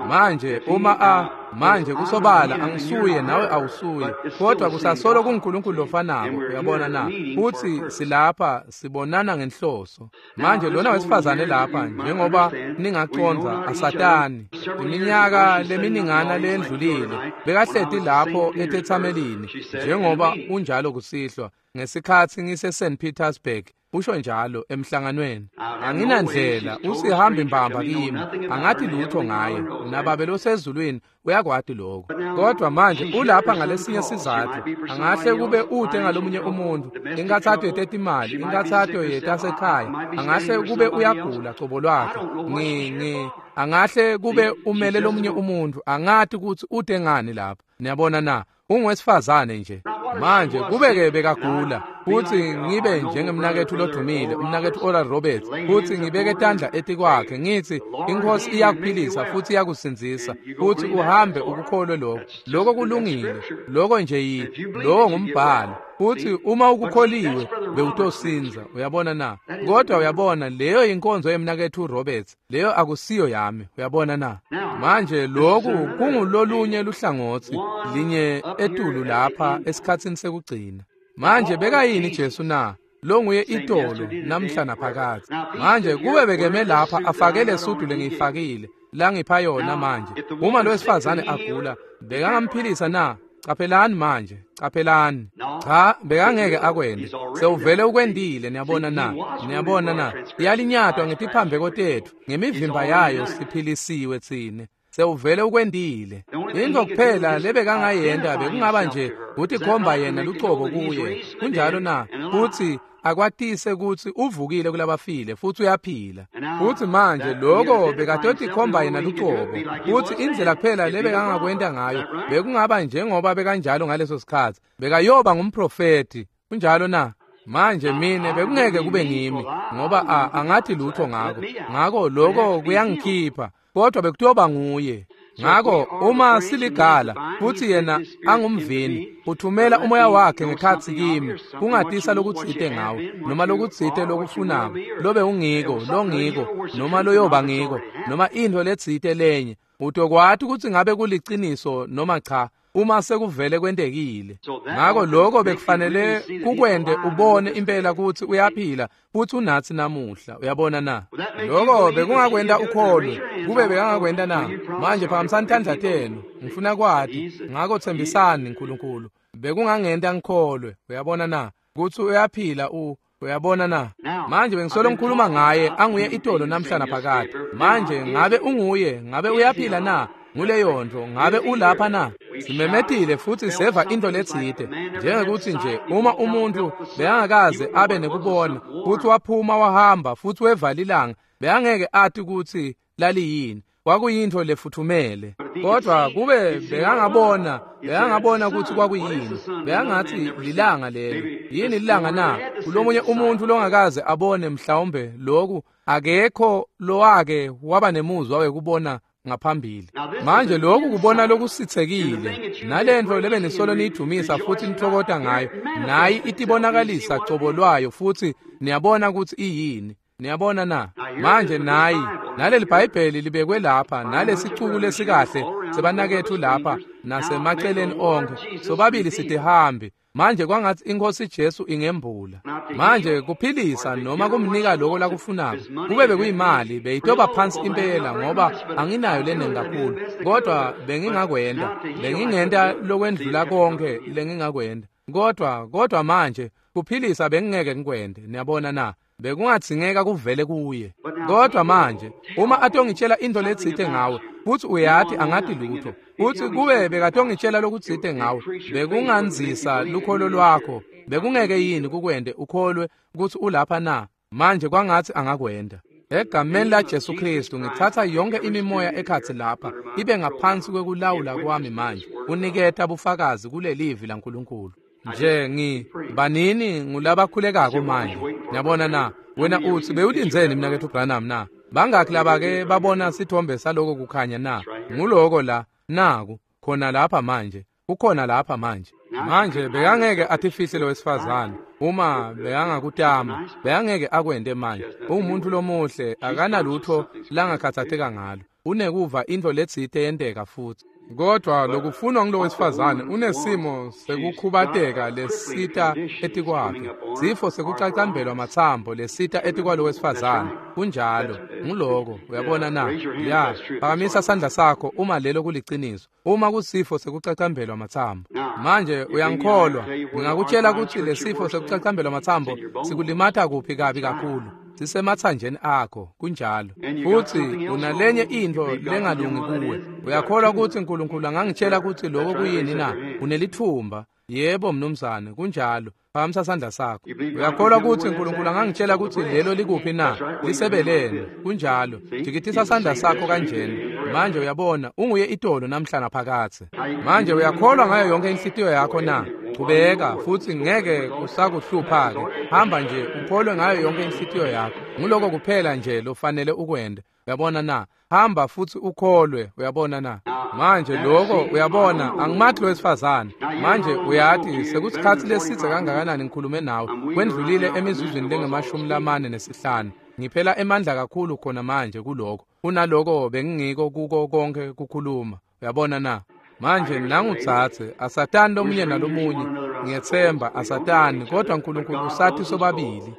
Manje uma a manje kusobala angisuye nawe awusuye, kodwa kusasolo kuNkulunkulu lofanako, uyabona na? Futhi silapha sibonana ngenhloso. Manje lona wesifazane lapha, njengoba ningaconza asatani, iminyaka leminingana lendlulile bekahleti lapho etethamelini njengoba unjalo kusihlwa ngesikhathi ngise Saint Petersburg, usho njalo emhlanganweni. Anginandlela, usihambi mbamba kimi, angathi lutho ngaye, nababe losezulwini uyakwati lokho. Kodwa manje ulapha ngalesinye sizathu, angahle kube ude ngalomunye umuntu, inkathatho yetetimali, inkathatho yetasekhaya, angahle kube uyagula cobo lwakhe, ngi ngi angahle kube umele lomunye umuntu, angathi ukuthi ude ngani lapha, niyabona na? Ungowesifazane nje. Manje kube-ke bekagula, Futsi ngibe njengemnaketfu lodumile, umnaketfu Oral Roberts, futsi ngibeke tandla etikwakhe ngitsi iNkhosi iyakuphilisa futsi iyakusindzisa, futsi uhambe ukukholwe lokho. Lokho kulungile, lokho nje yi lowo ngumbhalo. Futsi uma ukukholiwe bewutosindza, uyabona na? Kodwa uyabona, leyo inkonzo yemnaketfu Roberts, leyo akusiyo yami, uyabona na? Manje lokhu kungulolunye luhlangotsi linye etulu lapha esikhatsini sekugcina. Manje bekayini Jesu na? Longuye itolo namhla naphakadze. Manje kube bekeme lapha afake lesudu lengiyifakile langipha yona manje, uma lo wesifazane agula bekangamphilisa na? Caphelani manje, caphelani. Cha, bekangeke akwende. Sewuvele ukwendile, niyabona na? Niyabona na? Iyalinyatwa ngetiphambeko tetfu, ngemivimba yayo siphilisiwe tsine. Sewuvele ukwendile. Into kuphela lebekangayenta bekungaba nje kutikhomba yena lucobo kuye. Kunjalo na? Futsi akwatise kutsi uvukile kulabafile futsi uyaphila. Futsi manje lokho bekatotikhomba yena lucobo. Futsi indlela kuphela lebekangakwenta ngayo bekungaba njengoba bekanjalo ngaleso sikhatsi. Bekayoba ngumprofeti. Kunjalo na? Manje mine bekungeke kube ngimi ngoba a angathi lutho ngako. Ngako lokho kuyangikhipha. Kodwa bekutoba nguye. Ngako uma siligala futhi yena angumvini, uthumela umoya wakhe ngekhatsi kimi kungatisa lokutsite ngawe, noma lokutsite lokufunako, lobe ungiko, longiko, noma loyoba ngiko, noma intfo letsite lenye. Utokwati kutsi ngabe kuliciniso noma cha uma sekuvele kwentekile. Ngako lokho bekufanele kukwente ubone impela kutsi uyaphila futsi unatsi namuhla, uyabona na? Lokho bekungakwenta ukholwe, kube bekangakwenta na? Manje phakamisani tandla tenu, ngifuna kwati. Ngako tsembisani Nkulunkulu, bekungangenta ngikholwe, uyabona na? Kutsi uyaphila u uyabona na? Manje bengisolo ngikhuluma ngaye anguye itolo namhla naphakade. Manje ngabe unguye, ngabe uyaphila na? Nguleyo nto, ngabe ulapha na? Simemetile futsi seva into letsite, njengekuthi nje uma umuntu bekangakaze abe nekubona futsi waphuma wahamba futsi weva lilanga, bekangeke ati kutsi laliyini, kwakuyintfo lefuthumele. Kodwa kube bekangabona, bekangabona kutsi kwakuyini, bekangatsi lilanga lelo. Yini lilanga na? Kulomunye umuntu longakaze abone mhlawumbe lokhu, akekho lowake waba nemuzwa wekubona ngaphambili. Manje lokhu kubona lokusitsekile, nalento lebe nisolo niyidumisa futhi nitfokota ngayo, nayi itibonakalisa cobo lwayo futhi niyabona kutsi iyini. Niyabona na? Manje nayi naleli Bhayibheli libekwe lapha, nalesicuku lesikahle sebanakethu lapha nasemaceleni onkhe, sobabili sitihambi. Manje kwangatsi iNkhosi Jesu ingembula. Manje kuphilisa noma kumnika lokho lakufunako, kube bekuyimali beyitoba phansi impela ngoba anginayo lenengi kakhulu, kodwa bengingakwenta, bengingenta lokwendlula konke lengingakwenta. Kodwa kodwa manje kuphilisa bengingeke ngikwente, niyabona na? Bekungadzingeka kuvele kuye. Kodwa manje uma atongitshela into letsite ngawe, futsi uyati angati lutho, futsi kube bekatongitshela lokutsite ngawe, bekunganzisa lukholo lwakho, bekungeke yini kukwente ukholwe kutsi ulapha na? Manje kwangatsi angakwenta. Egameni la Jesu Kristu ngitsatsa yonke imimoya ekhatsi lapha ibe ngaphansi kwekulawula kwami manje, uniketa bufakazi kulelivi laNkulunkulu. Nje ngi banini ngulabakhulekako manje, niyabona na? Wena utsi bewulindzeni mnaketfu Branham na? Bangakhi labake babona sithombe saloko kukhanya na? Nguloko la, naku khona lapha manje, kukhona lapha manje. Manje bekangeke atifihle lo wesifazane uma bekangakutama, bekangeke akwente manje. Ungumuntu lomuhle, akanalutho langakhathatseka ngalo, unekuva intfo letsite yenteka futhi. Kodwa lokufunwa ngulo wesifazane unesimo sekukhubateka lesita etikwakhe, sifo sekucacambelwa matsambo lesita etikwalo wesifazane. Kunjalo, nguloko, uyabona na? Ya, phakamisa sandla sakho uma lelo kuliciniso, uma kusifo sekucacambelwa matsambo. Manje uyangikholwa, ngingakutshela kutsi lesifo sekucacambelwa matsambo sikulimata kuphi kabi kakhulu. Sisematsanjeni akho, kunjalo. Futsi unalenye intfo lengalungi kuwe. Uyakholwa kutsi Nkulunkulu angangitshela kutsi lokho kuyini na? Unelithumba. Yebo mnumzane, kunjalo. Phakamisa sandla sakho. Uyakholwa kutsi Nkulunkulu angangitshela kutsi lelo likuphi na? Lisebeleni. Kunjalo. Jikitisa sandla sakho kanjena. Manje uyabona, unguye itolo namhla naphakadze. Manje uyakholwa ngayo yonke inhlitiyo yakho na? Chubeka futsi ngeke kusakuhlupha ke. Hamba nje ukholwe ngayo yonke inhlitiyo yakho. Nguloko kuphela nje lofanele ukwente. Uyabona na? Hamba futsi ukholwe, uyabona na? Manje lokho uyabona angimathi wesifazane. Manje uyati sekusikhatsi lesidze kangakanani ngikhulume nawe. Kwendlulile emizuzwini lengemashumi lamane nesihlanu. Ngiphela emandla kakhulu khona manje kuloko. Kunaloko bengingiko kuko konke kukhuluma. Uyabona na? Manje nangutsatse asatani lomunye nalomunye. Ngiyetsemba asatani kodwa uNkulunkulu usathi sobabili.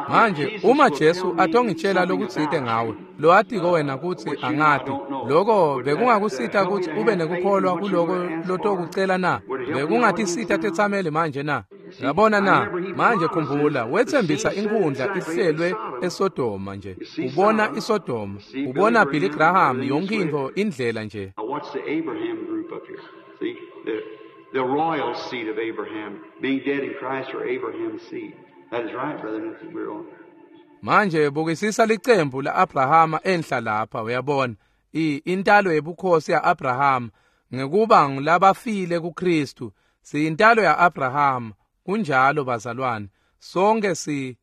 Manje uma Jesu atongitshela lokutsite ngawe loatiko wena kutsi angati lokho bekungakusita kutsi ube nekukholwa kuloko lotokucela na? Bekungatisita tetsameli manje na? Yabona na? Manje khumbula wetsembisa inkhundla ihlelwe eSodoma nje. Ubona iSodoma, ubona Billy Graham yonke intfo indlela nje. The royal seed of Abraham, being dead in Christ or Abraham's seed. That is right, brother. We're on. Manje bukisisa licembu laAbrahama enhla lapha, uyabona i intalo yebukhosi yaAbraham ngekuba ngulabafile kuKristu. Siyintalo yaAbraham, kunjalo bazalwane. Sonke si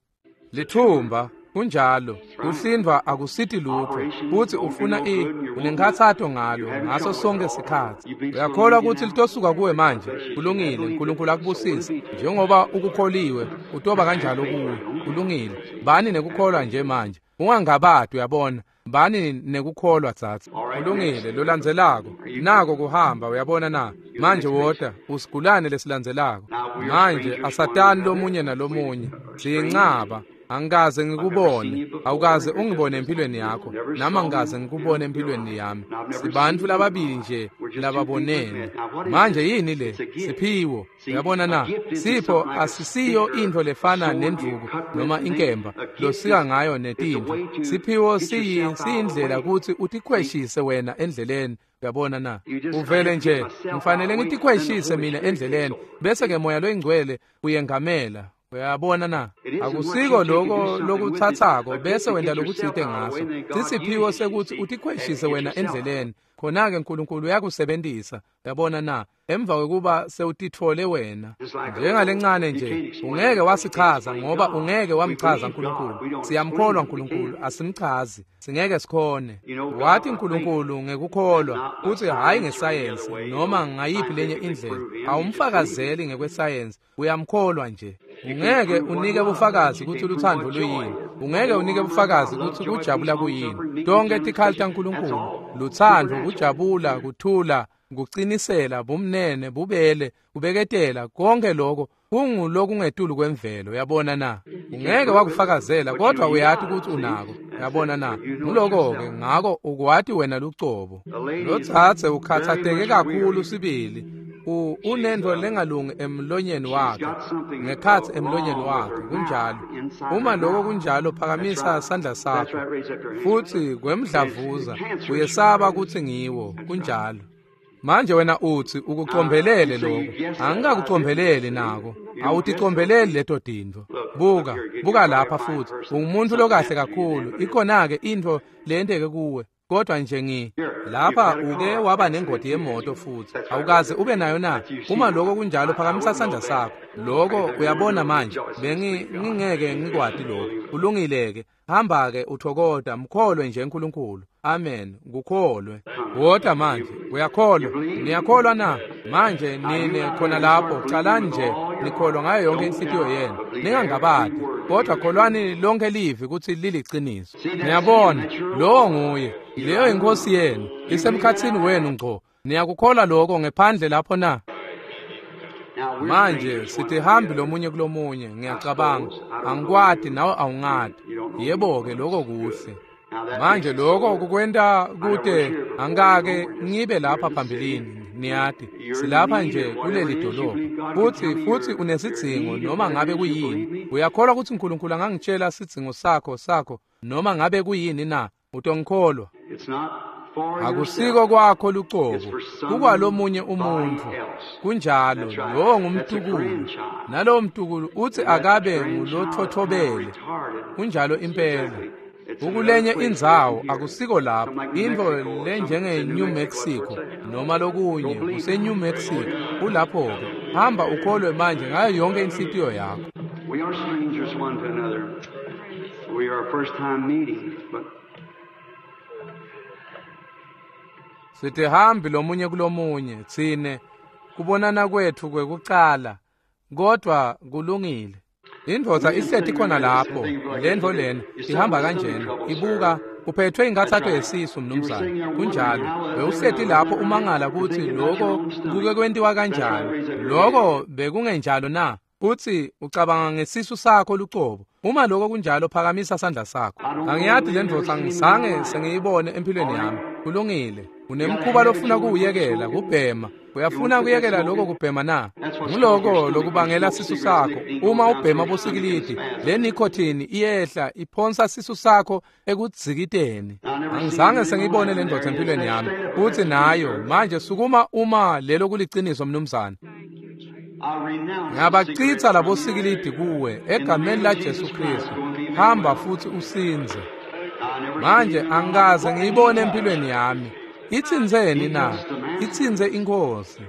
lithumba, kunjalo. Kuhlindwa akusiti lutho futhi ufuna i unenkhathato ngalo ngaso sonke sikhatsi. Uyakholwa ukuthi litosuka kuwe manje? Kulungile, uNkulunkulu akubusise. Njengoba ukukholiwe utoba kanjalo kuwe. Kulungile, bani nekukholwa nje manje, ungangabadi. Uyabona, bani nekukholwa tsatsa. Kulungile, lolandzelako nako kuhamba. Uyabona na? Manje wota usigulane lesilandzelako. Manje asatani lomunye nalomunye, siyincaba. Angikaze ngikubone, awukaze ungibone empilweni yakho, nami angikaze ngikubone empilweni yami. Sibantfu lababili nje lababonene. Manje yini le? Siphiwo. Uyabona na? Sipho asisiyo intfo lefana nendvuku noma inkemba losika ngayo netintfo. Siphiwo siyi siyindlela kutsi utikhweshise wena endleleni. Uyabona na? Uvele nje ngifanele ngitikhweshise mina endleleni bese ke moya loyingcwele uyengamela. Uyabona na? Akusiko lokho lokuthathako bese wenta lokutsite ngaso. Sisiphiwo sekuthi utikhweshise wena endleleni. Khona-ke uNkulunkulu uyakusebenzisa. Uyabona na? Emva kwekuba sewutitfole wena njengalencane nje, ungeke wasichaza ngoba ungeke wamchaza uNkulunkulu. Siyamkholwa uNkulunkulu, asimchazi, singeke sikhone. Wathi uNkulunkulu ngekukholwa kuthi hayi ngesayensi noma ngayiphi lenye indlela. Awumfakazeli ngekwesayensi, uyamkholwa nje. Ungeke unike bufakazi kutsi luthando luyini. Ungeke unike bufakazi kutsi kujabula kuyini. Tonke tikhali taNkulunkulu, luthando, kujabula, kuthula, kucinisela, bumnene, bubele, kubeketela, konke lokho kungulokungetulu kwemvelo. Uyabona na? Ungeke wakufakazela kodwa uyati ukuthi unako. Uyabona na? Nguloko-ke ngako ukwati wena lucobo. Lotsatse ukhathateke kakhulu sibili. Unento lengalungi emlonyeni wakhe, ngekhatsi emlonyeni wakhe, kunjalo. Uma lokho kunjalo, phakamisa sandla sakho. Futsi kwemdlavuza uyesaba kutsi ngiwo, kunjalo. Manje wena utsi ukucombelele lokho. Angikakucombeleli nako. Awuticombeleli leto tintfo. Buka, buka lapha futhi. Ungumuntu lokahle kakhulu. Ikhona-ke intfo leyenteke kuwe. Kodwa nje ngi lapha uke waba nengoti yemoto futhi awukaze ube nayo na? Uma lokho kunjalo, phakamisa sandla sakho. Lokho uyabona manje bengi ngingeke ngikwati lokho. Kulungile-ke, hamba-ke uthokoda, mkholwe nje uNkulunkulu. Amen, kukholwe. Wota manje, uyakholwa? Niyakholwa na? Manje nine khona lapho, calani nje nikholwa ngayo yonke inhlitiyo yenu, ningangabadi, kodwa kholwani lonke livi kutsi liliciniso. Niyabona, lowo nguye, leyo inkosi yenu, isemkhatsini wenu ngco. Niyakukholwa lokho ngephandle lapho na? Manje sitihambi lomunye kulomunye, ngiyacabanga. Angikwati nawe awungati. Yebo-ke, lokho kuhle. Manje lokho kukwenta kute angake ngibe lapha phambilini, niyati. Silapha nje kuleli dolobha. Futhi futhi unesidzingo noma ngabe kuyini. Uyakholwa ukuthi uNkulunkulu angangitshela sidzingo sakho sakho noma ngabe kuyini na? Utongikholwa. Akusiko kwakho lucobo, kukwalomunye umuntfu. Kunjalo, lowo ngumtukulu. Nalowo mtukulu uthi akabe ngulothothobele. Kunjalo impela. Ukulenye indzawo akusiko lapho, intfo lenjenge New Mexico noma lokunye kuse New Mexico, kulapho-ke. Hamba ukholwe manje ngayo yonke inhlitiyo yakho. We are strangers one to another. We are a first time meeting, but sitihambi lomunye kulomunye tsine kubonana kwethu kwekucala, kodwa kulungile. Indvodza ihleti khona lapho, lendvo lena ihamba kanjena, ibuka uphethwe inkathato yesisu mnumzane. Kunjalo, bewuhleti lapho umangala kutsi lokho kuke kwentiwa kanjani. Lokho bekungenjalo na? Kutsi ucabanga ngesisu sakho lucobo. Uma lokho kunjalo, phakamisa sandla sakho. Angiyati le ndvodza, ngizange sengiyibone empilweni yami. Kulungile. Unemkhuba lofuna kuwuyekela, kubhema. Uyafuna kuyekela lokho kubhema na? Nguloko lokubangela sisu sakho. Uma ubhema bosikilidi, le nicotine iyehla iphonsa sisu sakho ekudzikiteni. Angizange sengiyibone le ndvodza empilweni yami. Kutsi nayo manje sukuma uma lelo kuliciniso mnumzane. Ngiyabacitsa labo sikilidi kuwe egameni la Jesu Kristu. Hamba futhi usinze. Manje angikaze ngiyibone empilweni yami. Itsinzeni na? Itsinze inkosi.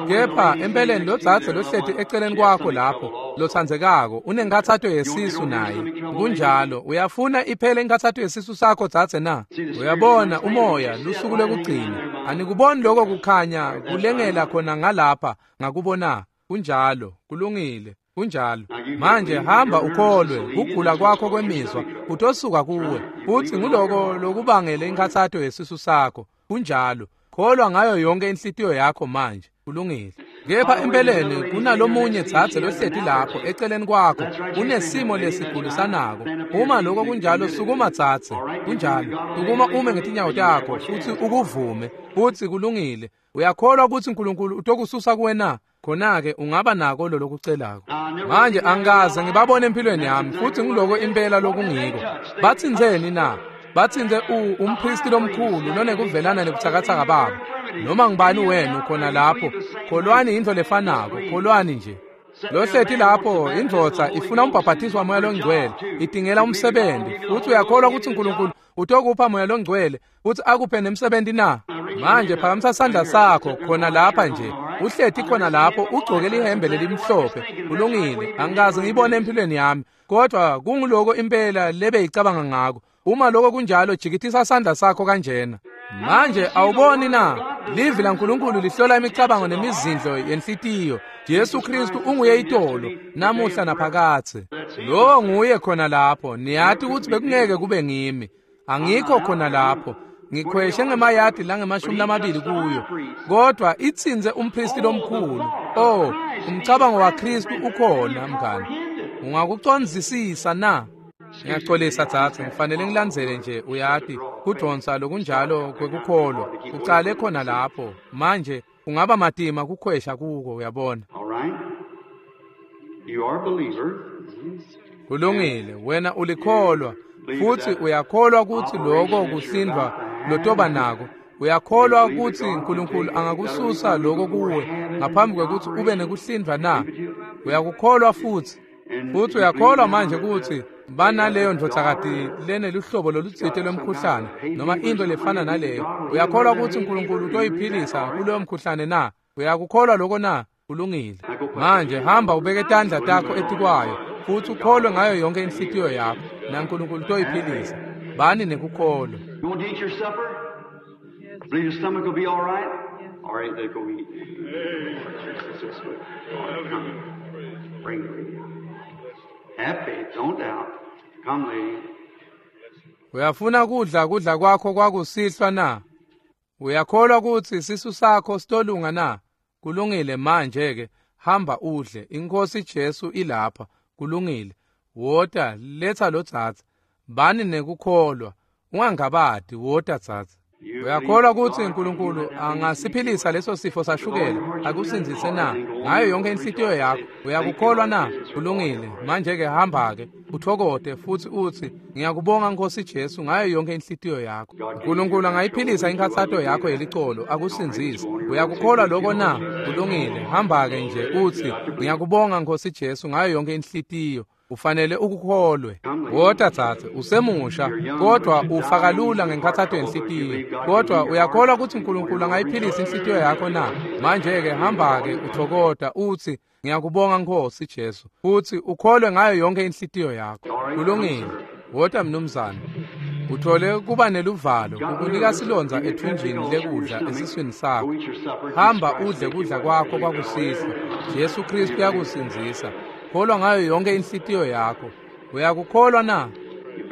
Kepha empeleni lo dzadze lohleti eceleni kwakho lapho lotsandzekako unenkathato yesisu naye. Kunjalo, uyafuna iphele inkathato yesisu sakho dzadze na? Uyabona umoya lusuku lokugcina. Anikuboni lokho kukhanya kulengela khona ngalapha ngakubona. Kunjalo, kulungile. Kunjalo. Manje hamba ukholwe, kugula kwakho kwemizwa kutosuka kuwe. Futhi nguloko lokubangele inkathato yesisu sakho. Kunjalo. Kholwa ngayo yonke inhlitiyo yakho manje. Kulungile. Kepha empeleni kunalomunye dzadze lohleti lapho eceleni kwakho unesimo lesigulisanako. Uma lokho kunjalo, sukuma dzadze. Kunjalo. Sukuma ume ngetinyawo takho futhi ukuvume. Futhi kulungile. Uyakholwa ukuthi uNkulunkulu utokususa kuwe na? Khona-ke ungaba nako lo lokucelako. Manje angikaze ngibabone empilweni yami, futhi ngiloko impela lokungiko. Batsinzeni na? Batsinze umpristi lomkhulu lonekuvelana nebutsakatsaka babo. Noma ngibani wenu khona lapho, kholwani into lefanako, kholwani nje. Lohleti lapho indvodza ifuna umbhaphathiso wamoya longcwele, idingela umsebenzi. Futhi uyakholwa ukuthi uNkulunkulu utokupha moya longcwele futhi akuphe nemsebenzi na? Manje phakamisa sandla sakho khona lapha nje. Uhleti khona lapho ugcoke lihembe lelimhlophe. Kulungile, angikaze ngibone empilweni yami, kodwa kunguloko impela lebe icabanga ngako. Uma lokho kunjalo, jikitisa sandla sakho kanjena. Manje awuboni na? Livi laNkulunkulu lihlola imicabango nemizindlo yenhlitiyo. Jesu Kristu unguye itolo, namuhla naphakathe. Lo nguye khona lapho. Niyati ukuthi bekungeke kube ngimi. Angikho khona lapho. Ngikhweshe ngemayadi langemashumi lamabili kuyo. Kodwa itsinze umpristi lomkhulu. Oh, umcabango waKristu ukhona mngani. Ungakucondzisisa na? Ngiyaxolisa dzadze, ngifanele ngilandzele nje, uyati, kudonsa lokunjalo kwekukholwa. Ucale khona lapho. Manje kungaba matima kukhwesha kuko, uyabona. All right. You are a believer. Kulungile, wena ulikholwa futhi uyakholwa ukuthi lokho kusindwa lotoba nako. Uyakholwa ukuthi uNkulunkulu angakususa lokho kuwe ngaphambi kwekuthi ube nekuhlindwa na? Uyakukholwa futhi. Futhi uyakholwa manje ukuthi banaleyo ndvodzakati leneluhlobo lolutsite lwemkhuhlane noma into lefana naleyo. Uyakholwa ukuthi uNkulunkulu utoyiphilisa kuloyo mkhuhlane na? Uyakukholwa lokho na? Kulungile. Manje hamba ubeke tandla takho etikwayo futhi ukholwe ngayo yonke inhlitiyo yakho, naNkulunkulu utoyiphilisa. Bani nekukholwa. You want to eat your supper? Believe your stomach will be all right? All right, then go eat. Come. Bring the lady. Have faith, don't doubt. Come, lady. Uyafuna kudla kudla kwakho kwakusihlwa na? Uyakholwa ukuthi sisu sakho sitolunga na? Kulungile, manje ke hamba udle. Inkosi Jesu ilapha. Kulungile. Wota, letha lo dzadze. Bani nekukholwa. Ungangabadi, wota dzadze. Uyakholwa ukuthi uNkulunkulu angasiphilisa leso sifo sashukela akusindzise na? Ngayo yonke inhlitiyo yakho uyakukholwa na? Kulungile. Manje ke hamba ke uthokote futhi uthi ngiyakubonga Nkosi Jesu ngayo yonke inhlitiyo yakho. uNkulunkulu angayiphilisa inkathato yakho yelicolo akusindzise. Uyakukholwa lokho na? Kulungile. Hamba ke nje uthi ngiyakubonga Nkosi Jesu ngayo yonke inhlitiyo. Ufanele ukukholwe. Wota tsatse, usemusha, kodwa ufa kalula ngenkhatsato yenhlitiyo. Kodwa uyakholwa ukuthi uNkulunkulu angayiphilisa inhlitiyo yakho na? Manje-ke hamba-ke uthokota uthi, ngiyakubonga Nkosi Jesu. Futhi ukholwe ngayo yonke inhlitiyo yakho. Kulungile. Wota mnumzane. Uthole kuba neluvalo kukunika silondza ethunjini lekudla esiswini sakho. Hamba udle kudla kwakho kwakusihlwa. Jesu Kristu uyakusindzisa. Kholwa ngayo yonke inhlitiyo yakho. Uyakukholwa na?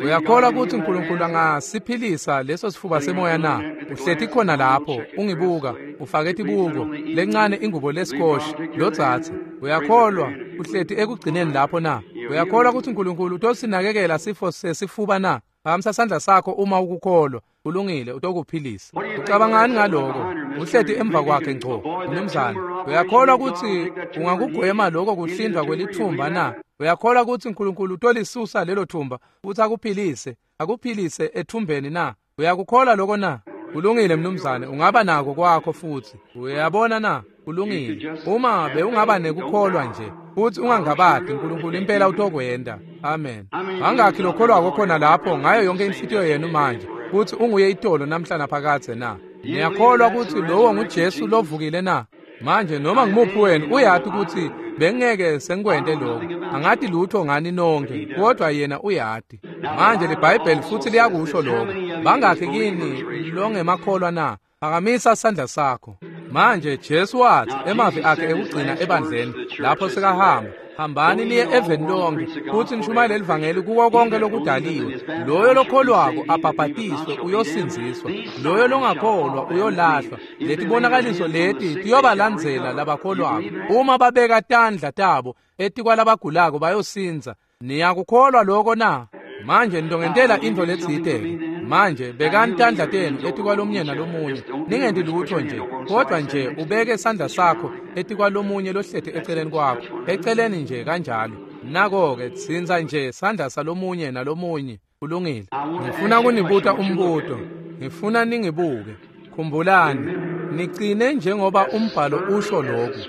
Uyakholwa ukuthi uNkulunkulu angasiphilisa leso sifuba semoya na? Uhleti khona lapho ungibuka, ufake tibuko lencane ingubo lesikhoshi lotsatse. Uyakholwa uhleti ekugcineni lapho na? Uyakholwa ukuthi uNkulunkulu utosinakekela sifo sesifuba na? Phakamisa sandla sakho uma ukukholwa. Kulungile, utokuphilisa. Ucabangani ngaloko? Uhleti emva kwakhe ngco, mnumzane. Uyakholwa ukuthi ungakugwema lokho kuhlindwa kwelithumba na? Uyakholwa ukuthi uNkulunkulu utolisusa lelo thumba futhi akuphilise, akuphilise ethumbeni na? Uyakukholwa lokho na? Kulungile mnumzane, ungaba nako kwakho futhi. Uyabona na? Kulungile. Uma bewungaba nekukholwa nje futhi ungangabadi, uNkulunkulu impela utokwenda. Amen. Angakhi lokholwako khona lapho ngayo yonke inhlitiyo yenu manje, futhi unguye itolo namhla naphakadze na? Niyakholwa ukuthi lowo nguJesu lovukile na? Manje noma ngimuphi wenu uyati ukuthi bengeke sengikwente lokho. Angati lutho ngani nonke, kodwa yena uyati. Manje liBhayibheli futhi liyakusho lokho. Bangakhi kini longemakholwa na? Phakamisa sandla sakho. Manje Jesu wathi emavi akhe ekugcina ebandleni lapho sekahamba, hambani niye eveni lonke futhi nishumayele livangeli kuko konke lokudaliwe. Loyo lokholwako abhabhatiswe uyosindziswa, loyo longakholwa uyolahlwa. Letibonakaliso leti tiyobalandzela labakholwako. Uma babeka tandla tabo etikwalabagulako bayosindza. Niyakukholwa lokho na? Manje nitongentela intfo letsite. Manje bekani tandla tenu etikwalomunye nalomunye. Ningenti lutho nje, kodwa nje ubeke sandla sakho etikwalomunye lohleti eceleni kwakho, eceleni nje kanjalo. Nako-ke tsintsa nje sandla salomunye nalomunye. Kulungile. Ngifuna kunibuta umbuto. Ngifuna ningibuke. Khumbulani, nicine njengoba umbhalo usho lokhu.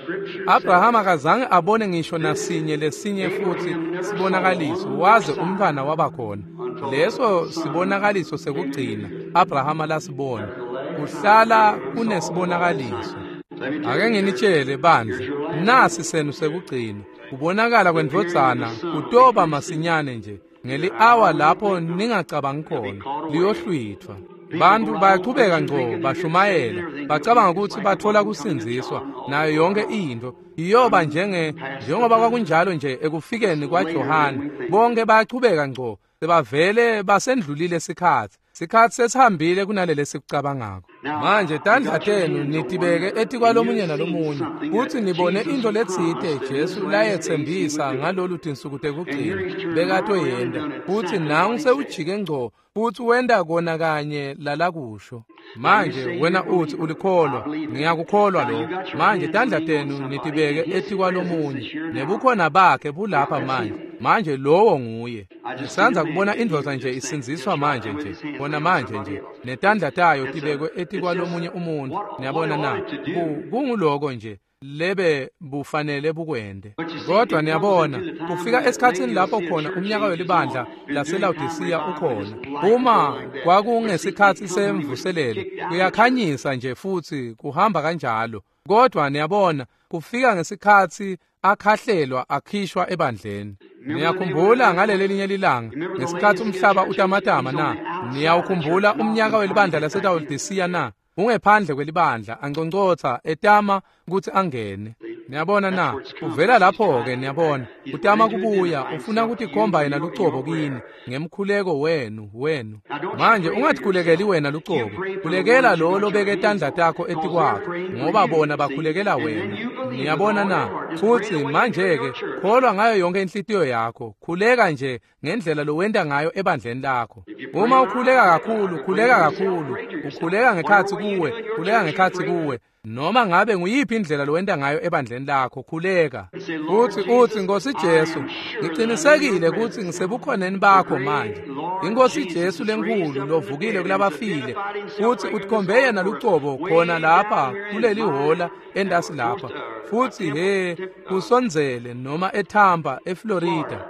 Abraham akazange abone ngisho nasinye lesinye futhi sibonakaliso waze umntwana waba khona. Leso sibonakaliso sekugcina Abraham lasibona. Kuhlala kunesibonakaliso. Ake nginitshele bandla, nasi senu sekugcina. Kubonakala kwendvodzana kutoba masinyane nje. Ngeli-awa lapho ningacabangi khona, liyohlwithwa. Bantu bayachubeka ngco bashumayela, bacabanga ukuthi bathola kusindziswa nayo yonke into. Iyoba njenge njengoba kwakunjalo nje ekufikeni kwaJohane. Bonke bayachubeka ngco, sebavele basendlulile sikhathi. Sikhathi sesihambile kunalele sikucabangako. Manje tandla tenu nitibeke etikwalomunye nalomunye kuthi nibone into letsite Jesu layetsembisa ngalolu tinsuku tekugcina bekatoyenda, futhi nangu sewujike ngco futhi wenda kona kanye lalakusho. Manje wena uthi ulikholwa, ngiyakukholwa lokho. Manje tandla tenu nitibeke etikwalomunye, nebukhona bakhe bulapha manje. Manje lowo nguye. Ngisanza kubona indvodza nje isindziswa manje nje, bona manje nje, netandla tayo tibekwe etikwalomunye umuntu. Niyabona na? Kunguloko nje lebe bufanele bukwende. Kodwa niyabona, kufika esikhatsini lapho khona umnyaka welibandla laseLawodisiya ukhona. Uma kwakungesikhathi semvuselelo, kuyakhanyisa nje futhi kuhamba kanjalo. Kodwa niyabona, kufika ngesikhathi akhahlelwa akhishwa ebandleni. Niyakhumbula ngaleli linye lilanga ngesikhathi umhlaba utamatama na? Niyawukhumbula umnyaka welibandla laseLawodisiya na? Ungephandle kwelibandla anconcotha etama ukuthi angene. Niyabona na? Uvela lapho-ke niyabona. Utama kubuya, ufuna kutikhomba yena lucobo kini ngemkhuleko wenu wenu. Manje ungathikhulekeli wena lucobo. Khulekela lo lobeke tandla takho etikwakho, ngoba bona bakhulekela wena. Niyabona na? Futhi manje-ke kholwa ngayo yonke inhlitiyo yakho. Khuleka nje ngendlela lowenta ngayo ebandleni lakho. Uma ukhuleka kakhulu, khuleka kakhulu. Ukhuleka ngekhatsi kuwe, khuleka ngekhatsi kuwe. Noma ngabe nguyiphi indlela lowenta ngayo ebandleni lakho, khuleka. Uthi uthi Nkosi Jesu, ngiqinisekile ukuthi ngisebukhoneni bakho manje. Inkosi Jesu lenkulu lovukile kulabafile, futhi utkhombe yena lucobo khona lapha kuleli hola endasi lapha. Futhi he kusondzele noma eTampa eFlorida.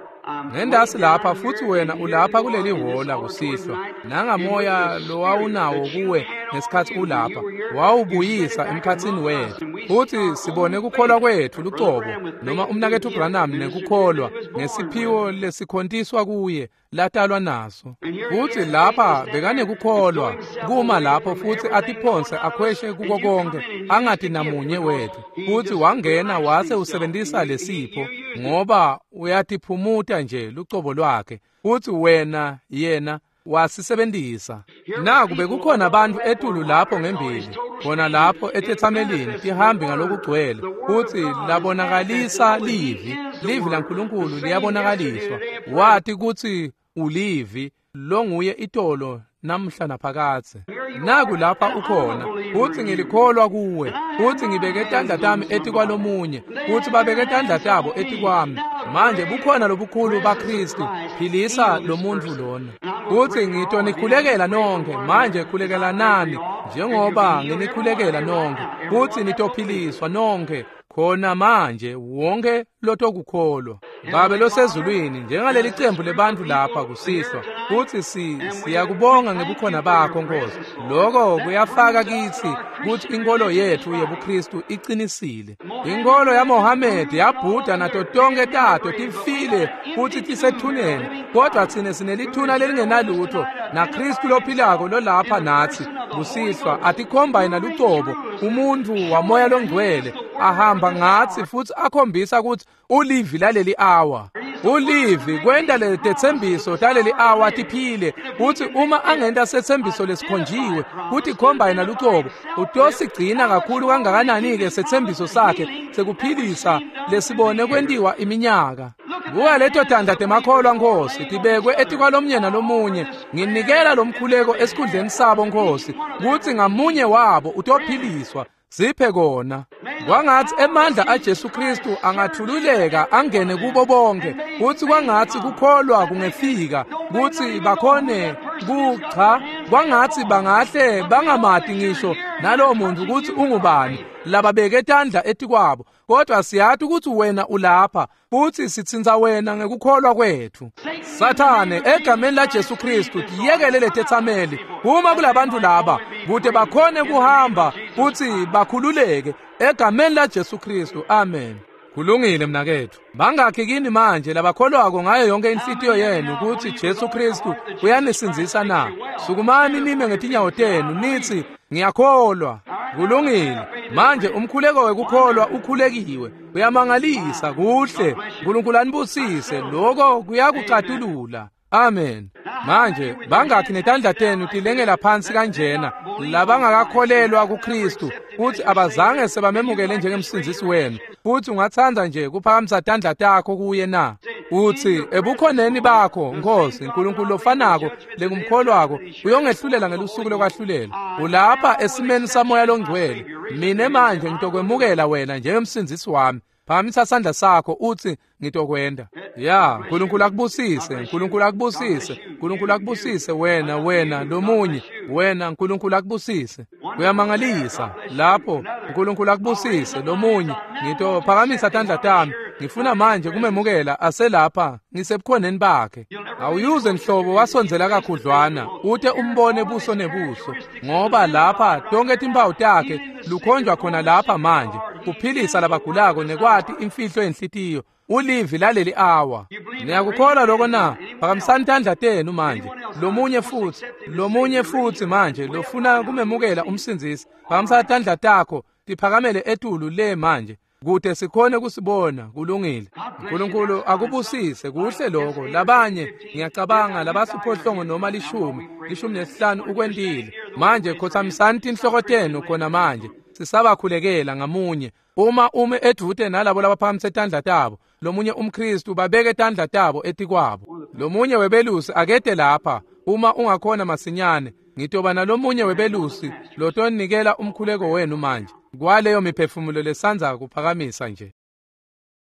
Ngendasi lapha futsi wena ulapha kuleli hhola kusihlwa, nangamoya lowawunawo kuwe ngesikhatsi ulapha, wawubuyisa emkhatsini wethu. Futsi sibone kukholwa kwetfu lucobo, noma umnaketfu Branham nekukholwa ngesiphiwo lesikhontiswa kuye latalwa naso. Futsi lapha bekanekukholwa kuma lapho futsi atiphonse akhweshe kuko konke, angati namunye wethu. Futsi wangena wase usebentisa lesipho, ngoba uyatiphumuta nje lucobo lwakhe. Futsi wena yena wasisebentisa. Naku bekukhona abantu etulu lapho ngembili, khona lapho etetsamelini tihambi ngalokugcwele, futsi labonakalisa livi, livi laNkulunkulu liyabonakaliswa. Wati kutsi ulivi longuye itolo namhla naphakadze. Naku lapha ukhona, futsi ngilikholwa kuwe, futsi ngibeke tandla tami etikwalomunye, futsi babeke tandla tabo etikwami. Manje bukhona lobukhulu baKristu, philisa lomuntfu lona. Futsi ngitonikhulekela nonkhe, manje khulekelanani njengoba nginikhulekela nonkhe, futsi nitophiliswa nonkhe khona manje, wonke lotokukholwa. Babe losezulwini, njengaleli cembu lebantfu lapha kusihlwa, futsi si siyakubonga ngebukhona bakho Nkosi. Lokho kuyafaka kitsi kutsi inkolo yetfu yebuKristu iqinisile. Inkolo yaMohamedi, yaBhuda nato tonke tato tifile futsi tisethuneni, kodwa tsine sinelithuna lelingenalutho naKristu lophilako lolapha natsi kusihlwa, atikhomba yena lucobo, umuntfu wamoya longcwele, ahamba ngatsi futsi akhombisa kutsi ulivi laleli awa. Ulivi kwenta letetsembiso taleli awa tiphile, kutsi uma angenta setsembiso lesikhonjiwe kutikhomba yena lucobo, utosigcina kakhulu kangakanani-ke setsembiso sakhe sekuphilisa lesibone kwentiwa iminyaka. Buka leto tandla temakholwa Nkosi, tibekwe etikwalomnye nalomunye. Nginikela lomkhuleko esikhundleni sabo Nkosi, kutsi ngamunye wabo utophiliswa. Siphe kona. Kwangatsi emandla aJesu Kristu angathululeka angene kubo bonke, kutsi kwangatsi kukholwa kungefika, kutsi bakhone kucha, kwangatsi bangahle bangamati ngisho nalowo muntu kutsi ungubani, lababeke tandla etikwabo, kodwa siyati kutsi wena ulapha, futsi sitsintsa wena ngekukholwa kwetfu. Sathane, egameni laJesu Kristu, tiyekele letetsameli, uma kulabantu laba, kute bakhone kuhamba futsi bakhululeke, egameni laJesu Kristu, amen. Kulungile mnaketfu. Bangakhi kini manje labakholwako ngayo yonke inhlitiyo yenu kutsi Jesu Kristu uyanisindzisa na? Sukumani nime ngetinyawo tenu nitsi ngiyakholwa. Kulungile. Manje umkhuleko wekukholwa ukhulekiwe. Uyamangalisa, kuhle. Nkulunkulu anibusise, lokho kuyakucatulula. Amen. Manje bangakhi netandla tenu tilengela phansi kanjena labangakakholelwa kuKristu, futhi abazange sebamemukele njengemsindzisi wenu, futhi ungatsandza nje kuphakamisa tandla takho kuye na? Uthi ebukhoneni bakho Nkosi Nkulunkulu lofanako lengumkholwako uyongehlulela ngelusuku lokwahlulela. Ulapha esimeni samoya longcwele. Mine manje ngitokwemukela wena njengemsindzisi wami. Phakamisa sandla sakho uthi ngitokwenda. Ya, Nkulunkulu akubusise, Nkulunkulu akubusise, Nkulunkulu akubusise wena, wena lomunye, wena Nkulunkulu akubusise. Kuyamangalisa lapho, Nkulunkulu akubusise lomunye. Ngitophakamisa tandla tami. Ngifuna manje kumemukela aselapha ngisebukhoneni bakhe. Awuyuze nhlobo wasondzela kakhudlwana ute umbone buso nebuso, ngoba lapha tonke timpawu takhe lukhonjwa khona lapha manje, kuphilisa labagulako nekwati imfihlo yenhlitiyo. Ulivi laleli awa. Niyakukholwa lokho na? Phakamisani tandla tenu manje. Lomunye futhi, lomunye futhi manje lofuna kumemukela umsindzisi, phakamisa tandla takho tiphakamele etulu le manje, kute sikhone kusibona. Kulungile. Nkulunkulu akubusise. Kuhle lokho. Labanye ngiyacabanga labasiphohlongo noma lishumi, lishumi nesihlanu ukwentile. Manje khotsamisani tinhloko tenu khona manje. Sisabakhulekela ngamunye. Uma ume edvute nalabo labaphakamise tandla tabo, lomunye umKristu babeke tandla tabo etikwabo. Lomunye webelusi akete lapha uma ungakhona masinyane. Ngitoba nalomunye webelusi lotonikela umkhuleko wenu manje kwaleyo miphefumulo lesandza kuphakamisa nje.